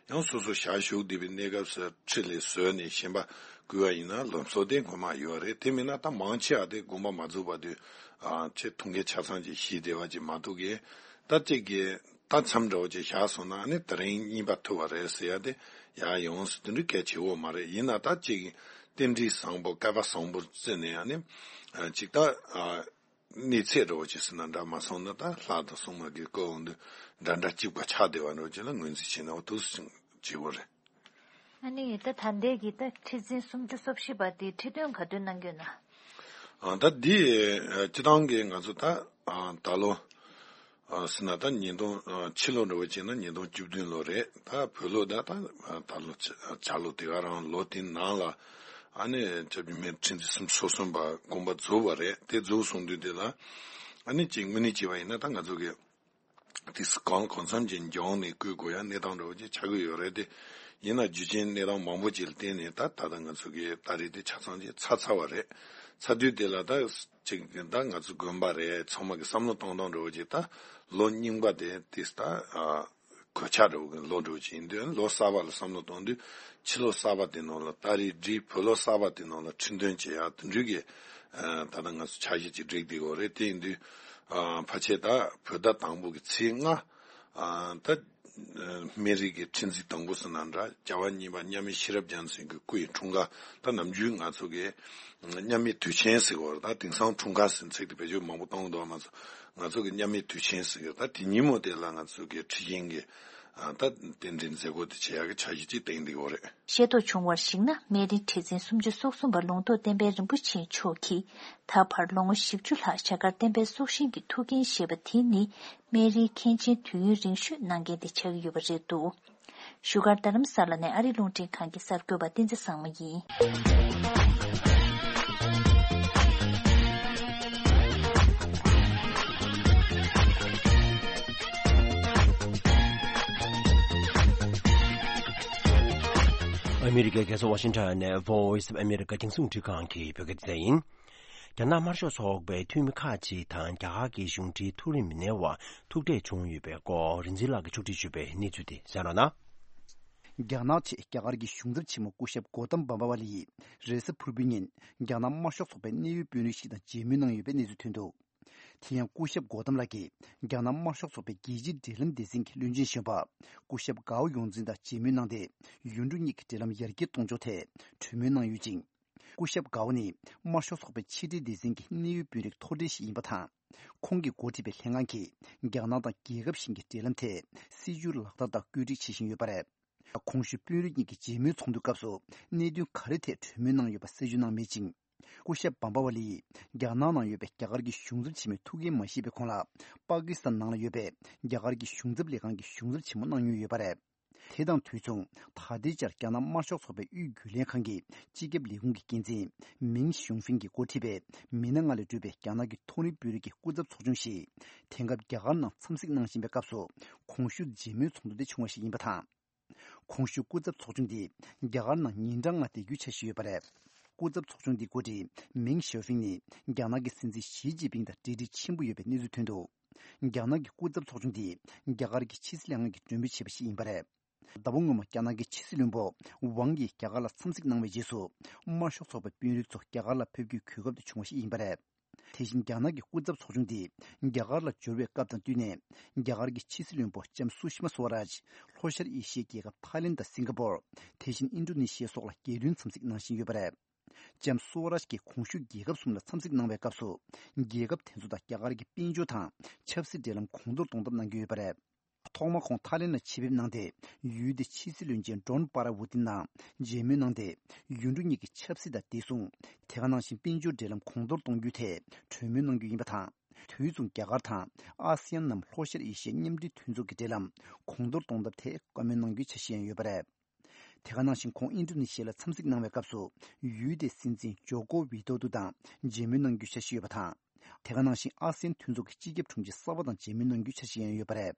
ཡང་སོ་སོ་ཞལ་བཞུགས་བསྡད་པའི་གནས་སྐབས་སུ་ཁྲི་ལས་བཟོས་ནས་བཞེངས་པ་བསྐོས་པ་ཡིན་ན་ལམ་སྲོལ་དེ་སྔོན་མ་ཡོད་རེད། དེ་མིན་ན་ད་མང་ཆེ་བ་དེ་དགོངས་པ་མ་རྫོགས་བར་དུ་ཨ་ཆེ་ཐུགས་འགན་ཆ་ཚང་ཅིག་བཞེས་བསྡད་པ་ཅིག་མ་གཏོགས་གི་ད་གཅིག་གི་ད་མཚམས་འདྲ་བོ་ཅིག་བཞག་སོང་ན་ཨ་ནི་དེ་རིང་གཉིས་པ་ཐུབ་པ་རེད་ཟེར་ཡ་དེ་ཡ་ཡོངས་སུ་དེ་འདྲའི་གལ་ཆེ་བོ་མ་རེད། ཡིན་ན་ད་གཅིག་རྟེན་འབྲེལ་བཟང་པོ་སྐལ་པ་བཟང་པོར་བརྩིས་ནས་ཨ་ནི་ཨ་གཅིག་ད་ཨ་གནས་ཚད་འདྲ་བོ་ཅིག་ཟེར་ན་འདྲ་མ་སོང་ན་ད་ལྷ་དང་སྲུང་མ་གི་སྐུ་འོང་དུས་འདྲ་འདྲ་གཅིག་པ་ཆགས་བསྡད་པ་འདྲ་བོ་ཅིག་ལ་ངོས་འཛིན་བྱས་ན་འོ་འདུག་སེ་བྱེད་དགོས་རེད། ཨ་ནི་ད་ད་ལྟའི་གི་ད་ཁྲི་འཛིན་སུམ་ཅུ་སོ་བཞི་པ་དེ་ཁྲི་སྟོན་ག་དུས་གནང་གི་ཡོད་ན། ཨ་ད་འདི་ཨ་སྤྱི་བཏང་གི་ང་ཚོ་ད་ཨ་ད་ལོ་ ཨ་ཟེར་ན་ད་ཉིས་སྟོང་ཨ་ཕྱི་ལོ་འདྲ་བོ་བྱས་ན་ཉིས་སྟོང་བཅུ་བདུན་ལོ་རེད། ད་བོད་ལོ་ད་ད་ད་ལོ་ཆ་ལོ་དེ་ག་རང་ལོ་དེ་ནང་ལ་ཨ་ནི་སྐྱབས་རྗེ་སྨན་ཁྲི་འཛིན་སུམ་ཅུ་སོ་གསུམ་པ་དགོངས་པ་རྫོགས་པ་རེད། དེ་རྫོགས་སོང་དུས་དེ་ལ་ཨ་ནི་ཅིག་དངོས་གནས་བྱས་པ་ཡིན་ན་ད་ང་ཚོ་གི་དེ་གང་གང་འཚམ་ཅིག་འགྱངས་ནས་བསྐོ་དགོས་ཡ་གནས་སྟངས་འདྲ་བོ་ཅིག་ཆགས་ཀྱི་ཡོད་རེད། དེ་ཡིན་ན་རྒྱུ་རྐྱེན་གནས་སྟངས་མང་པོ་ཅིག་ལ་བརྟེན་ནས་ད་ད་ལྟ་ང་ཚོ་གི་ད་རེས་དེ་ཆ་ཚང་ཅིག་ཚར་ཚར་བ་རེད། ཚར་དུས་དེ་ལ་ད་ཅིག་ད་ང་ཚོ་དགོན་པ་རེད། ཚང་མ་གི་བསམ་བློ་གཏོང་སྟངས་འདྲ་བོ་ཅིག་ད་ལོ་རྙིང་པ་དེ་དེ་ད་ཨ་གོད་ཆག་འདྲ་བོ་གི་ལོ་འདྲ་བོ་ཅིག་ཡིན་དུས་ལོ་གསར་པ་ལ་བསམ་བློ་གཏོང་དུས་ཕྱི་ལོ་གསར་པ་དེ་ནང་ལ་ད་རེས་འདྲའི་བོད་ལོ་གསར་པ་དེ་ནང་ལ་ཁྲི་འདོན་བྱེད་ཡ་དེ་འདྲའི་གི་ཨ་ད་ལྟ་ང་ཚོ་འཆར་གཞི་ཅིག་བསྒྲིགས་བསྡད་ཡོད་རེད། དེ་ཡིན་དུས་ཨ་ཕལ་ཆེར་ད་བོད་ཟླ་དང་པོ་གི་ཚེས་ལྔ་ཨ་ད་སྨན་རིའི་གི་ཁྲི་འཛིན་དང་པོ་ཟེར་ན་འདྲ། རྒྱལ་བ་གཉིས་པ་མཉམ་མེད་ཤེས་རབ་རྒྱལ་མཚན་གྱི་སྐུ་ཡི་འཁྲུངས་སྐར། ད་ནམ་རྒྱུན་ང་ཚོ་གི་མཉམ་མེད་དུས་ཆེན་ཟེར་བ་རེད། ད་དེང་སང་འཁྲུངས་སྐར་ཟེར་ཚིག་དེ་བེད་སྤྱོད་མང་པོ་གཏོང་གི་འདུག་མ་ཚོ། ང་ཚོ་གི་མཉམ་མེད་དུས་ཆེན་ཟེར་གི་ད་དེ་ཉིན་མོ་དེ་ལ་ང་ཚོ་གི་ཁྲི་ཆེན་གྱི་ཨ་ད་རྟེན་འབྲེལ་མཛད་སྒོ་དེ་བྱེད་ཡག་གི་འཆར་གཞི་ཅིག་བཏིང་བསྡད་ཡོད་རེད། ཤེས་རྟོགས་བྱུང་བར་གཞིགས་ན། སྨན་རིའི་ཁྲི་འཛིན་སུམ་ཅུ་སོ་གསུམ་པ་ལུང་རྟོགས་བསྟན་འཕེལ་རིན་པོ་ཆེ་མཆོག་གིས་ད་བར་ལོ་ངོ་བཞི་བཅུ་ལྷག་རྒྱ་གར་བསྟན་པའི་སྲོག་ཤིང་གི་ཐུགས་འགན་བཞེས་པ་དེ་ནི་སྨན་རིའི་མཁན་ཆེན་དུས་ཡུན་རིང་ཤོས་གནང་མཁན་དེ་ཆགས་ཀྱི་ཡོད་པ་རེད་འདུག་བཞུགས་སྒར་རྡ་རམ་ས་ལ་ནས་ཨ་རི་རླུང་འཕྲིན་ཁང་གི་གསར་འགོད་པ་བསྟན་འཛིན་བཟང་མོ་ཡིན། ཨ་མི་རི་ཀའི་རྒྱལ་ས་ཝ་ཤིང་ཊོན་ནས་Voice of America རྒྱང་སྲིང་རླུང་འཕྲིན་ཁང་གི་བོད་སྐད་སྡེ་ཚན་ཡིན། རྒྱ་ནག་དམར་ཤོག་ཚོགས་པའི་འཐུས་མི་ཁག་ཅིག་དང་རྒྱ་གར་གྱི་གཞུང་འབྲེལ་མཐོ་རིམ་མི་སྣའི་དབར་ཐུག་འཕྲད་བྱུང་ཡོད་པའི་སྐོར་རིན་འཛིན་ལགས་ཀྱིས་ཕྱོགས་སྒྲིག་ཞུས་པའི་གནས་ཚུལ་དེ་གསན་རོགས་གནང་། རྒྱ་ནག་ཆེད་རྒྱ་གར་གྱི་གཞུང་ཚབ་ཆེན་མོ་སྐུ་ཞབས་གོ་ཏམ་བམ་པ་ཝ་ལི་ཡིས་རེས་གཟའ་ཕུར་བུའི་ཉིན་རྒྱ་ནག་དམར་ཤོག་ཚོགས་པའི་གནད་ཡོད་དཔོན་རིགས་ཤིག་དང་མཇལ་མོལ་གནང་ཡོད་པའི་གནས་ཚུལ་ཐོན་འདུག་དེ་ཡང་སྐུ་ཞབས་གོ་ཏམ་ལགས་ཀྱིས་རྒྱ་ནག་དམར་ཤོག་ཚོགས་པའི་རྒྱལ་སྤྱིའི་འབྲེལ་ལམ་སྡེ་ཚན་གྱི་བློན་ཆེན་གཞོན་པ་སྐུ་ཞབས་གའོ་ཡོང་ཙིན་དང་མཇལ་མོལ་གནང་སྟེ། ཡུལ་གྲུ་གཉིས་ཀྱི་འབྲེལ་ལམ་ཡར་རྒྱས་གཏོང་ཕྱོགས་ཐད་གྲོས་མོལ་གནང་ཡོད་ཅིང་། སྐུ་ཞབས་གའོ་ནི་དམར་ཤོག་ཚོགས་པའི་ཕྱི་འབྲེལ་སྡེ་ཚན་གྱི་གནད་ཡོད་དཔོན་རིགས་མཐོ་གྲས་ཤིག་ཡིན་པ་དང་། ཁོང་གིས་འགོ་ཁྲིད་པའི་ལྷན་ཁང་གིས་རྒྱ་ནག་དང་རྒྱལ་ཁབ་གཞན་གྱི་འབྲེལ་ལམ་ཐད་སྲིད་ཇུས་ལག་བསྟར་དང་བཀོད་སྒྲིག་བྱེད་བཞིན་ཡོད་པ་རེད། གོང་ཞུས་དཔོན་རིགས་གཉིས་ཀྱི་མཇལ་མོལ་ཚོགས་འདུའི་སྐབས་སུ་གནད་དོན་ག་རེ་ཐད་གྲོས་མོལ་གནང་ཡོད་པ་གསལ་བརྗོད་གནང་མེད་ཅིང་། སྐུ་ཞབས་བམ་པ་ཝ་ལི་ཡིས་རྒྱ་ནག་ནང་ཡོད་པའི་རྒྱ་གར་གྱི་གཞུང་ཚབ་ཆེན་མོའི་ཐུགས་འགན་མ་བཞེས་པའི་གོང་ལ། པ་ཀི་སི་ཐན་ནང་ལ་ཡོད་པའི་རྒྱ་གར་གྱི་གཞུང་ཚབ་ལས་ཁང་གི་གཞུང་ཚབ་ཆེན་མོ་གནང་མྱོང་ཡོད་པ་རེད། དེ་དང་དུས་མཚུངས། ད་ལྟའི་ཆར་རྒྱ་ནག་དམར་ཤོག་ཚོགས་པའི་དབུས་རྒྱུན་ལས་ཁང་གི་སྤྱི་ཁྱབ་ལས་ཁུངས་ཀྱི་འགན་འཛིན་མིང་ཞུང་ཧྥིང་གིས་འགོ་ཁྲིད་པའི་མི་སྣ་ལྔ་ལས་གྲུབ་པའི་རྒྱ་ནག་གི་མཐོ་རིམ་དཔོན་རིགས་ཀྱི་སྐུ་ཚབ་ཚོགས་ཆུང་ཞིག་དེང་སྐབས་རྒྱ་གར་ནང་འཚམས་གཟིགས་གནང་བཞིན་པའི་སྐབས་སུ། གོང་ཞུས་མཇལ་མོལ་ཚོགས་འདུ་དེ་བྱུང་བ་ཞིག་ཡིན་པ་དང་། གོང་ཞུས་སྐུ་ཚབ་ཚོགས་ཆུང་འདི་རྒྱ་གར་ནང་ཉིན་གྲངས་ལྔ་བསྡད་རྒྱུའི་འཆར་གཞི་ཡོད་པ་རེད། སྐུ་ཚབ་ཚོགས་ཆུང་འདིའི་འགོ་ཁྲིད་མིང་ཞའོ་ཧྥིང་ནི་རྒྱ་ནག་གི་སྲིད་འཛིན་ཞི་ཅིན་ཕིང་དང་འབྲེལ་འདྲིས་ཆེན་པོ་ཡོད་པའི་གནས་ཚུལ་ཐོན་འདུག་རྒྱ་ནག་གི་སྐུ་ཚབ་ཚོགས་ཆུང་འདིས་རྒྱ་གར་གྱི་ཕྱི་སྲིད་ལྷན་ཁང་གིས་མགྲོན་འབོད་བྱས་པ་ཞིག་ཡིན་པ་རེད། ཟླ་བ་སྔོན་མ་རྒྱ་ནག་གི་ཕྱི་སྲིད་བློན་པོ་ཝང་ཡིས་རྒྱ་གར་ལ་འཚམས་གཟིགས་གནང་བའི་རྗེས་སུ། དམར་ཤོག་ཚོགས་པའི་དཔོན་རིགས་ཚོ་རྒྱ་གར་ལ་ཕེབས་རྒྱུའི་གོ་སྐབས་དེ་བྱུང་བ་ཞིག་ཡིན་པ་རེད། དེ་བཞིན་རྒྱ་ནག་གི་སྐུ་ཚབ་ཚོགས་ཆུང་དེ་རྒྱ་གར་ལ་འབྱོར་བའི་སྐབས་དང་བསྟུན་ནས། རྒྱ་གར་གྱི་ཕྱི་སྲིད་བློན་པོ་ལྕམ་སུ་ཤི་མ་སུ་ཝ་རཱཇ་ལྷོ་ཤར་ཨེ་ཤི་ཡའི་རྒྱལ་ཁབ་ཐའི་ལེན་དང་སིང་ག་པོར། དེ་བཞིན་ཨིན་ཌོ་ནེ་ཤི་ཡ་སོགས་ལ་རྒྱལ་དོན་འཚམས་གཟིགས་གནང་བཞིན་ཡོད་པ་རེད། ལྕམ་སུ་ཝ་རཱཇ་གྱིས་གོང་ཞུས་རྒྱལ་ཁབ་གསུམ་ལ་འཚམས་གཟིགས་གནང་བའི་སྐབས་སུ། རྒྱལ་ཁབ་དེ་ཚོ་དང་རྒྱ་གར་གྱི་དཔལ་འབྱོར་དང་ཆབ་སྲིད་འབྲེལ་ལམ་གོང་མཐོར་གཏོང་ཐབས་གནང་གི་ཡོད་པ་རེད། ཐོག་མར་ཁོང་ཐའི་ལེན་ལ་ཆེད་ཕེབས་གནང་སྟེ། ཡུལ་དེའི་ཕྱི་སྲིད་བློན་ཆེན་ཌོན་པ་ར་ཝུ་ཏིན་དང་མཇལ་མོལ་གནང་སྟེ། ཡུལ་གྲུ་གཉིས་ཀྱི་ཆབ་སྲིད་དང་བདེ་སྲུང་། དེ་ག་ནང་བཞིན་དཔལ་འབྱོར་འབྲེལ་ལམ་གོང་མཐོར་གཏོང་རྒྱུའི་ཐད་གྲོས་མོལ་གནང་རྒྱུ་ཡིན་པ་དང་། དུས་མཚུངས་རྒྱ་གར་དང་ཨ་སི་ཡན་ནམ་ལྷོ་ཤར་ཨེ་ཤི་ཡའི་མཉམ་འབྲེལ་མཐུན་ཚོགས་ཀྱི་འབྲེལ་ལམ་གོང་མཐོར་གཏོང་ཐབས་ཐད་བཀའ་མོལ་གནང་རྒྱུའི་འཆར་གཞི་ཡང་ཡོད་པ་རེད། དེ་ག་ནང་བཞིན་ཁོང་ཨིན་ཌོ་ནེ་ཤི་ཡ་ལ་འཚམས་གཟིགས་གནང་བའི་སྐབས་སུ། ཡུལ་དེའི་སྲིད་འཛིན་ཇོ་ཀོ་ཝི་ཏོ་ཏུ་དང་མཇལ་མོལ་གནང་རྒྱུའི་འཆར་གཞི་ཡོད་པ་དང་། དེ་ག་ནང་བཞིན་ཨ་སི་ཡན་མཐུན་ཚོགས་ཀྱི་སྤྱི་ཁྱབ་དྲུང་ཆེ་གསར་པ་དང་མཇལ་མོལ་གནང་རྒྱུའི་འཆར་གཞི་ཡང་ཡོད་པ་རེད།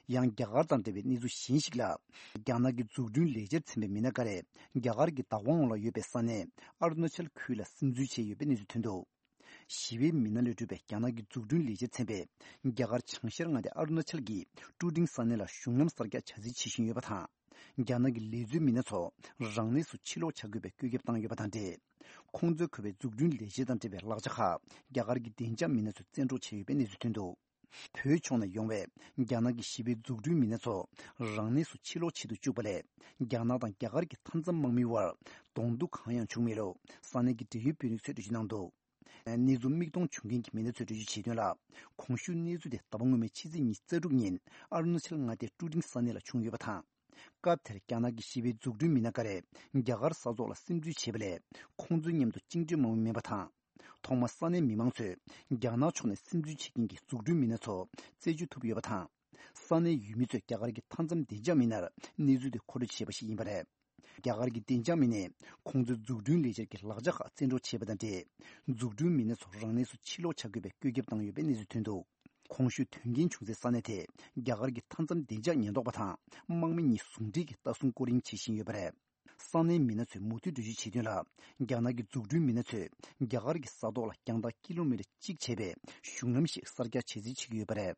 ཡང་རྒྱ་གར་དང་འབྲེལ་བའི་གནས་ཚུལ་གཞན་ཞིག་ལ། རྒྱ་ནག་གི་འཛུགས་སྐྲུན་ལས་འཆར་ཚན་པའི་མི་སྣ་འགའ་རེ་རྒྱ་གར་གྱི་བདག་དབང་འོག་ལ་ཡོད་པའི་ས་གནས་ཨ་རུ་ན་ཅལ་ཁུལ་ལ་སིམ་འཛུལ་བྱས་ཡོད་པའི་གནས་ཚུལ་ཐོན་འདུག་ཞི་བའི་མི་སྣ་ལས་གྲུབ་པའི་རྒྱ་ནག་གི་འཛུགས་སྐྲུན་ལས་འཆར་ཚན་པས། རྒྱ་གར་བྱང་ཤར་མངའ་སྡེ་ཨ་རུ་ན་ཅལ་གྱི་ཀྲུ་ཀྲིང་ས་གནས་ལ་གཞུང་ལམ་གསར་རྒྱག་བྱ་རྩིས་བྱེད་བཞིན་ཡོད་པ་དང་། རྒྱ་ནག་གི་ལས་བཟོའི་མི་སྣ་ཚོ་རང་གནས་སུ་ཕྱིར་ལོག་བྱ་དགོས་པའི་བཀོད་ཁྱབ་བཏང་ཡོད་པ་དང་འབྲེལ། ཁོང་ཚོས་བཀོད་པའི་འཛུགས་སྐྲུན་ལས་འཆར་དང་འབྲེལ་བའི་ལག་ཆ་ཁག་རྒྱ་གར་གྱི་བདེ་འཇགས་མི་སྣ་ཚོས་བཙན་འཕྲོག་བྱས་ཡོད་པའི་གནས་ཚུལ་ཐོན་འདུག་བོད་ཕྱོགས་ནས་ཡོང་བའི་རྒྱ་ནག་གི་ཞི་བའི་འཛུགས་སྐྲུན་མི་སྣ་ཚོ་རང་གནས་སུ་ཕྱིར་ལོག་བྱེད་དུ་བཅུག་པ་ལས། རྒྱ་ནག་དང་རྒྱ་གར་གྱི་མཐའ་མཚམས་དམག་མིའི་དབར་གདོང་ཐུག་གང་ཡང་བྱུང་མེད་ལུགས་ས་གནས་ཀྱི་འབྲེལ་ཡོད་དཔོན་རིགས་ཚོས་འགྲེལ་བརྗོད་གནང་འདུག་གནས་ཚུལ་མིག་མཐོང་བྱུང་མཁན་གྱི་མི་སྣ་ཚོས་འགྲེལ་བརྗོད་བྱས་དོན་ལ། གོང་ཞུས་གནས་ཚུལ་དེ་ཟླ་བ་སྔོན་མའི་ཕྱི་ཚེས་ཉི་ཤུ་རྩ་དྲུག་ཉིན་ཨ་རུ་ན་ཅལ་མངའ་སྡེའི་ཀྲུ་ཀྲིང་ས་གནས་ལ་བྱུང་ཡོད་པ་དང་། སྐབས་དེར་རྒྱ་ནག་གི་ཞི་བའི་འཛུགས་སྐྲུན་མི་སྣ་འགའ་རེས་རྒྱ་གར་ས་ཐོག་ལ་སིམ་འཛུལ་བྱས་པ་ལས། ཁོང་ཚོའི་མཉམ་དུ་བཅིངས་འགྲོལ་དམག་མི་མེད་པ་དང་ ཐོག་མར་ས་གནས་མི་མང་ཚོས་རྒྱ་ནག་ཕྱོགས་ནས་སིམ་འཛུལ་བྱེད་མཁན་གྱི་འཛུགས་སྐྲུན་མི་སྣ་ཚོ་རྩད་གཅོད་ཐུབ་ཡོད་པ་དང་། ས་གནས་ཡུལ་མི་ཚོས་རྒྱ་གར་གྱི་མཐའ་མཚམས་བདེ་འཇགས་མི་སྣར་གནས་ཚུལ་དེ་མཁོ་སྤྲོད་བྱས་པ་ཞིག་ཡིན་པ་རེད། རྒྱ་གར་གྱི་བདེ་འཇགས་མི་སྣས་ཁོང་ཚོའི་འཛུགས་སྐྲུན་ལས་འཆར་གྱི་ལག་ཆ་ཁག་བཙན་འཕྲོག་བྱས་པ་དང་འབྲེལ། འཛུགས་སྐྲུན་མི་སྣ་ཚོ་རང་གནས་སུ་ཕྱིར་ལོག་བྱ་དགོས་པའི་བཀོད་ཁྱབ་བཏང་ཡོད་པའི་གནས་ཚུལ་ཐོན་འདུག་གོང་ཞུས་དོན་རྐྱེན་བྱུང་སའི་ས་གནས་དེ་རྒྱ་གར་གྱི་མཐའ་མཚམས་བདེ་འཇགས་ཉེན་རྟོག་པ་དང་དམག་མི་གཉིས་ཟུང་འབྲེལ་གྱིས་ལྟ་སྲུང་སྐོར་གཡེང་བྱེད་བཞིན་ཡོད་པ་རེད། ས་གནས་མི་སྣ་ཚོས་མུ་མཐུད་འགྲེལ་བརྗོད་བྱས་དོན་ལ། རྒྱ་ནག་གི་འཛུགས་སྐྲུན་མི་སྣ་ཚོས་རྒྱ་གར་གྱི་ས་ཐོག་ལ་རྒྱང་ཐག་ཀི་ལོ་མི་ཊར་གཅིག་བྱས་པའི་གཞུང་ལམ་ཞིག་གསར་རྒྱག་བྱེད་རྩིས་བྱེད་ཀྱི་ཡོད་པ་རེད།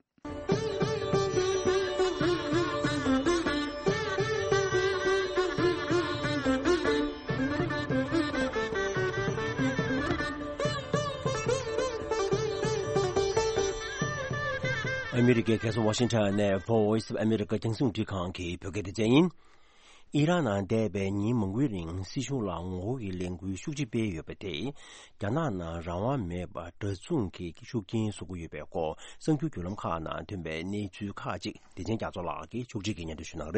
ཨ་མི་རི་ཀའི་རྒྱལ་ས་ཝ་ཤིང་ཊོན་ནས་Voice of America རྒྱང་སྲིང་རླུང་འཕྲིན་ཁང་གི་བོད་སྐད་སྡེ་ཚན་ཡིན། ཨི་རན་ནང་འདས་པའི་ཉིན་མང་པོའི་རིང་སྲིད་གཞུང་ལ་ངོ་རྒོལ་གྱི་ལས་འགུལ་ཤུགས་ཆེ་སྤེལ་ཡོད་པ་དེས། རྒྱ་ནག་ནང་རང་དབང་མེད་པར་འདྲ་མཚུངས་ཀྱི་ཤུགས་རྐྱེན་བཟོ་གི་ཡོད་པའི་སྐོར་གསར་འགྱུར་བརྒྱུད་ལམ་ཁག་ནང་ཐོན་པའི་གནས་ཚུལ་ཁག་ཅིག་བདེ་ཆེན་རྒྱ་མཚོ་ལགས་ཀྱིས་ཕྱོགས་སྒྲིག་གིས་སྙན་སྒྲོན་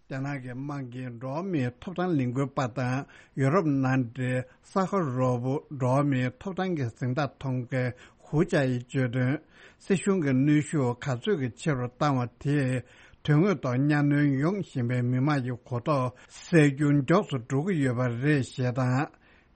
ཞུ་གནང་གི་རེད། རྒྱ་ནག་གི་དམག་གིས་འགྲོ་བ་མིའི་ཐོབ་ཐང་ལས་འགུལ་པ་དང་ཡུ་རོབ་མནའ་འབྲེལ་ས་ཁ་རོ་པོ་འགྲོ་བ་མིའི་ཐོབ་ཐང་གི་གཟེངས་རྟགས་ཐོབ་མཁན་ཧུའུ་ཅཱ་ཡིས་བརྗོད་དོན། སྲིད་གཞུང་གི་གནོན་ཤུགས་ག་ཚོད་ཀྱི་ཆེ་རུ་བཏང་བ་དེས་དོན་དངོས་ཐོག་གཉའ་གནོན་ཡོང་བཞིན་པའི་མི་དམངས་ཀྱི་གོ་རྟོགས་སད་རྒྱུ་མགྱོགས་སུ་འགྲོ་གི་ཡོད་པ་རེད་ཞེས་དང་།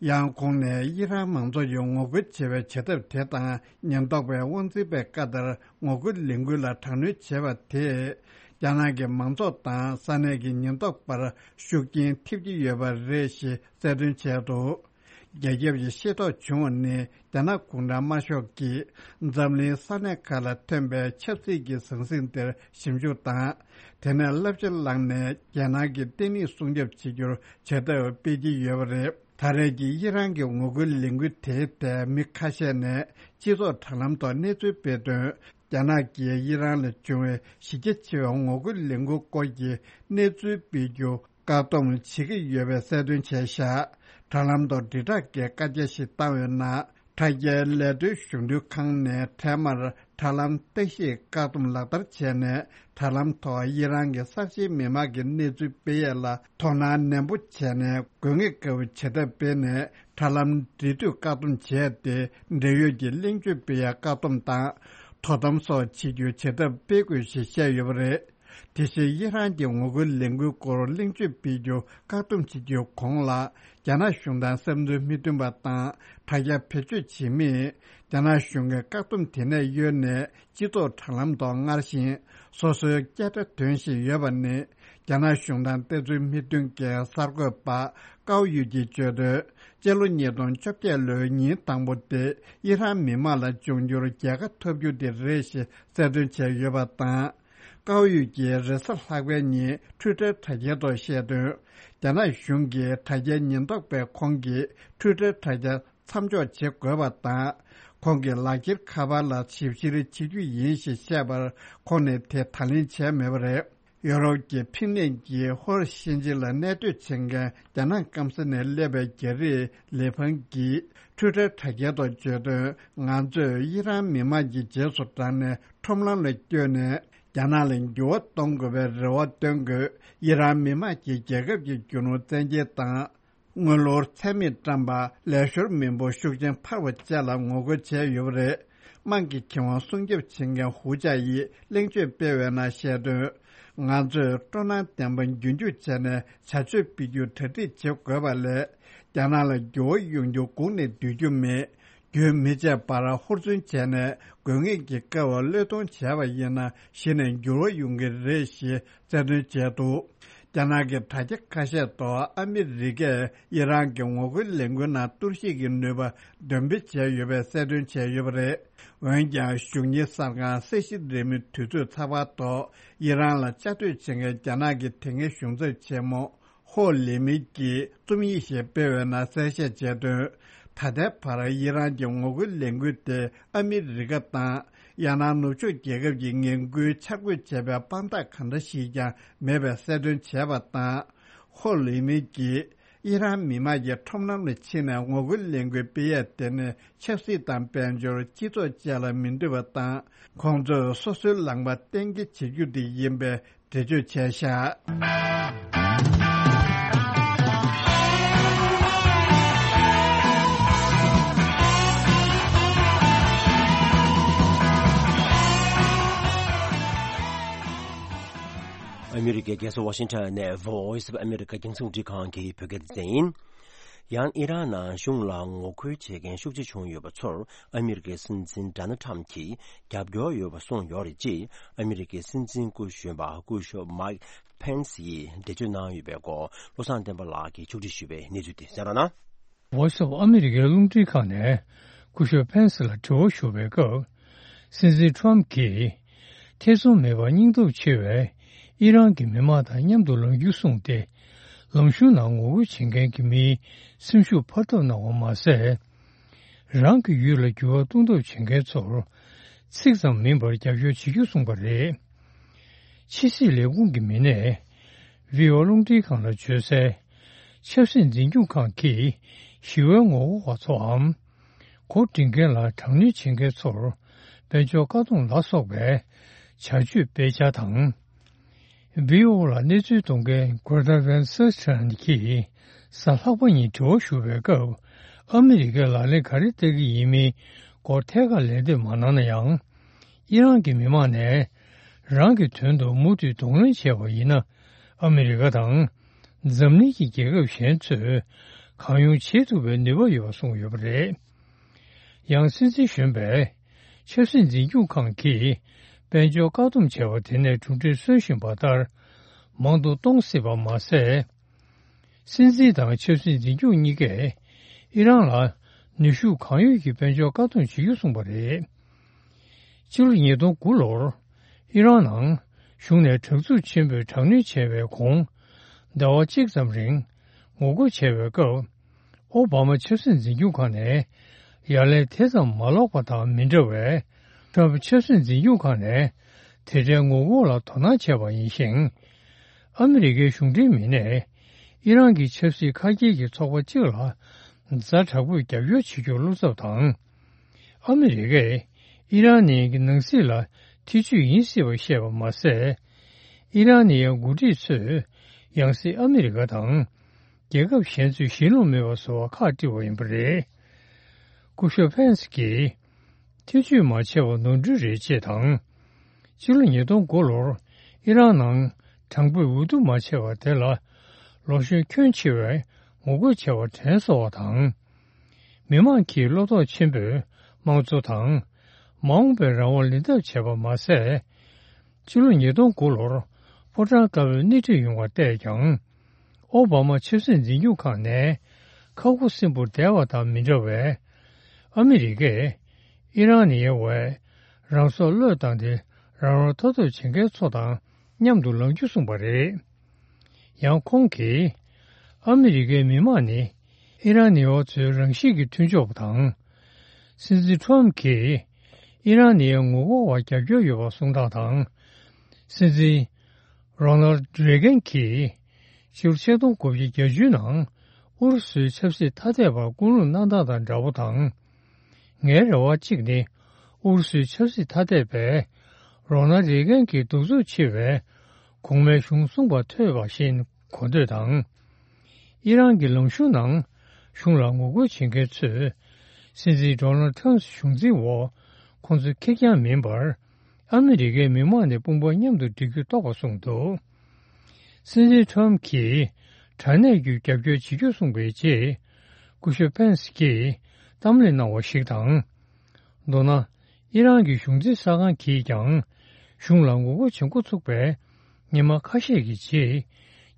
ཡང་ཁོང་ནས་ཨི་རན་མང་ཚོགས་ཀྱིས་ངོ་རྒོལ་བྱེད་པའི་བྱེད་ཐབས་དེ་དང་ཉེན་རྟོག་པས་དབང་འཛིན་པའི་བཀའ་ལྟར་ངོ་རྒོལ་ལས་འགུལ་ལ་དྲག་གནོན་བྱས་པ་དེས་རྒྱ་ནག་གི་མང་ཚོགས་དང་ས་གནས་ཀྱི་ཉེན་རྟོག་པར་ཤུགས་རྐྱེན་ཐེབས་ཀྱི་ཡོད་པ་རེད་ཞེས་གསལ་སྟོན་བྱས་འདུག་རྒྱ་ཁྱབ་ཀྱིས་ཤེས་རྟོགས་བྱུང་བ་ནི་རྒྱ་ནག་གུང་ཁྲན་དམར་ཤོག་གིས་འཛམ་གླིང་ས་གནས་ཁག་ལ་ཐོན་པའི་ཆབ་སྲིད་ཀྱི་ཟང་ཟིང་དེར་ཞིབ་འཇུག་དང་། དེ་ནས་བསླབ་བྱ་བླངས་ནས་རྒྱ་ནག་གི་བརྟན་ལྷིང་སྲུང་སྐྱོབ་བྱེད་རྒྱུར་བྱེད་ཐབས་སྤེལ་གྱི་ཡོད་པ་རེད། ད་རེས་ཀྱི་ཨི་རན་གྱི་ངོ་རྒོལ་ལས་འགུལ་དེའི་ཐད་མི་ཁ་ཤས་ནས་སྤྱི་ཚོགས་དྲ་ལམ་ཐོག་གནས་ཚུལ་སྤེལ་དོན། རྒྱ་ནག་གིས་ཨི་རན་ལ་བྱུང་བའི་གཞི་རྒྱ་ཆེ་བའི་ངོ་རྒོལ་ལས་འགུལ་སྐོར་གྱི་གནས་ཚུལ་སྤེལ་རྒྱུ་བཀག་སྡོམ་བྱེད་ཀྱི་ཡོད་པའི་གསལ་སྟོན་བྱས་བཞག་དྲ་ལམ་ཐོག་དྲིལ་བསྒྲགས་ཀྱི་བཀའ་རྒྱ་ཞིག་བཏང་བའི་ནང་། དྲ་རྒྱའི་ལས་དོན་གཞུང་དོན་ཁང་ནས་འཕྲལ་མར་དྲ་ལམ་བརྟག་ཞིབ་བཀག་སྡོམ་ལག་བསྟར་བྱས་ནས། དྲ་ལམ་ཐོག་ཨི་རན་གྱི་གསར་བརྗེའི་མི་དམངས་ཀྱི་གནས་ཚུལ་སྤེལ་ཡས་ལ་དོ་སྣང་ནན་པོ་བྱས་ནས། དགོས་ངེས་དགའ་བོ་བྱེད་ཐབས་སྤེལ་ནས། དྲ་ལམ་འབྲེལ་མཐུད་བཀག་སྡོམ་བྱས་ཏེ། འབྲེལ་ཡོད་ཀྱི་གླེང་བརྗོད་སྤེལ་ཡ་བཀག་སྡོམ་དང་། དོ་དམ་སོགས་བྱེད་རྒྱུའི་བྱེད་ཐབས་སྤེལ་དགོས་ཞེས་བཤད་ཡོད་པ་རེད། དེ་བཞིན་ཨི་རན་གྱི་ངོ་རྒོལ་ལས་འགུལ་སྐོར་གླེང་བརྗོད་སྤེལ་རྒྱུ་བཀག་སྡོམ་བྱེད་རྒྱུའི་གོང་ལ། རྒྱ་ནག་གཞུང་དང་བསམ་ཚུལ་མི་མཐུན་པ་དང་དྲ་རྒྱ་བེད་སྤྱོད་བྱེད་མིས། རྒྱ་ནག་གཞུང་གི་བཀག་སྡོམ་དེ་ནས་གཡོལ་ནས། སྤྱི་ཚོགས་དྲ་ལམ་ཐོག་སྔར་བཞིན་སོ་སོའི་སྐད་སྒྲ་འདོན་བཞིན་ཡོད་པ་ནི། རྒྱ་ནག་གཞུང་དང་བསྟན་ཚུལ་མི་མཐུན་གྱི་གསར་འགོད་པ་ཀའོ་ཡུས་ཀྱིས་བརྗོད་དོན། སྤྱི་ལོ་ཉིས་སྟོང་བཅོ་བརྒྱད་ལོའི་ཉིན་དང་པོ་དེ་ཨི་རན་མི་དམངས་ལ་འབྱུང་འགྱུར་རྒྱལ་ཁ་ཐོབ་རྒྱུ་དེ་རེད་ཞེས་གསལ་སྟོན་བྱས་ཡོད་པ་དང་། ཀའོ་ཡུས་ཀྱིས་རེས་གཟའ་ལྷག་པའི་ཉིན་ཊུའི་ཊར་དྲ་རྒྱའི་ཐོག་བཤད་དོན། རྒྱ་ནག་གཞུང་གིས་དྲ་རྒྱའི་ཉེན་རྟོག་པས་ཁོང་གི་ཊུའི་ཊར་དྲ་རྒྱ་མཚམས་འཇོག་བྱེད་དགོས་པ་དང་། ཁོང་གི་ལག་འཁྱེར་ཁ་པར་ལ་ཞིབ་བཤེར་བྱེད་རྒྱུ་ཡིན་ཞེས་བཤད་པར། ཁོང་ནས་དེ་ད་ལན་བྱས་མེད་པ་རེད། ཡོ་རོབ་ཀྱི་ཕིན་ལན་གྱི་ཧོར་ཤན་ཅིག་ལ་གནས་སྡོད་བྱེད་མཁན་རྒྱ་ནག་སྐམ་ས་ནས་སླེབས་པའི་རྒྱ་རིགས་ལི་ཕང་གིས་ཊུའི་ཊར་དྲ་རྒྱའི་ཐོག་བརྗོད་དོན། ང་ཚོས་ཨི་རན་མི་དམངས་ཀྱི་རྗེས་སུ་འབྲངས་ནས་ཁྲོམ་ལམ་ལ་བསྐྱོད་ནས། རྒྱ་ནག་ལ་འགྱུར་བ་གཏོང་དགོས་པའི་རེ་བ་བཏོན་དགོས། ཨི་རན་མི་དམངས་ཀྱིས་རྒྱལ་ཁབ་ཀྱི་རྒྱུ་ནོར་བཙན་འགེལ་དང་། དངུལ་ལོར་ཚད་མེད་བཀྲམ་པ། ལས་ཤོར་མི་འབོར་ཤུགས་ཆེན་འཕར་བ་བཅས་ལ་ངོ་རྒོལ་བྱས་ཡོད་པ་རེད། དམངས་ཀྱི་ཁེ་དབང་སྲུང་སྐྱོབ་བྱེད་མཁན་ཧུའུ་ཅཱ་ཡིས་གླེང་བརྗོད་སྤེལ་བའི་ནང་བཤད་དོན། ང་ཚོས་སྤྲོ་སྣང་ལྡན་པ་རྒྱུན་འཁྱོངས་བྱས་ནས་བྱ་སྤྱོད་སྤེལ་རྒྱུ་གྲ་སྒྲིག་བྱེད་དགོས་པ་ལས། རྒྱ་ནག་ལ་འགྱུར་བ་ཡོང་རྒྱུ་སྒུག་ནས་སྡོད་རྒྱུ་མེད། རྒྱུན་མི་ཆད་པར་ཧུར་བརྩོན་བྱས་ནས་དགོས་ངེས་ཀྱི་སྐབས་བློས་གཏོང་བྱས་པ་ཡིན་ན་གཞི་ནས་འགྱུར་བ་ཡོང་གི་རེད་ཞེས་གསལ་སྟོན་བྱས་འདུག་རྒྱ་ནག་གི་དྲ་རྒྱ་ཁ་ཤས་ཐོག་ཨ་མི་རི་ཀས་ཨི་རན་གྱི་ངོ་རྒོལ་ལས་འགུལ་ནང་གཏོར་བཤིག་གི་ནུས་པ་འདོན་སྤེལ་བྱས་ཡོད་པའི་གསལ་སྟོན་བྱས་ཡོད་པ་རེད། འོན་ཀྱང་གཞུང་ཉིན་གསར་ཁང་གསལ་བཤད་རིན་མེད་དུས་ཚོད་ཚགས་པར་ཐོག་ཨི་རན་ལ་བཅའ་སྡོད་བྱེད་མཁན་རྒྱ་ནག་གི་དེ་སྔའི་གཞུང་ཚབ་ཆེན་མོ་ཧོ་ལི་མི་གིས་རྩོམ་ཡིག་ཞིག་སྤེལ་བའི་ནང་གསལ་བཤད་བྱས་དོན། ད་ལྟའི་བར་ཨི་རན་གྱི་ངོ་རྒོལ་ལས་འགུལ་དེ་ཨ་མི་རི་ཀ་དང་། ཡང་ན་ནུབ་ཕྱོགས་རྒྱལ་ཁབ་ཀྱི་ངན་སྐུལ་འཆར་འགོད་བྱས་པའི་དཔང་རྟགས་གང་འདྲ་ཞིག་ཀྱང་མེད་པའི་གསལ་སྟོན་བྱས་པ་དང་། ཧོ་ལི་མི་གིས་ཨི་རན་མི་དམངས་ཀྱིས་ཁྲོམ་ལམ་ལ་ཕྱིན་ནས་ངོ་རྒོལ་ལས་འགུལ་སྤེལ་ཡས་དེ་ནི་ཆབ་སྲིད་དང་དཔལ་འབྱོར་སྤྱི་ཚོགས་བཅས་ལ་མི་འདོད་པ་དང་། ཁོང་ཚོས་སོ་སོའི་ལངས་པ་གཏན་འཁེལ་བྱེད་རྒྱུ་དེ་ཡིན་པའི་འགྲེལ་བརྗོད་བྱས་བཞག་གི་རྒྱལ་ས་ཝ་ཤིང་ཊོན་ནས་Voice of America་རྒྱང་སྲིང་རླུང་འཕྲིན་ཁང་གི་བོད་སྐད་སྡེ་ཚན་ཡིན། ཡང་ཨི་རན་ནང་གཞུང་ལ་ངོ་རྒོལ་བྱེད་མཁན་ཤུགས་ཆེ་བྱུང་ཡོད་པ་ཚོར་ཨ་མི་རི་ཀའི་སྲིད་འཛིན་ཌོ་ནལ་ཊམ་གྱིས་རྒྱབ་སྐྱོར་ཡོད་པ་གསུངས་ཡོད་རེད་ཅེས་ཨ་མི་རི་ཀའི་སྲིད་འཛིན་སྐུ་གཞོན་པ་སྐུ་ཞབས་མའིག་ཕེན་སི་ཡིས་འགྲེལ་བརྗོད་གནང་ཡོད་པའི་སྐོར་བློ་བཟང་བསྟན་པ་ལགས་ཀྱིས་ཕྱོགས་སྒྲིག་ཞུས་པའི་གནས་ཚུལ་དེ་གསན་རོགས་གནང་། Voice of America་རླུང་འཕྲིན་ཁང་ནས་སྐུ་ཞབས་ཕེན་སི་ལ་དྲི་བ་ཞུ་བའི་སྐབས། སྲིད་འཛིན་ཊམ་གྱིས་ཐེ་ཚོམ་མེད་པར་སྙིང་སྟོབས་ཆེ་བའི་ཨི་རན་གྱི་མི་མང་དང་མཉམ་དུ་ལངས་རྒྱུ་གསུངས་ཏེ། ལམ་གཞུང་ནང་ངོ་རྒོལ་བྱེད་མཁན་གྱི་མིའི་སེམས་ཤུགས་འཕར་ཐབས་གནང་བ་མ་ཟད། རང་གི་ཡུལ་ལ་འགྱུར་བ་གཏོང་ཐབས་བྱེད་མཁན་ཚོར་ཚིག་ཙམ་མིན་པར་རྒྱབ་སྐྱོར་བྱེད་རྒྱུ་གསུངས་པ་རེད། ཕྱི་སྲིད་ལས་ཁུངས་ཀྱི་མི་སྣས་བྷི་ཨོ་རླུང་འཕྲིན་ཁང་ལ་བརྗོད་གསལ། ཆབ་སྲིད་འཛིན་སྐྱོང་ཁང་གིས་ཞི་བའི་ངོ་རྒོལ་བ་ཚོའམ། གོ་སྒྲིག་མཁན་ལ་དྲག་གནོན་བྱེད་མཁན་ཚོར་དཔལ་འབྱོར་བཀག་སྡོམ་ལ་སོགས་པའི་བྱ་སྤྱོད་སྤེལ་འཆར་དང་། བྷི་ཨོ་ལ་གནས་ཚུལ་གཏོང་མཁན་Greta Van Susteren་གྱིས་གཟའ་ལྷག་པ་ཉིན་དྲི་བ་ཞུ་བའི་སྐབས། ཨ་མི་རི་ཀས་ལག་ལེན་ག་རེ་བསྟར་གྱི་ཡིན་མིན་སྐོར་ཐད་ཀར་ལན་འདེབས་མ་གནང་ན་ཡང་། ཨི་རན་གྱི་མི་མང་ནས་རང་གི་དོན་དུ་མུ་མཐུད་གདོང་ལེན་བྱས་པ་ཡིན་ན། ཨ་མི་རི་ཀ་དང་འཛམ་གླིང་གི་རྒྱལ་ཁབ་གཞན་ཚོས་གང་ཡོང་བྱེད་ཐུབ་པའི་ནུས་པ་ཡོད་པ་གསུངས་ཡོད་པ་རེད། ཡང་སྲིད་འཛིན་གཞོན་པས་ཆབ་སྲིད་འཛིན་སྐྱོང་ཁང་གིས་དཔལ་འབྱོར་བཀག་སྡོམ་བྱས་པ་དེ་ནས་གྲུབ་འབྲས་སོན་བཞིན་པ་ལྟར། མང་དུ་གཏོང་སྲིད་པ་མ་ཟད། སྲིད་འཛིན་དང་ཆབ་སྲིད་འཛིན་སྐྱོང་གཉིས་ཀས་ཨི་རན་ལ་ནུས་ཤུགས་གང་ཡོད་ཀྱིས་དཔལ་འབྱོར་བཀག་སྡོམ་བྱེད་རྒྱུ་གསུངས་པ་རེད། ཕྱི་ལོ་ཉིས་སྟོང་དགུ་ལོར་ཨི་རན་ནང་གཞུང་ནས་དྲག་རྩུབ་ཆེན་པོས་དྲག་གནོན་བྱས་པའི་གོང་། ཟླ་བ་གཅིག་ཙམ་རིང་ངོ་རྒོལ་བྱས་པའི་སྐབས། ཨོ་བྷ་མ་ཆབ་སྲིད་འཛིན་སྐྱོང་ཁང་ནས་ཡ་ལན་དེ་ཙམ་མ་ལོག་པ་དང་མི་འདྲ་བས། ཊམ་ཕ་ཆབ་སྲིད་འཛིན་སྐྱོང་ཁང་ནས་དེ་འདྲའི་ངོ་རྒོལ་ལ་དོ་སྣང་བྱས་པ་ཡིན་ཞིང་། ཨ་མི་རི་ཀའི་གཞུང་འབྲེལ་མི་སྣས་ཨི་རན་གྱི་ཆབ་སྲིད་ཁ་སྐྱེལ་གྱི་ཚོགས་པ་གཅིག་ལ་ཛ་དྲག་པོས་རྒྱབ་སྐྱོར་བྱེད་རྒྱུར་བློ་འཚབ་དང་། ཨ་མི་རི་ཀས་ཨི་རན་ནི་གི་ནང་སྲིད་ལ་ཐེ་ཇུས་ཡིན་སྲིད་པ་བཤད་པ་མ་ཟད། ཨི་རན་ནི་ཡའི་འགོ་ཁྲིད་ཚོས་ཡང་སྲིད་ཨ་མི་རི་ཀ་དང་། རྒྱལ་ཁབ་གཞན་ཚོས་ཞེན་ལྷུང་མེད་པ་བཟོ་བར་ཁག་དཀྲི་བ་ཡིན་པ་རེད། སྐུ་ཞབས་ཕེན་སི་གིས་ཐེ་ཇུས་མ་བྱས་པ་ནོར་འཁྲུལ་རེད་ཅེས་དང་། ཕྱི་ལོ་ཉིས་སྟོང་དགུ་ལོར་ཨི་རན་ནང་དྲང་པོས་འོས་བསྡུ་མ་བྱས་པ་དེ་ལ་ལོ་གཞོན་ཁྱོན་ཆེ་བས་ངོ་རྒོལ་བྱས་པ་དྲན་གསོ་བ་དང་། མི་མང་གིས་བློ་དོགས་ཆེན་པོས་དམངས་གཙོ་དང་མ་འོངས་པའི་རང་དབང་ལེན་ཐབས་བྱས་པ་མ་ཟད། ཕྱི་ལོ་ཉིས་སྟོང་དགུ་ལོར་ཕོ་བྲང་དཀར་པོའི་སྣེ་ཁྲིད་ཡོང་བར་བལྟས་ཀྱང་། ཨོ་བྷ་མ་ཆབ་སྲིད་འཛིན་སྐྱོང་ཁང་ནས་ཁ་ཁུ་སིམ་པོར་བསྡད་པ་དང་མི་འདྲ་བས། ཨ་མི་རི་ཀས་ཨི་རན་ནི་ཡའི་འོག་རང་སྲོག་བློས་བཏང་སྟེ་རང་དབང་ཐོབ་ཐབས་བྱེད་མཁན་ཚོ་དང་མཉམ་དུ་ལངས་རྒྱུ་གསུངས་པ་རེད། ཡང་ཁོང་གིས་ཨ་མི་རི་ཀའི་མི་མང་ནི་ཨི་རན་ནི་ཡའི་ཚོའི་རང་བཞིན་གྱི་མཐུན་ཕྱོགས་པ་དང་། སྲིད་འཛིན་ཊམ་གྱིས་ཨི་རན་ནི་ཡའི་ངོ་རྒོལ་བར་རྒྱབ་སྐྱོར་ཡོད་པ་གསུངས་སྟངས་དང་། སྲིད་འཛིན་རོ་ནལ་རེ་གན་གྱིས་ཕྱི་ལོ་ཆིག་སྟོང་དགུ་བརྒྱ་བརྒྱད་ཅུ་ནང་ཨུ་རུ་སུའི་ཆབ་སྲིད་ཐ་དད་པར་སྐུལ་སློང་གནང་སྟངས་དང་འདྲ་པོ་དང་། ངའི་རེ་བ་གཅིག་ནི་ཨུ་རུ་སུའི་ཆབ་སྲིད་ཐ་དད་པས་རོ་ནལ་རེ་གན་གྱི་གདུག་རྩུབ་ཆེ་བའི་གོང་མའི་གཞུང་གསུངས་པ་ཐོས་པ་བཞིན་གོ་འདོད་དང་། ཨི་རན་གྱི་ལམ་གཞུང་ནང་གཞུང་ལ་ངོ་རྒོལ་བྱེད་མཁན་ཚོས་སྲིད་འཛིན་ཌོ་ནལ་ཊམ་གཞུང་འཛིན་འོག་ཁོང་ཚོ་ཁེར་རྐྱང་མིན་པར་ཨ་མི་རི་ཀའི་མི་མང་ནས་དཔུང་པ་མཉམ་དུ་སྒྲིལ་རྒྱུ་རྟོགས་པ་གསུངས་འདུག་སྲིད་འཛིན་ཊམ་གྱིས་དྲང་གནས་ཀྱི་རྒྱབ་སྐྱོར་བྱེད་རྒྱུ་གསུངས་པའི་རྗེས། སྐུ་ཞབས་ཕེན་སི་གྱིས་གཏམ་གླེང་གནང་བ་ཞིག་དང་། མདོར་ན། ཨི་རན་གྱི་གཞུང་འཛིན་གསར་ཁང་གིས་ཀྱང་གཞུང་ལ་ངོ་རྒོལ་བྱེད་འགོ་ཚུགས་པའི་ཉི་མ་ཁ་ཤས་ཀྱི་རྗེས།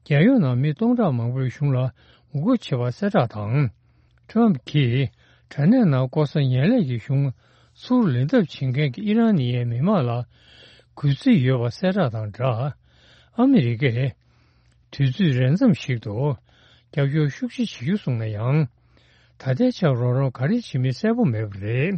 རྒྱལ་ཡོངས་ནང་མི་སྟོང་ཕྲག་མང་པོས་གཞུང་ལ་ངོ་རྒོལ་བྱེད་པ་གསལ་བསྒྲགས་དང་། ཊམ་གྱིས་དྲང་གནས་ནང་ལྐོག་ཟ་ངན་ལྷད་ཀྱི་གཞུང་ཚུར་ལེན་ཐབས་བྱེད་མཁན་གྱི་ཨི་རན་ནི་ཡའི་མི་མང་ལ་གུས་བརྩི་ཡོད་པ་གསལ་བསྒྲགས་དང་སྦྲགས། ཨ་མི་རི་ཀས་དུས་ཚོད་རན་ཙམ་ཞིག་ཏུ་རྒྱབ་སྐྱོར་ཤུགས་ཆེ་བྱེད་རྒྱུ་གསུངས་ན་ཡང་། ད་ལྟའི་ཆར་རོགས་རམ་ག་རེ་བྱེད་མིན་གསལ་པོ་མེད་པ་རེད།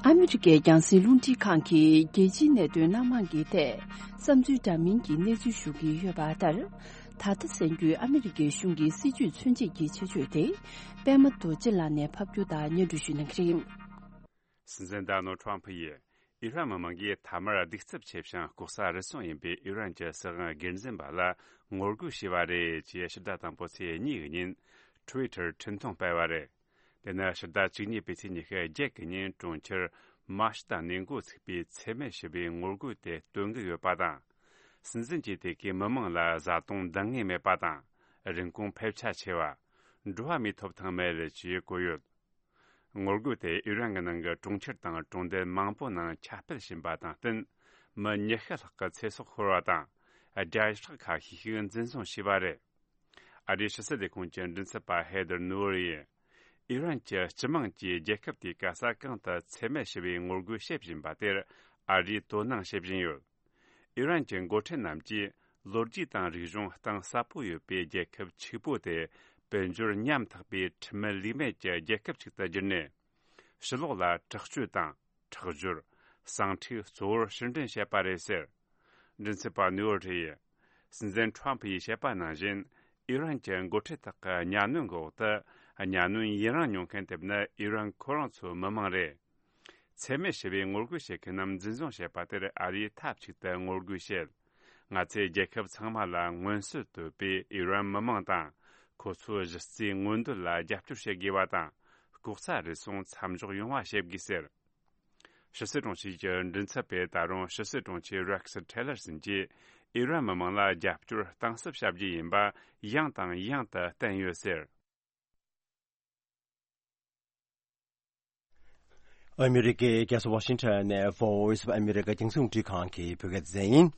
ཨ་མི་རི་ཀའི་རྒྱང་སྲིང་རླུང་འཕྲིན་ཁང་གིས་རྒྱལ་སྤྱིའི་གནད་དོན་སྣ་མང་གི་ཐད་བསམ་ཚུལ་འདྲ་མིན་གྱི་གནས་ཚུལ་ཞུ་གི་ཡོད་པ་ལྟར། ད་ལྟ་གསར་འགྱུར། ཨ་མི་རི་ཀའི་གཞུང་གི་སྲིད་བྱུས་མཚོན་བྱེད་ཀྱི་ཆེད་བརྗོད་དེ། པད་མ་རྡོ་རྗེ་ལགས་ནས་ཕབ་སྒྱུར་དང་སྙན་སྒྲོན་ཞུ་གནང་གི་རེད། སྲིད་འཛིན་ཌོ་ནལ་ཌི་ཊརམ་ཕི་ཡིས་ཨི་རན་མི་མང་གིས་མཐའ་མར་གདུག་རྩུབ་ཆེ་ཞིང་ལྐོག་ཟ་རུལ་སུངས་ཡིན་པའི་ཨི་རན་གྱི་སྲིད་དབང་སྒེར་འཛིན་པ་ལ་ངོ་རྒོལ་བྱས་པ་རེད་ཅེས་ཕྱི་ཟླ་དང་པོ་ཚེས་གཉིས་ཀྱི་ཉིན་ཊུ་ཝི་ཊར་འཕྲིན་ཐུང་སྤེལ་བ་རེད། དེ་ནི་ཕྱི་ཟླ་བཅུ་གཉིས་པའི་ཚེས་ཉི་ཤུ་བརྒྱད་ཀྱི་ཉིན་གྲོང་ཁྱེར་མཱ་ཤི་ཏ་ནས་འགོ་ཚུགས་པའི་འཚེ་མེད་ཞི་བའི་ངོ་རྒོལ་དེ་སྟོན་གྱི་ཡོད་པ་དང་། སྲིད་འཛིན་གྱིས་དེ་གའི་མི་མང་ལ་བཟའ་བཏུང་འདང་ངེས་མེད་པ་དང་། རིན་གོང་ཕལ་ཆེར་ཆེ་བ། འགྲོ་བ་མིའི་ཐོབ་ཐང་མེད་ཅེས་བཀོད་ཡོད། ངོ་རྒོལ་དེ་ཨི་རན་གྱི་ནང་གི་གྲོང་ཁྱེར་དང་གྲོང་རྡལ་མང་པོ་ནང་ཁྱབ་སྤེལ་ཕྱིན་པ་དང་བསྟུན། མི་ཉི་ཤུ་ལྷག་གི་ཚེ་སྲོག་ཤོར་བ་དང་། བརྒྱ་ཕྲག་ཁ་ཤས་ཤིག་འཛིན་བཟུང་བྱས་པ་རེད། ཨ་རིའི་ཕྱི་སྲིད་ལས་ཁུངས་ཀྱི་མགྲིན་ཚབ་པ་ཧེ་དར་ནུའུ་ཨར་ཡིས། ཨི་རན་གྱི་སྤྱི་དམངས་ཀྱིས་རྒྱལ་ཁབ་དེའི་ག་ས་གང་དུ་འཚེ་མེད་ཞི་བའི་ངོ་རྒོལ་བྱེད་བཞིན་པ་དེར་ཨ་རིས་དོ་སྣང་བྱེད་བཞིན་ཡོད། ཨི་རན་གྱི་འགོ་ཁྲིད་རྣམས་ཀྱིས་ལོ་རྒྱུས་དང་རིག་གཞུང་གཏིང་ཟབ་པོ་ཡོད་པའི་རྒྱལ་ཁབ་ཕྱུག་པོ་དེ་དཔལ་འབྱོར་ཉམ་ཐག་པའི་ཁྲིམས་མེད་ལུགས་མེད་ཀྱི་རྒྱལ་ཁབ་ཅིག་ཏུ་བསྒྱུར་ནས། ཕྱི་ལོགས་ལ་དྲག་སྤྱོད་དང་། ཁྲག་སྦྱོར། ཟིང་འཁྲུག་གཙོ་བོར་ཕྱིར་འདྲེན་བྱས་པ་རེད་ཟེར། མགྲིན་ཚབ་པ་ནུའུ་ཨར་ཡིས། སྲིད་འཛིན་ཊརམ་ཕི་ཡིས་བཤད་པ་ནང་བཞིན། ཨི་རན་གྱི་འགོ་ཁྲིད་དག་གི་གཉའ་གནོན་གྱི་འོག་ཏུ། གཉའ་གནོན་ཡུན་རིང་མྱོང་མཁན་དེ་ནི་ཨི་རན་ཁོ་རང་ཚོའི་མི་མང་རེད། འཚེ་མེད་ཞི་བའི་ངོ་རྒོལ་བྱེད་མཁན་རྣམས་འཛིན་བཟུང་བྱས་པ་དེར་ཨ་རིས་མཐའ་གཅིག་ཏུ་ངོ་རྒོལ་བྱེད། ང་ཚོས་རྒྱལ་ཁབ་ཚང་མ་ལ་མངོན་གསལ་དོད་པའི་ཨི་རན་མི་མང་དང་། ཁོ་ཚོའི་གཞི་རྩའི་མངོན་འདོད་ལ་རྒྱབ་སྐྱོར་བྱེད་དགོས་པ་དང་། ལྐོག་ཟ་རུལ་སུངས་མཚམས་འཇོག་ཡོང་བ་བྱེད་དགོས་ཟེར། ཕྱི་སྲིད་དྲུང་ཆེ་གི་མགྲིན་ཚབ་པས་ད་རུང་ཕྱི་སྲིད་དྲུང་ཆེ་རེག་སི་ཊེ་ལར་སོན་གྱིས་ཨི་རན་མི་མང་ལ་རྒྱབ་སྐྱོར་གཏིང་ཟབ་བྱ་རྒྱུ་ཡིན་པ་ཡང་དང་ཡང་དུ་བསྟན་ཡོད་ཟེར། ཨ་མི་རི་ཀའི་རྒྱལ་ས་ཝ་ཤིང་ཊོན་ནས་Voice of America རྒྱང་སྲིང་རླུང་འཕྲིན་ཁང་གི་བོད་སྐད་སྡེ་ཚན་ཡིན།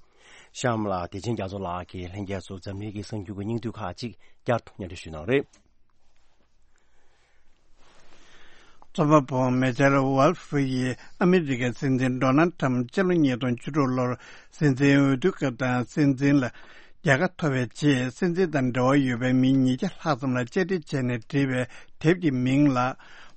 གཤམ་ལ་བདེ་ཆེན་རྒྱ་མཚོ་ལགས་ཀྱིས་ལྷན་རྒྱས་ཚོར་འཛམ་གླིང་གི་གསར་འགྱུར་གྱི་སྙིང་བསྡུས་ཁག་ཅིག་བསྐྱར་དུ་སྙན་སྒྲོན་ཞུ་གནང་རེད། རྩོམ་པ་པོ་མེ་ཅལ་ཝོལ་ཧྥི་ཡིས་ཨ་མི་རི་ཀའི་སྲིད་འཛིན་ཌོ་ནལ་ཊམ་སྤྱི་ལོ་ཉིས་སྟོང་བཅུ་དྲུག་ལོར་སྲིད་འཛིན་འོས་བསྡུ་སྐབས་དང་སྲིད་འཛིན་ལ་རྒྱལ་ཁ་ཐོབ་པའི་རྗེས། སྲིད་འཛིན་དང་འབྲེལ་བ་ཡོད་པའི་མི་ཉིས་བརྒྱ་ལྷག་ཙམ་ལ་བཅར་འདྲི་བྱས་ནས་བྲིས་པའི་དེབ་ཀྱི་མིང་ལ།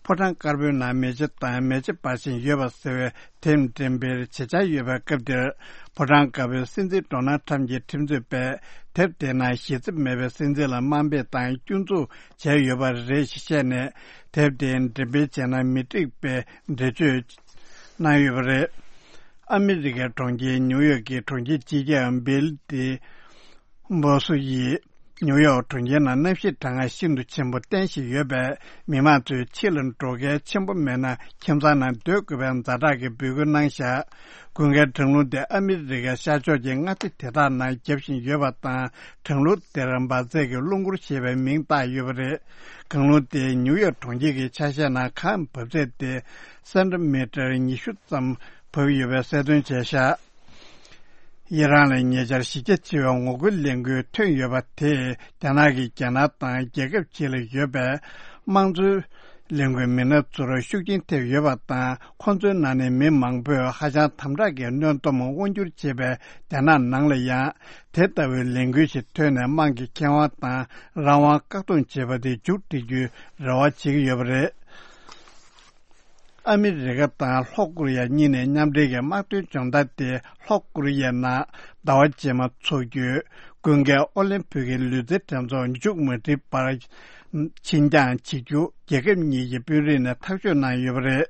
ཕོ་བྲང་དཀར་པོའི་ནང་མེ་ལྕེ་དང་མེ་ལྕེ་འབར་བཞིན་ཡོད་པ་ཟེར་བའི་དེབ་འགྲེམས་སྤེལ་བྱེད་འཆར་ཡོད་པའི་སྐབས་འདིར། ཕོ་བྲང་དཀར་པོའི་སྲིད་འཛིན་ཌོ་ནལ་ཊམ་གྱི་ཁྲིམས་རྩོད་པས་དེབ་དེའི་ནང་ཞལ་རྩིབ་མེད་པའི་སྲིད་འཛིན་ལ་དམའ་འབེབས་དང་སྐྱོན་འཛུགས་བྱས་ཡོད་པ་རེད་ཞེས་བཤད་ནས། དེབ་དེ་འགྲེམས་སྤེལ་བྱས་ན་མི་འགྲིག་པའི་འགྲེལ་བརྗོད་གནང་ཡོད་པ་རེད། ཨ་མི་རི་ཀའི་གྲོང་ཁྱེར་ཉིའུ་ཡོག་གི་གྲོང་ཁྱེར་སྤྱི་ཁྱབ་བྷིལ་ཏི་འབོ་སུ་ཡིས། ཉིའུ་ཡོག་གྲོང་ཁྱེར་ནང་གནམ་གཤིས་གྲང་ངར་ཤིན་ཏུ་ཆེན་པོ་བསྟན་བཞིན་ཡོད་པས། མི་མང་ཚོས་ཕྱི་ལ་འགྲོ་གལ་ཆེན་པོ་མེད་ན་ཁྱིམ་ཚང་ནང་སྡོད་དགོས་པའི་ཛ་དྲག་གི་འབོད་སྐུལ་གནང་བཞག །དགུན་ཁའི་གྲང་རླུང་དེ་ཨ་མི་རི་ཀའི་ཤར་ཕྱོགས་ཀྱི་མངའ་སྡེ་དེ་དག་ནང་རྒྱབ་བཞིན་ཡོད་པ་དང་། གྲང་རླུང་དེར་འབར་རྫས་ཀྱི་རླུང་འཁོར་ཞེས་པའི་མིང་བཏགས་ཡོད་པ་རེད། གངས་རླུང་དེ་ཉིའུ་ཡོག་གྲོང་ཁྱེར་གྱི་ཆ་ཤས་ནང་གངས་བབས་ཚད་དེ་སེན་ཊི་མི་ཊར་ཉི་ཤུ་ཙམ་བབས་ཡོད་པའི་གསལ་སྟོན་བྱས་བཞག །ཨི་རན་ལ་ཉེ་ཆར་གཞི་རྒྱ་ཆེ་བའི་ངོ་རྒོལ་ལས་འགུལ་ཐོན་ཡོད་པ་དེས། རྒྱ་ནག་གིས་རྒྱལ་ནང་དང་རྒྱལ་ཁབ་ཕྱི་ལ་ཡོད་པའི་དམངས་གཙོའི་ལས་འགུལ་མི་སྣ་ཚོར་ཤུགས་རྐྱེན་ཐེབས་ཡོད་པ་དང་། ཁོ་ཚོའི་ནང་ནས་མི་མང་པོས་ཧ་ཅང་དམ་དྲག་གི་གནོན་སྡོམ་དབང་སྒྱུར་བྱེད་པའི་རྒྱ་ནག་ནང་ལ་ཡང་དེ་ལྟ་བུའི་ལས་འགུལ་ཞིག་ཐོན་ནས་དམངས་ཀྱི་ཁེ་དབང་དང་རང་དབང་བཀག་སྡོམ་བྱེད་པ་དེ་མཇུག་སྒྲིལ་རྒྱུའི་རེ་བ་བྱེད་ཀྱི་ཡོད་པ་རེད། ཨ་མི་རི་ཀ་དང་ལྷོ་ཀོ་རི་ཡ་གཉིས་ནས་མཉམ་འབྲེལ་གྱི་དམག་དོན་སྦྱོང་བརྡར་དེ་ལྷོ་ཀོ་རི་ཡའི་ནང་ཟླ་བ་རྗེས་མ་འཚོགས་རྒྱུའི་དགུན་ཁའི་ཨོ་ལིམ་ཕིག་གི་ལུས་རྩལ་འགྲན་ཚོགས་མཇུག་མ་སྒྲིལ་བར་ཕྱིར་འགྱངས་བྱེད་རྒྱུ་རྒྱལ་ཁབ་གཉིས་ཀྱི་དཔོན་རིགས་ནས་ཐག་གཅོད་གནང་ཡོད་པ་རེད།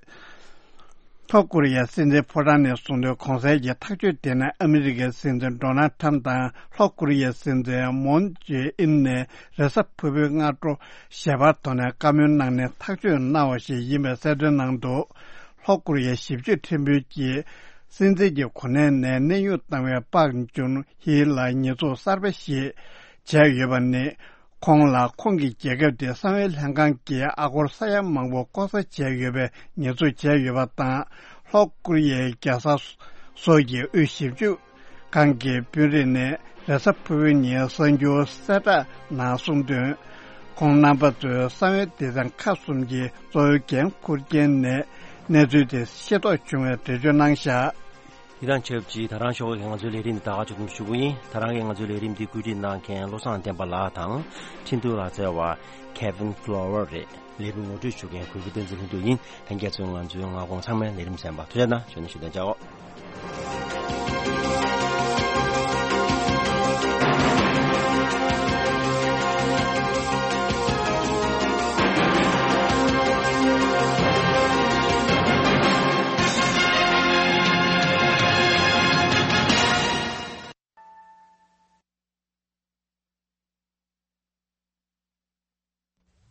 ལྷོ་ཀོ་རི་ཡའི་སྲིད་འཛིན་ཕོ་བྲང་ནས་གསུངས་དོན། གོང་གསལ་གྱི་ཐག་གཅོད་དེ་ནི་ཨ་མི་རི་ཀའི་སྲིད་འཛིན་ཌོ་ནལ་ཁྲམ་དང་ལྷོ་ཀོ་རི་ཡའི་སྲིད་འཛིན་མོན་ཇེ་ཨིན་ནས་རེས་གཟའ་ཕུར་བུའི་སྔ་དྲོ་ཞལ་པར་ཐོག་ནས་བཀའ་མོལ་གནང་ནས་ཐག་གཅོད་གནང་བ་ཞིག་ཡིན་པའི་གསལ་སྟོན་གནང་འདུག །ལྷོ་ཀོ་རི་ཡའི་ཞིབ་དཔྱོད་ཁྲིམས་དཔོན་གྱིས་སྲིད་འཛིན་གྱི་གོ་གནས་ནས་གནས་དབྱུང་བཏང་བའི་པག་ཅུན་ཧི་ལ་ཉེས་འཛུགས་གསར་པ་ཞིག་བྱས་ཡོད་པ་ནི། ཁོང་ལ་ཁོང་གི་རྒྱལ་ཁབ་དེའི་གསང་བའི་ལྷན་ཁང་གིས་ཨ་སྒོར་ས་ཡ་མང་པོ་ལྐོག་ཟ་བྱས་ཡོད་པའི་ཉེས་འཛུགས་བྱས་ཡོད་པ་དང་། ལྷོ་ཀོ་རི་ཡའི་རྒྱལ་ས་སོལ་གྱི་དབུས་ཞིབ་འཇུག་ཁང་གི་དཔོན་རིགས་ནས་རེས་གཟའ་ཕུར་བུའི་ཉིན་གསར་འགྱུར་གསལ་བསྒྲགས་ནང་གསུངས་དོན། ཁོང་རྣམ་པ་ཚོས་གསང་བའི་སྡེ་ཚན་ཁག་གསུམ་གྱི་གཙོ་བོའི་འགན་འཁུར་མཁན་ནས་གནས་ཚུལ་དེ་ཤེས་རྟོགས་བྱུང་བའི་འགྲེལ་བརྗོད་གནང་བཞག །འདི་དང་ཆབས་ཅིག་ད་རང་ཞོགས་ཀྱི་ང་ཚོའི་ལས་རིམ་འདི་ད་ག་ཅིག་ཞུ་གི་ཡིན། ད་རང་གི་ང་ཚོའི་ལས་རིམ་འདི་བཀོད་སྒྲིག་གནང་མཁན་བློ་བཟང་བསྟན་པ་ལགས་དང་། འཕྲིན་ཐུང་ལག་རྩལ་བ་Kevin Flower རེད། ལས་རིམ་ངོ་སྤྲོད་ཞུ་མཁན་གུས་པ་བསྟན་འཛིན་ལྷུན་གྲུབ་ཡིན། ལྷན་རྒྱས་ཚོས་ང་ཚོའི་མངའ་ཁོངས་ཚང་མའི་ལས་རིམ་གསན་པར་ཐུགས་རྗེ་གནང་། ཞུ་ནས་ཞུ་དོན་བྱའོ།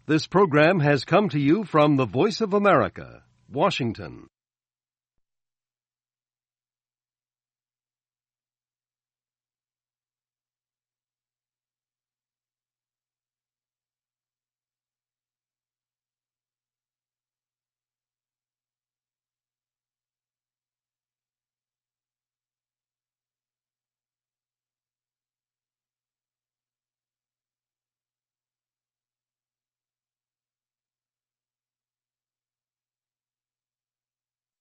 This program has come to you from the Voice of America, Washington.